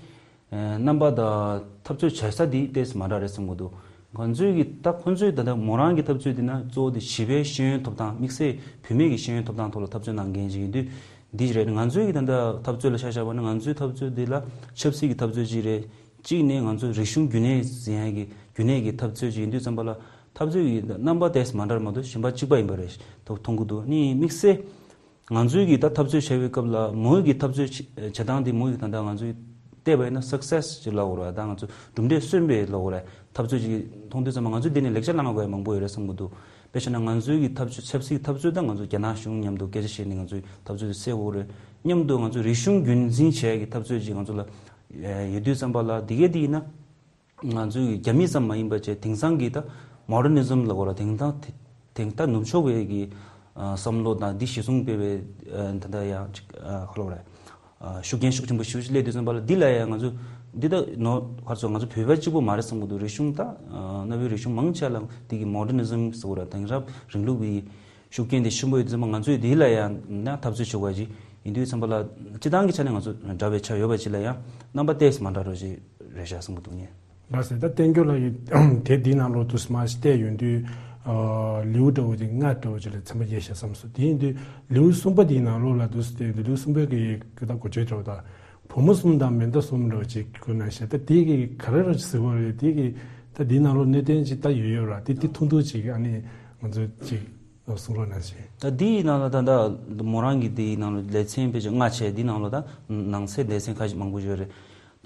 རྣམ་པ་དང་འཐབ་རྩོད་བྱ་ས་འདི་ཏེས་མ་འདྲ་རེད་བསམ་གྱི་འདུག་ང་ཚོའི་གི་ད་ཁོ་ཚོའི་ད་ལྟ་མོ་རང་གི་འཐབ་རྩོད་འདི་ན་གཙོ་བོ་དེ་བྱིས་པའི་ཤེས་ཡོན་ཐོབ་ཐང་དམིགས་བསལ་བུད་མེད་ཀྱི་ཤེས་ཡོན་ཐོབ་ཐང་ཐོག་ལ་འཐབ་རྩོད་གནང་མཁན་ཅིག་ཡིན་དུས་འདི་རེད། ང་ཚོའི་གི་ད་ལྟ་འཐབ་རྩོད་ལ་ཆ་བཞག་པ་ན་ང་ཚོའི་འཐབ་རྩོད་འདི་ལ་ཆབ་སྲིད་ཀྱི་འཐབ་རྩོད་ཅིག་རེད། གཅིག་ནས་ང་ཚོ་རིག་གཞུང་རྒྱུན་གནས་ཟིན་ཡ་གི་རྒྱུན་གནས་ཀྱི་འཐབ་རྩོད་ཅིག་ཡིན་དུས་ཙམ་པ་ལ་འཐབ་རྩོད་ཀྱི་རྣམ་པ་ཏོག་ཙམ་མ་འདྲ་མ་གཏོགས་གཞན་པ་གཅིག་པ་ཡིན་པ་རེད་མཐོང་གི་འདུག་ནི་དམིགས་བསལ་ང་ཚོའི་གི་ད་འཐབ་རྩོད་བྱ་བའི་སྐབས་ལ་མོའི་གི་འཐབ་རྩོད་བྱེད་སྟངས་དེ་མོའི་གི་ད་ལྟ་ང་ཚོས་བལྟས་པ་ཡིན་ན་སག་སེ་སི་ཅིག་ལབ་དགོས་རེད། ད་ང་ཚོ་གྲུབ་འབྲས་སོན་པའི་ལབ་དགོས་རེད། འཐབ་རྩོད་ཅིག་མཐོང་དུས་ཙམ་པ་ང་ཚོས་འདི་ནས་ལེགས་ཆ་བླང་དགོས་ཡ་མང་པོ་ཡོད་རེད་བསམ་གི་འདུག་དཔེ་བྱས་ན་ང་ཚོའི་གི་འཐབ་རྩོད་ཆབ་སྲིད་འཐབ་རྩོད་དང་ང་ཚོ་རྒྱ་ནག་གཞུང་མཉམ་དུ་སྐད་ཆ་བཤད་ནས་ང་ཚོའི་འཐབ་རྩོད་དེ་སེལ་དགོས་རེད། མཉམ་དུ་ང་ཚོ་རིག་གཞུང་རྒྱུན་འཛིན་བྱེད་ཡ་གི་འཐབ་རྩོད་ཅིག་ང་ཚོ་ལ་ཡོད་དུས་ཙམ་པ་ལ་འདི་གས་འདི་ཡིན་ན། ང་ཚོའི་རྒྱ་མི་ཙམ་མ་ཡིན་པ་བྱས་དེང་སང་གི་ད་མོ་ཌར་ནི་ཛམ་ལ་གོ་ལ་དེང་ད་དེང་ད་ནུབ་ཕྱོགས་པའི་གི་བསམ་བློ་དང་འདི་གཞི་བཟུང་སྤེལ་བའི་ད་ལྟ་ཡང་ཅིག་ཁ་ལོ་རེད། ཤུགས་རྐྱེན་ཤུགས་ཆེན་པོ་ཞིག་སླེབས་དུས་ཙམ་པ་ལ་འདི་ལ་ཡང་ང་ཚོ་འདི་ད་ནོ་ག་ཚོད་ང་ཚོ་བོད་པ་གཅིག་པུ་མ་རེད་བསམ་གི་འདུག་རིག་གཞུང་ད་གནའ་བོའི་རིག་གཞུང་མང་ཆེ་ལ་འདི་གི་མོ་ཌར་ནི་ཛམ་ཟེར་གོ་ར་དེང་རབས་རིང་ལུགས་ཀྱི་ཤུགས་རྐྱེན་དེ་ཆེན་པོ་ཡོད་དུས་ཙམ་པ་ང་ཚོས་དེ་ལ་ཡང་ན་འཐབ་རྩོད་བྱེད་དགོས་ཀྱི་ཡིན་དུས་ཙམ་པ་ལ་སྤྱི་བཏང་གི་ཆ་ནས་ང་ཚོ་འདྲ་བའི་ཆ་ཡོད་པ་ཅིག་ལ་ཡང་རྣམ་པ་ཏོག་ཙམ་མ་འདྲ་རོ་ཞིག་རེད་ཤག་བསམ་གྱི་འདུག་ངས། ལགས་སེ། ད་བསྟན་འགྱུར་ལགས་ཀྱིས་དེབ་འདིའི་ནང་ལོགས་དུ་མར་ཞིག་བལྟས་ཡོང་དུས་ལེའུ་འདྲ་བོ་ཅིག་ལྔ་འདྲ་བོ་ཅིག་ལ་ཚན་པ་བརྒྱབ་ཤག་བསམ་སོང་། དེ་ཡིན་དུས་ལེའུ་གསུམ་པ་འདིའི་ནང་ལོགས་ལ་དུ་བལྟས་ཡོང་དུས་ལེའུ་གསུམ་པའི་གི་གི་ད་འགོ་བརྗོད་འདྲ་བོ་དང་བུ་མོ་གསུམ་དང་མེ་མདའ་གསུམ་འདྲ་བོ་ཅིག་ཁོ་ན་བཤད། ད་དེ་གི་ག་རེ་ར་ཟེར་བ་རེད། དེ་གི་ད་འདིའི་ནང་ལོགས་གནད་དོན་ཅིག་ད་ཡོད་ཡོད་ར། དེ་དེ་ཐུང་ཐུང་ཅིག་ཨ་ནི་ང་ཚོ་ཅིག་གསུང་རོགས་གནང་ཞེས། ད་འདིའི་ནང་ལ་ད་ལྟ་མོ་རང་གི་འདིའི་ནང་ལ་ལེ་ཚན་དཔེ་ཆ་ལྔ་བྱས། འདིའི་ནང་ལ་ད་ནང་གསེས་ལེ་ཚན་ཁ་ཤས་མང་པོ་ཡོད་རེད།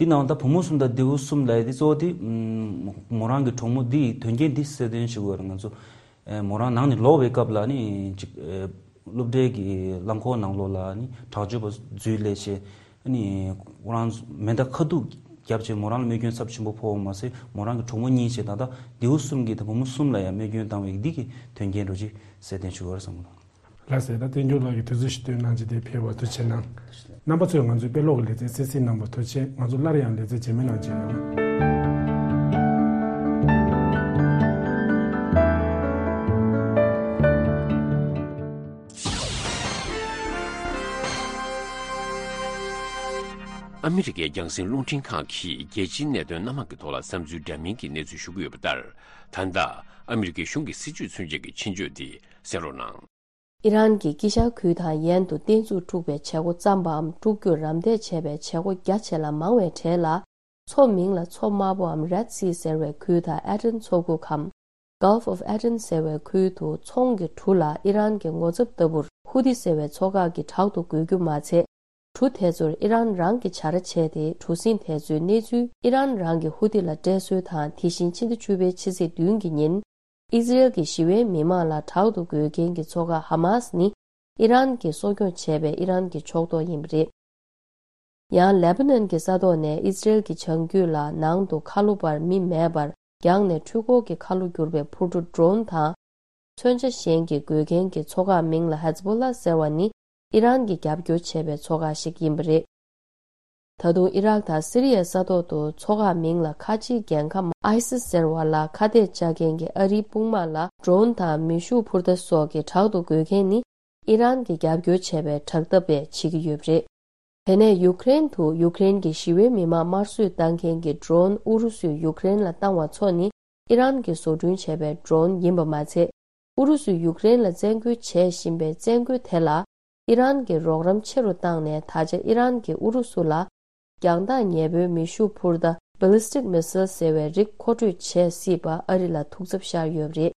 འདིའི་ནང་ལ་ད་བུ་མོ་གསུམ་དང་རྡེའུ་གསུམ་ལབ་ཡ་འདི་གཙོ་བོ་དེ་མོ་རང་གི་གྲོགས་མོ་འདིའི་དོན་རྐྱེན་འདི་གསལ་སྟོན་ཞུ་དགོས་རེད། ང་ཚོ་མོ་རང་ནང་ནས་ལོག་པའི་སྐབས་ལ་ནི་ཅིག་སློབ་གྲྭའི་གི་རླངས་འཁོར་ནང་ལོགས་ལ་ནི་དྲག་སྤྱོད་པ་འཛུལ་སླེབས་བྱས། ཨ་ནི་ཁོ་རང་མེ་མདའ་ཁ་ཐུག་བརྒྱབ་བྱས་མོ་རང་ལ་རྨས་སྐྱོན་ཚབས་ཆེན་པོ་ཕོག་པ་མ་ཟད་མོ་རང་གི་གྲོགས་མོ་གཉིས་བྱས་ད་ལྟ་རྡེའུ་གསུམ་གྱིས་ད་བུ་མོ་གསུམ་ལ་ཡང་རྨས་སྐྱོན་བཏང་བའི་འདི་གི་དོན་རྐྱེན་རོ་ཅིག་གསལ་སྟོན་ཞུ་དགོས་རེད་བསམ་གྱི་འདུག་ལགས་སེ། ད་བསྟན་འགྱུར་ལགས་ཀྱིས་དུས་ཚོད་ཞིག་བཏོན་གནང་བྱས་དེ་ཕེབས་པར་ཐུགས་རྗེ་གནང་། རྣམ་པ་ཚོས་ང་ཚོའི་དཔེ་ཀློག་གི་ལེ་ཚན་གསན་གཟིགས་གནང་བར་ཐུགས་རྗེ་ཆེ། ང་ཚོ་སླར་ཡང་ལེ་ཚན་རྗེས་མའི་ནང་མཇལ་ཡོང་། ཨ་མི་རི་ཀའི་རྒྱང་སྲིང་རླུང་འཕྲིན་ཁང་གིས་རྒྱལ་སྤྱིའི་གནད་དོན་སྣ་མང་གི་ཐོག་ལ་བསམ་ཚུལ་འདྲ་མིན་གྱི་གནས་ཚུལ་ཞུ་གི་ཡོད་པ་ལྟར། ད་ལྟ་ཨ་མི་རི་ཀའི་གཞུང་གི་སྲིད་བྱུས་མཚོན་བྱེད་ཀྱི་ཆེད་བརྗོད་འདི་གསན་རོགས་གནང་། ཨི་རན་གྱིས་དཀྱིལ་ཤར་ཁུལ་དང་ཡན་དུ་བརྟན་བཞུགས་འཁྲུག་པའི་བྱེད་སྒོ་བརྩམས་པའམ་སྒྲུབ་རྒྱུར་རམ་འདེགས་བྱས་པའི་བྱེད་སྒོ་རྒྱ་ཆེ་ལ་མང་བའི་གྲས་ལ། མཚོ་མིང་ལ་མཚོ་དམར་པོའམ་Red Sea ཟེར་བའི་ཁུལ་དང་ཨེ་ཏན་མཚོ་ཁུག་གམ་Gulf of Aden ཟེར་བའི་ཁུལ་དུ་ཚོང་གི་གྲུ་ལ་ཨི་རན་གྱི་ངོ་ཚབ་ལྟ་བུར་ཧུ་ཏི་ཟེར་བའི་ཚོ་ཁག་གིས་དྲག་ཏུ་རྒོལ་རྒྱུ་མ་ཚད། གྲུ་དེ་ཚོར་ཨི་རན་རང་གིས་བྱ་ར་བྱས་ཏེ། གྲུ་གཟིངས་དེ་ཚོའི་གནས་ཚུལ་ཨི་རན་རང་གིས་ཧུ་ཏི་ལ་སྤྲད་སྲོལ་དང་། དེ་བཞིན་ཕྱི་ཟླ་བཅུ་པའི་ཕྱི་ཚེས་བདུན་གྱི་ཉིན། ཨི་ཟི་རེལ་གྱི་ཞི་བའི་མི་མང་ལ་དྲག་ཏུ་རྒོལ་མཁན་གྱི་ཚོ་ཁག་ཧ་མཱས་ནི། ཨི་རན་གྱིས་གསོ་སྐྱོང་བྱས་པའི་ཨི་རན་གྱི་ཕྱོགས་གཏོགས་ཡིན་པ་རེད། ཡང་ལེ་པ་ནན་གྱི་ས་ཐོག་ནས་ཨི་ཟི་རེལ་གྱི་བྱང་རྒྱུད་ལ་ནང་དུ་ཁ་ལོ་པར་མི་མེད་པར་བརྒྱངས་ནས། འཕྲུལ་འཁོར་གྱི་ཁ་ལོ་བསྒྱུར་བའི་འཕུར་གྲུ་ཌོ་རོན་དང་། མཚོན་ཆ་གཞན་གྱིས་རྒོལ་མཁན་གྱི་ཚོ་ཁག་མིང་ལ་ཧེ་ཛ་བྷོ་ལ་ཟེར་བ་ནི། ཨི་རན་གྱིས་རྒྱབ་སྐྱོར་བྱས་པའི་ཚོ་ཁག་ཞིག་ཡིན་པ་རེད། ད་དུང་ཨི་རག་དང་སི་རི་ཡའི་ས་ཐོག་ཏུ་ཚོ་ཁག་མིང་ལ་ཁ་ཆེའི་རྒྱལ་ཁམས་ཨའི་སི་ཟེར་བ་ལ་ཁ་གཏད་བཅག་མཁན་གྱི་ཨ་རིའི་དཔུང་དམག་ལ་ཌོ་རོན་དང་མེ་ཤུགས་འཕུར་མདའ་སོགས་ཀྱིས་དྲག་ཏུ་རྒོལ་མཁན་ནི། ཨི་རན་གྱིས་རྒྱབ་སྐྱོར་བྱས་པའི་དྲག་འཐབ་པས་བྱེད་ཀྱི་ཡོད་པ་རེད། དེ་ནས་ཡུཀ་རེན་དུ་ཡུཀ་རེན་གྱི་ཞི་བའི་མི་མང་དམར་གསོད་བཏང་མཁན་གྱི་ཌོ་རོན་ཨུ་རུ་སུས་ཡུཀ་རེན་ལ་བཏང་བ་ཚོ་ནི། ཨི་རན་གྱིས་བཟོ་སྐྲུན་བྱས་པའི་ཌོ་རོན་ཡིན་པ་མ་ཚད། ཨུ་རུ་སུས་ཡུཀ་རེན་ལ་བཙན་རྒོལ་བྱེད་བཞིན་པའི་བཙན་རྒོལ་དེ་ལ། ཨི་རན་གྱིས་རོགས་རམ་ཆེ་རུ་བཏང་ནས། ད་ཆ་ཨི་རན་གྱིས་ཨུ་རུ་སུ་ལ་རྒྱང་ཐག་ཉེ་པོའི་མེ་ཤུགས་འཕུར་མདའ་ Ballistic Missile ཟེར་བའི་རིགས་མཁོ་སྤྲོད་བྱེད་སྲིད་པ་ཨ་རི་ལ་ཐུགས་འཚབ་ཤར་ཡོད་པ་རེད།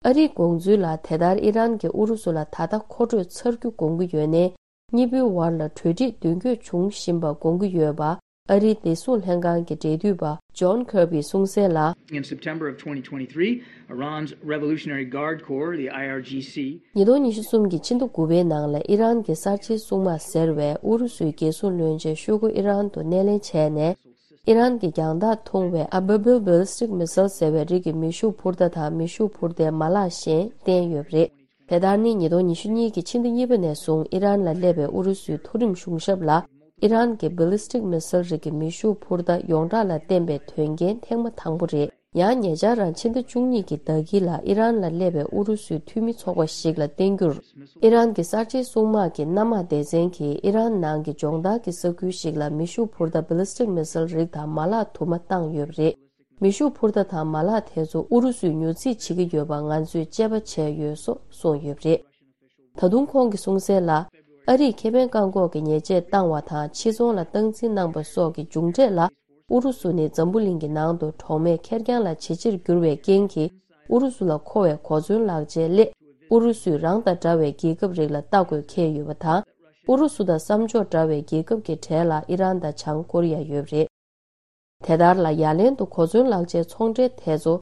ཨ་རིའི་དགོངས་ཚུལ་ལ། དེ་ལྟར་ཨི་རན་གྱིས་ཨུ་རུ་སུ་ལ་ད་ལྟ་མཁོ་སྤྲོད་ཚར་རྒྱུ་དགོངས་ཀྱི་ཡོད་ནའི། གཉིས་པོའི་བར་ལ་གྲོས་འགྲིག་མདུན་སྐྱོད་བྱུང་བཞིན་པ་དགོངས་ཀྱི་ཡོད་པ། ཨ་རིའི་བདེ་སྲུང་ལྷན་ཁང་གི་འབྲེལ་མཐུད་པ་John Kirby གསུངས་གསལ་ལ། In September of twenty twenty-three, Iran's Revolutionary Guard Corps, the I R G C, ཉིས་སྟོང་ཉི་ཤུ་གསུམ་གྱི་ཕྱི་ཟླ་དགུ་པའི་ནང་ལ་ཨི་རན་གྱི་གསར་བརྗེའི་སྲུང་དམག་ཟེར་བས་ཨུ་རུ་སུའི་རྒྱལ་སྲུང་བློན་ཆེན་ཤོ་གུ་ཨི་རན་དུ་སྣེ་ལེན་བྱས་ནས། ཨི་རན་གྱི་རྒྱང་ཐག་ཐུང་བའི་Ababil Ballistic Missile ཟེར་བའི་རིགས་ཀྱི་མེ་ཤུགས་འཕུར་མདའ་དང་མེ་ཤུགས་འཕུར་མདའི་མ་ལག་གཞན་བསྟན་ཡོད་པ་རེད། དེ་ལྟར་ནི་ཉིས་སྟོང་ཉི་ཤུ་གཉིས་ཀྱི་ཕྱི་ཟླ་གཉིས་པ་ནས་བཟུང་ཨི་རན་ལ་སླེབས་པའི་ཨུ་རུ་སུའི་མཐོ་རིམ་གཞུང་ཞབས་ལ་ཨི་རན་གྱི་Ballistic Missile རིགས་ཀྱི་མེ་ཤུགས་འཕུར་མདའ་ཡོངས་གྲགས་ལ་བསྟན་པའི་དོན་རྐྱེན་ཐེངས་མ་དང་པོ་རེད། ཡང་ཉེ་ཆར་རང་ཕྱི་ཟླ་བཅུ་གཉིས་ཀྱི་ཟླ་དཀྱིལ་ལ་ཨི་རན་ལ་སླེབས་པའི་ཨུ་རུ་སུའི་འཐུས་མི་ཚོགས་པ་ཞིག་ལ་བསྟན་རྒྱུར། ཨི་རན་གྱི་གསར་བརྗེའི་སྲུང་དམག་གི་གནམ་དམག་སྡེ་ཚན་གྱིས་ཨི་རན་ནང་གི་སྦྱོང་བརྡར་གྱི་ས་ཁུལ་ཞིག་ལ་མེ་ཤུགས་འཕུར་མདའ་Ballistic Missile རིགས་དང་མ་ལག་དུ་མ་བཏང་ཡོད་པ་རེད། མེ་ཤུགས་འཕུར་མདའ་དང་མ་ལག་དེ་ཚོ་ཨུ་རུ་སུས་ཉོ་རྩིས་བྱེད་ཀྱི་ཡོད་པ་ང་ཚོས་དཔྱད་པ་བྱས་ཡོད་སོགས་གསུངས་ཡོད་པ་རེད། ད་དུང་ཁོང་གིས་གསུངས་གསལ་ལ། ཨ་རིས་ཁེ་ཕན་བཀག་འགོག་གི་ཉེས་ཆད་བཏང་བ་དང་ཕྱིར་ཚོང་ལ་སྟངས་འཛིན་གནང་པ་སོགས་ཀྱི་མཇུག་འབྲས་ལ། ཨུ་རུ་སུ་ནི་འཛམ་བུ་གླིང་གི་ནང་དུ་གྲོགས་མེད་ཁེར་རྐྱང་ལ་ཇེ་ཆེར་གྱུར་བའི་རྐྱེན་གྱིས། ཨུ་རུ་སུ་ལ་མཁོ་བའི་གོ་མཚོན་ལག་ཆའི་སླད། ཨུ་རུ་སུས་རང་དང་འདྲ་བའི་རྒྱལ་ཁབ་རིགས་ལ་ལྟ་དགོས་འཁེལ་ཡོད་པ་དང་། ཨུ་རུ་སུ་དང་བསམ་ཕྱོགས་འདྲ་བའི་རྒྱལ་ཁབ་ཀྱི་གྲས་ལ་ཨི་རན་དང་བྱང་ཀོ་རི་ཡ་ཡོད་པ་རེད། དེ་ལྟར་ལ་ཡ་ལན་དུ་གོ་མཚོན་ལག་ཆའི་ཚོང་འབྲེལ་དེ་ཚོ།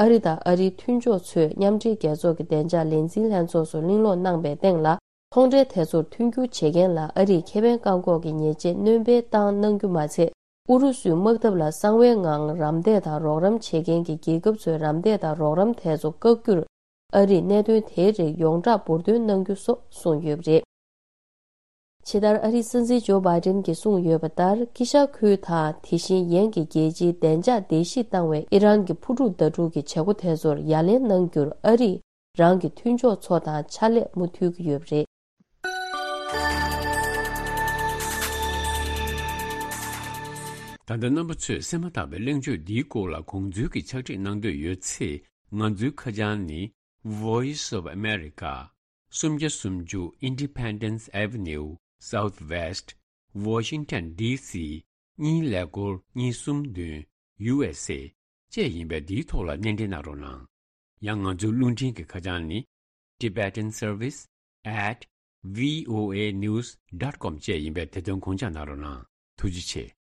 ཨ་རི་དང་ཨ་རིའི་མཐུན་ཕྱོགས་ཚོས་མཉམ་འབྲེལ་རྒྱལ་ཚོགས་ཀྱི་བདེ་འཇགས་ལས་འཛིན་ལྷན་ཚོགས་སུ་གླེང་སློང་གནང་པའི་སྟེང་ལ། ཚོང་འབྲེལ་དེ་ཚོར་མཐུན་འགྱུར་བྱེད་མཁན་ལ་ཨ་རིས་ཁེ་ཕན་བཀག་འགོག་གི་ཉེས་ཆད་སྣོན་སྤེལ་བཏང་གནང་རྒྱུ་མ་ཚད། ཨུ་རུ་སུའི་དམག་འཐབ་ལ་གསང་བའི་ངང་རམ་འདེགས་དང་རོགས་རམ་བྱེད་མཁན་གྱི་རྒྱལ་ཁབ་ཚོའི་རམ་འདེགས་དང་རོགས་རམ་དེ་ཚོ་བཀག་རྒྱུར། ཨ་རིས་གནད་དོན་དེའི་རིགས་ཡོངས་གྲགས་འབུར་འདོན་གནང་རྒྱུ་སོགས་གསུངས་ཡོད་པ་རེད། ཇི་ལྟར་ཨ་རིའི་སྲིད་འཛིན་ཇོ་བྷའི་ཌེན་གྱིས་གསུངས་ཡོད་པ་ལྟར། དཀྱིལ་ཤར་ཁུལ་དང་དེ་བཞིན་ཡན་གྱི་རྒྱལ་སྤྱིའི་བདེ་འཇགས་བརྡལ་བཤིག་བཏང་བའི་ཨི་རན་གྱི་འཕུར་གྲུ་ཟླ་དྲུག་གི་བྱེད་སྒོ་དེ་ཚོར་ཡ་ལན་གནང་རྒྱུར་ཨ་རིས་རང་གི་མཐུན་ཕྱོགས་ཚོ་དང་ཕྱག་ལས་མུ་མཐུད་ཀྱི་ཡོད་པ་རེད། ད་ལྟ་རྣམ་པ་ཚོས་གསན་མ་ཐག་པའི་གླེང་བརྗོད་འདིའི་སྐོར་ལ་དགོངས་ཚུལ་གྱི་ཕྱག་བྲིས་གནང་འདོད་ཡོད་ཚེ། ང་ཚོའི་ཁ་བྱང་ནི། Voice of America། སུམ་བརྒྱ་སུམ་ཅུ་Independence Avenue Southwest Washington D C གཉིས་ཀླད་ཀོར་གཉིས་གསུམ་བདུན། U S A བཅས་ཡིན་པས། འདིའི་ཐོག་ལ་སྣེ་འདྲེན་གནང་རོགས་གནང་། ཡང་ང་ཚོའི་རླུང་འཕྲིན་གྱི་ཁ་བྱང་ནི། Tibetan Service at V O A news dot com བཅས་ཡིན་པས། དེ་དོན་དགོངས་འཇགས་གནང་རོགས་གནང་། ཐུགས་རྗེ་ཆེ།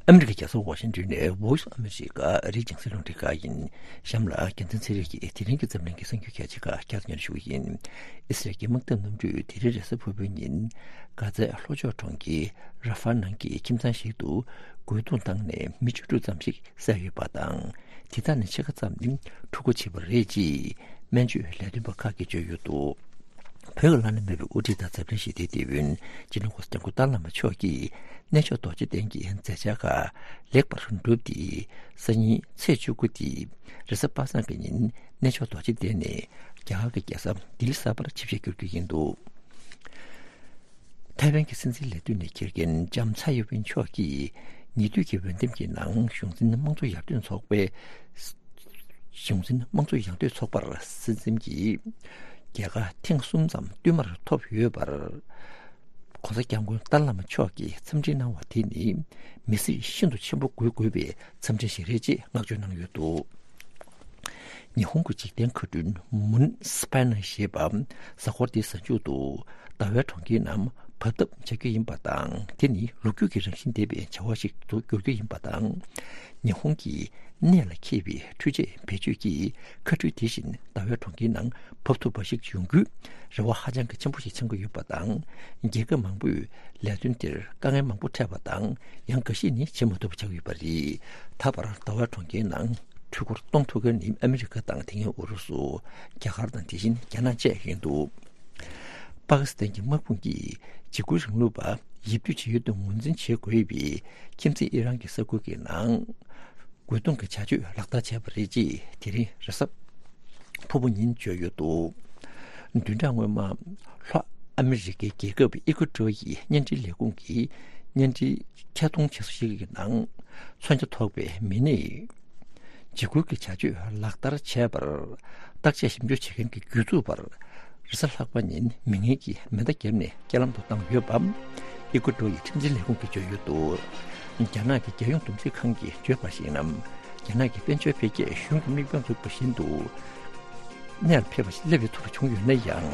ཨ་མི་རི་ཀའི་རྒྱལ་ས་ཝ་ཤིང་ཏོན་ནས་Voice of America ཨ་རིའི་རྒྱང་སྲིང་རླུང་འཕྲིན་ཁང་ཡིན། གཤམ་ལ་རྒྱལ་མཚན་ཚེ་རིང་གིས་དེ་རིང་གི་འཛམ་གླིང་གི་གསར་འགྱུར་གལ་ཆེ་ཁག་བསྐྱར་དུ་སྙན་ཞུ་གི་ཡིན། ཨི་སི་རལ་གྱི་དམག་འཐབ་གནམ་གྲུས་དེ་རིང་རེས་གཟའ་ཕུར་བུའི་ཉིན། གྷ་ཛའི་ལྷོ་ཕྱོགས་གྲོང་ཁྱེར་ར་ཧྥ་ནང་གི་ཁྱིམ་ཚང་ཞིག་ཏུ་རྒོལ་རྡུང་བཏང་ནས་མི་བཅུ་དྲུག་ཙམ་ཞིག་བསད་ཡོད་པ་དང་། དེ་དག་ནས་ཕྱེད་ཀ་ཙམ་ནི་འཁྲུག་པ་བྱས་པ་རེད་ཅེས་སྨན་བཅོས་ལས་དོན་པ་ཁག་གིས་བརྗོད་ཡོད་འདུག་བོད་ཀྱི་བླ་ན་མེད་པའི་དབུ་ཁྲིད་དང་འཛམ་གླིང་ཞི་བདེའི་དེད་དཔོན་སྤྱི་ནོར་གོང་ས་སྐྱབས་མགོན་ཏཱ་ལའི་བླ་མ་མཆོག་གིས་གནས་མཆོག་རྡོ་རྗེ་གདན་གྱི་མཛད་འཆར་ཁག་ལེགས་པར་གྲུབ་སྟེ། སང་ཉིན་ཚེས་བཅུ་དགུ་སྟེ་རེས་གཟའ་པ་སངས་ཀྱི་ཉིན་གནས་མཆོག་རྡོ་རྗེ་གདན་ནས་རྒྱ་གར་གྱི་རྒྱལ་ས་ལྡི་ལི་གསར་པར་ཆིབས་ཞལ་བསྒྱུར་རྒྱུ་ཡིན་འདུག་ཐའེ་ཝན་གྱི་སྲིད་འཛིན་ལས་དོན་ནས་འཁྱེར་མཁན་ལྕམ་ཚའེ་ཡོ་ཝེན་མཆོག་གིས་ཉེ་དུས་ཀྱི་འོས་འདེམས་ཀྱི་ནང་གཞུང་འཛིན་དམངས་གཙོ་ཡར་ཐོན་ཚོགས་པའི་གཞུང་འཛིན་དམངས་གཙོ་ཡར་ཐོན་ཚོགས་པར་སྲིད་འཛིན་གྱི་རྒྱལ་ཁ་ཐེངས་གསུམ་ཙམ་བསྟུད་མར་ཐོབ་ཡོད་པར། ༸གོང་ས་༸སྐྱབས་མགོན་ཏཱ་ལའི་བླ་མ་མཆོག་གིས་འཚམས་འདྲི་གནང་བ་དེ་ནི་མི་སེར་ཤིན་ཏུ་ཆེན་པོ་དགོས་དགོས་པའི་འཚམས་འདྲི་ཞིག་རེད་ཅེས་བསྔགས་བརྗོད་གནང་ཡོད་འདུག་ཉི་ཧོང་གི་འཇིག་རྟེན་མཁའ་འགྲུལ་མུན་སི་པའི་ནར་ཞེས་པ་གཟའ་འཁོར་འདིའི་གཟའ་མཇུག་ཏུ་ཟླ་བའི་གྲོང་ཁྱེར་ནང་བབས་ཐབས་བྱ་རྒྱུ་ཡིན་པ་དང་། དེ་ནི་ལོ་རྒྱུས་ཀྱི་རང་བཞིན་ལྡན་པའི་བྱ་བ་ཞིག་ཏུ་འགྱུར་རྒྱུ་ཡིན་པ་དང་། ཉི་ཧོང་གི་གནད་ལ་འཁེལ་བའི་འཕྲུལ་ཆས་བེད་སྤྱོད་ཀྱིས་མཁའ་འགྲུལ་དེ་བཞིན་ཟླ་བའི་གྲོང་ཁྱེར་ནང་བབས་ཐུབ་པ་ཞིག་ཡོང་རྒྱུའི་རེ་བ་ཧ་ཅང་གི་ཆེན་པོ་ཞིག་འཆང་གི་ཡོད་པ་དང་། རྒྱལ་ཁབ་མང་པོས་ལས་དོན་དེར་དཀའ་ངལ་མང་པོ་འཕྲད་པ་དང་། ཡང་འགའ་ཤས་ནི་བྱེད་མ་ཐུབ་པ་ཆགས་ཡོད་པ་རེད། ད་བར་ཟླ་བའི་གྲོང་ཁྱེར་ནང་འཕྲུལ་འཁོར་གཏོང་ཐུབ་མཁན་ནི་ཨ་མི་རི་ཀ་དང་། དེ་སྔའི་ཨུ་རུ་སུ། རྒྱ་གར་དང་། དེ་བཞིན་རྒྱ་ནག་བཅས་ཡིན་འདུག་པ་ཀི་སི་ཐན་གྱི་དམག་དཔུང་གིས་འཇིགས་སྐུལ་རིང་ལུགས་པ་ཡིབ་སྡུད་བྱེད་ཡུལ་དུ་ངོས་འཛིན་བྱེད་དགོས་པའི་ཁྱིམ་མཚེས་ཨི་རན་གྱི་ས་ཁུལ་གྱི་ནང་རྒོལ་རྡུང་གི་བྱ་སྤྱོད་ལག་བསྟར་བྱས་པ་རེད་ཅེས་དེ་རིང་རེས་གཟའ་ཕུར་བུ་ཉིན་བརྗོད་ཡོད་འདུག་བདུན་ཕྲག་སྔོན་མ་ལྷོ་ཨ་མི་རི་ཀའི་རྒྱལ་ཁབ་ཨི་ཀུ་ཏྲོ་ཡི་བརྙན་འཕྲིན་ལས་ཁུངས་ཀྱི་བརྙན་འཕྲིན་ཐད་གཏོང་བྱེད་ས་ཞིག་གི་ནང་མཚོན་ཆ་ཐོགས་པའི་མི་སྣས་འཇིགས་སྐུལ་གྱི་བྱ་སྤྱོད་ལག་བསྟར་བྱས་པར་བརྟག་དཔྱད་ཞིབ་འཇུག་བྱེད་མཁན་གྱི་གྱོད་འཛུགས་པར་རེས་གཟའ་ལྷག་པ་ཉིན་མི་ངན་གྱིས་མེ་མདའ་བརྒྱབ་ནས་རྐྱེན་ལམ་དུ་བཏང་ཡོད་པ་ཨི་ཀུ་ཏྲོ་ཡི་ཁྲིམས་འཛིན་ལས་ཁུངས་ཀྱིས་བརྗོད་ཡོད་འདུག་རྒྱ་ནག་གི་རྒྱལ་ཡོངས་བསྡོམས་རྩིས་ཁང་གིས་བརྗོད་པར་གཞིགས་ན། རྒྱ་ནག་གི་དཔལ་འབྱོར་འཕེལ་རྒྱས་གཞུང་གི་དམིགས་འབེན་བཙུགས་པ་བཞིན་དུ་གནས་ལ་འཕེལ་བ་ཞིག་སླེབས་ཡོད་ཐུབ་པ་བྱུང་ཡོད་ན་ཡང་།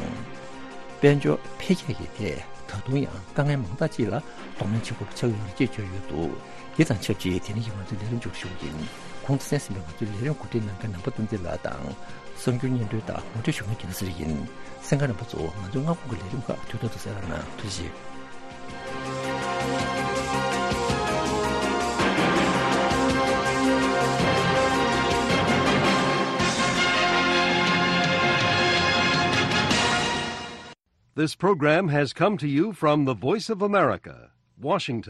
དཔལ་འབྱོར་འཕེལ་རྒྱས་ཀྱི་ཐད་ད་དུང་ཡང་དཀའ་ངལ་མང་དག་ཅིག་ལ་གདོང་ལེན་བྱེད་དགོས་པ་ཆགས་ཡོད་རེད་ཅེས་བརྗོད་ཡོད་འདུག་འདི་དང་ཆབས་ཅིག་དེ་རིང་གི་ང་ཚོའི་ལས་རིམ་མཇུག་སྒྲིལ་ཞུ་གི་ཡིན། གོང་དུ་གསན་ཟིན་པའི་ང་ཚོའི་ལས་རིམ་གོ་སྒྲིག་གནང་མཁན་ནང་པ་བསྟན་འཛིན་ལགས་དང་། གསར་འགྱུར་སྙན་སྒྲོན་དང་ངོ་སྤྲོད་ཞུ་མཁན་རྒྱལ་ལ་གསེར་ཡིན། གསན་མཁན་རྣམ་པ་ཚོ་ང་ཚོའི་སྔ་དགོང་གི་ལས་རིམ་ཁག་དུས་ཐོག་ཏུ་གསན་རོགས་གནང་། ཐུགས་རྗེ་ཆེ། This program has come to you from the Voice of America, Washington.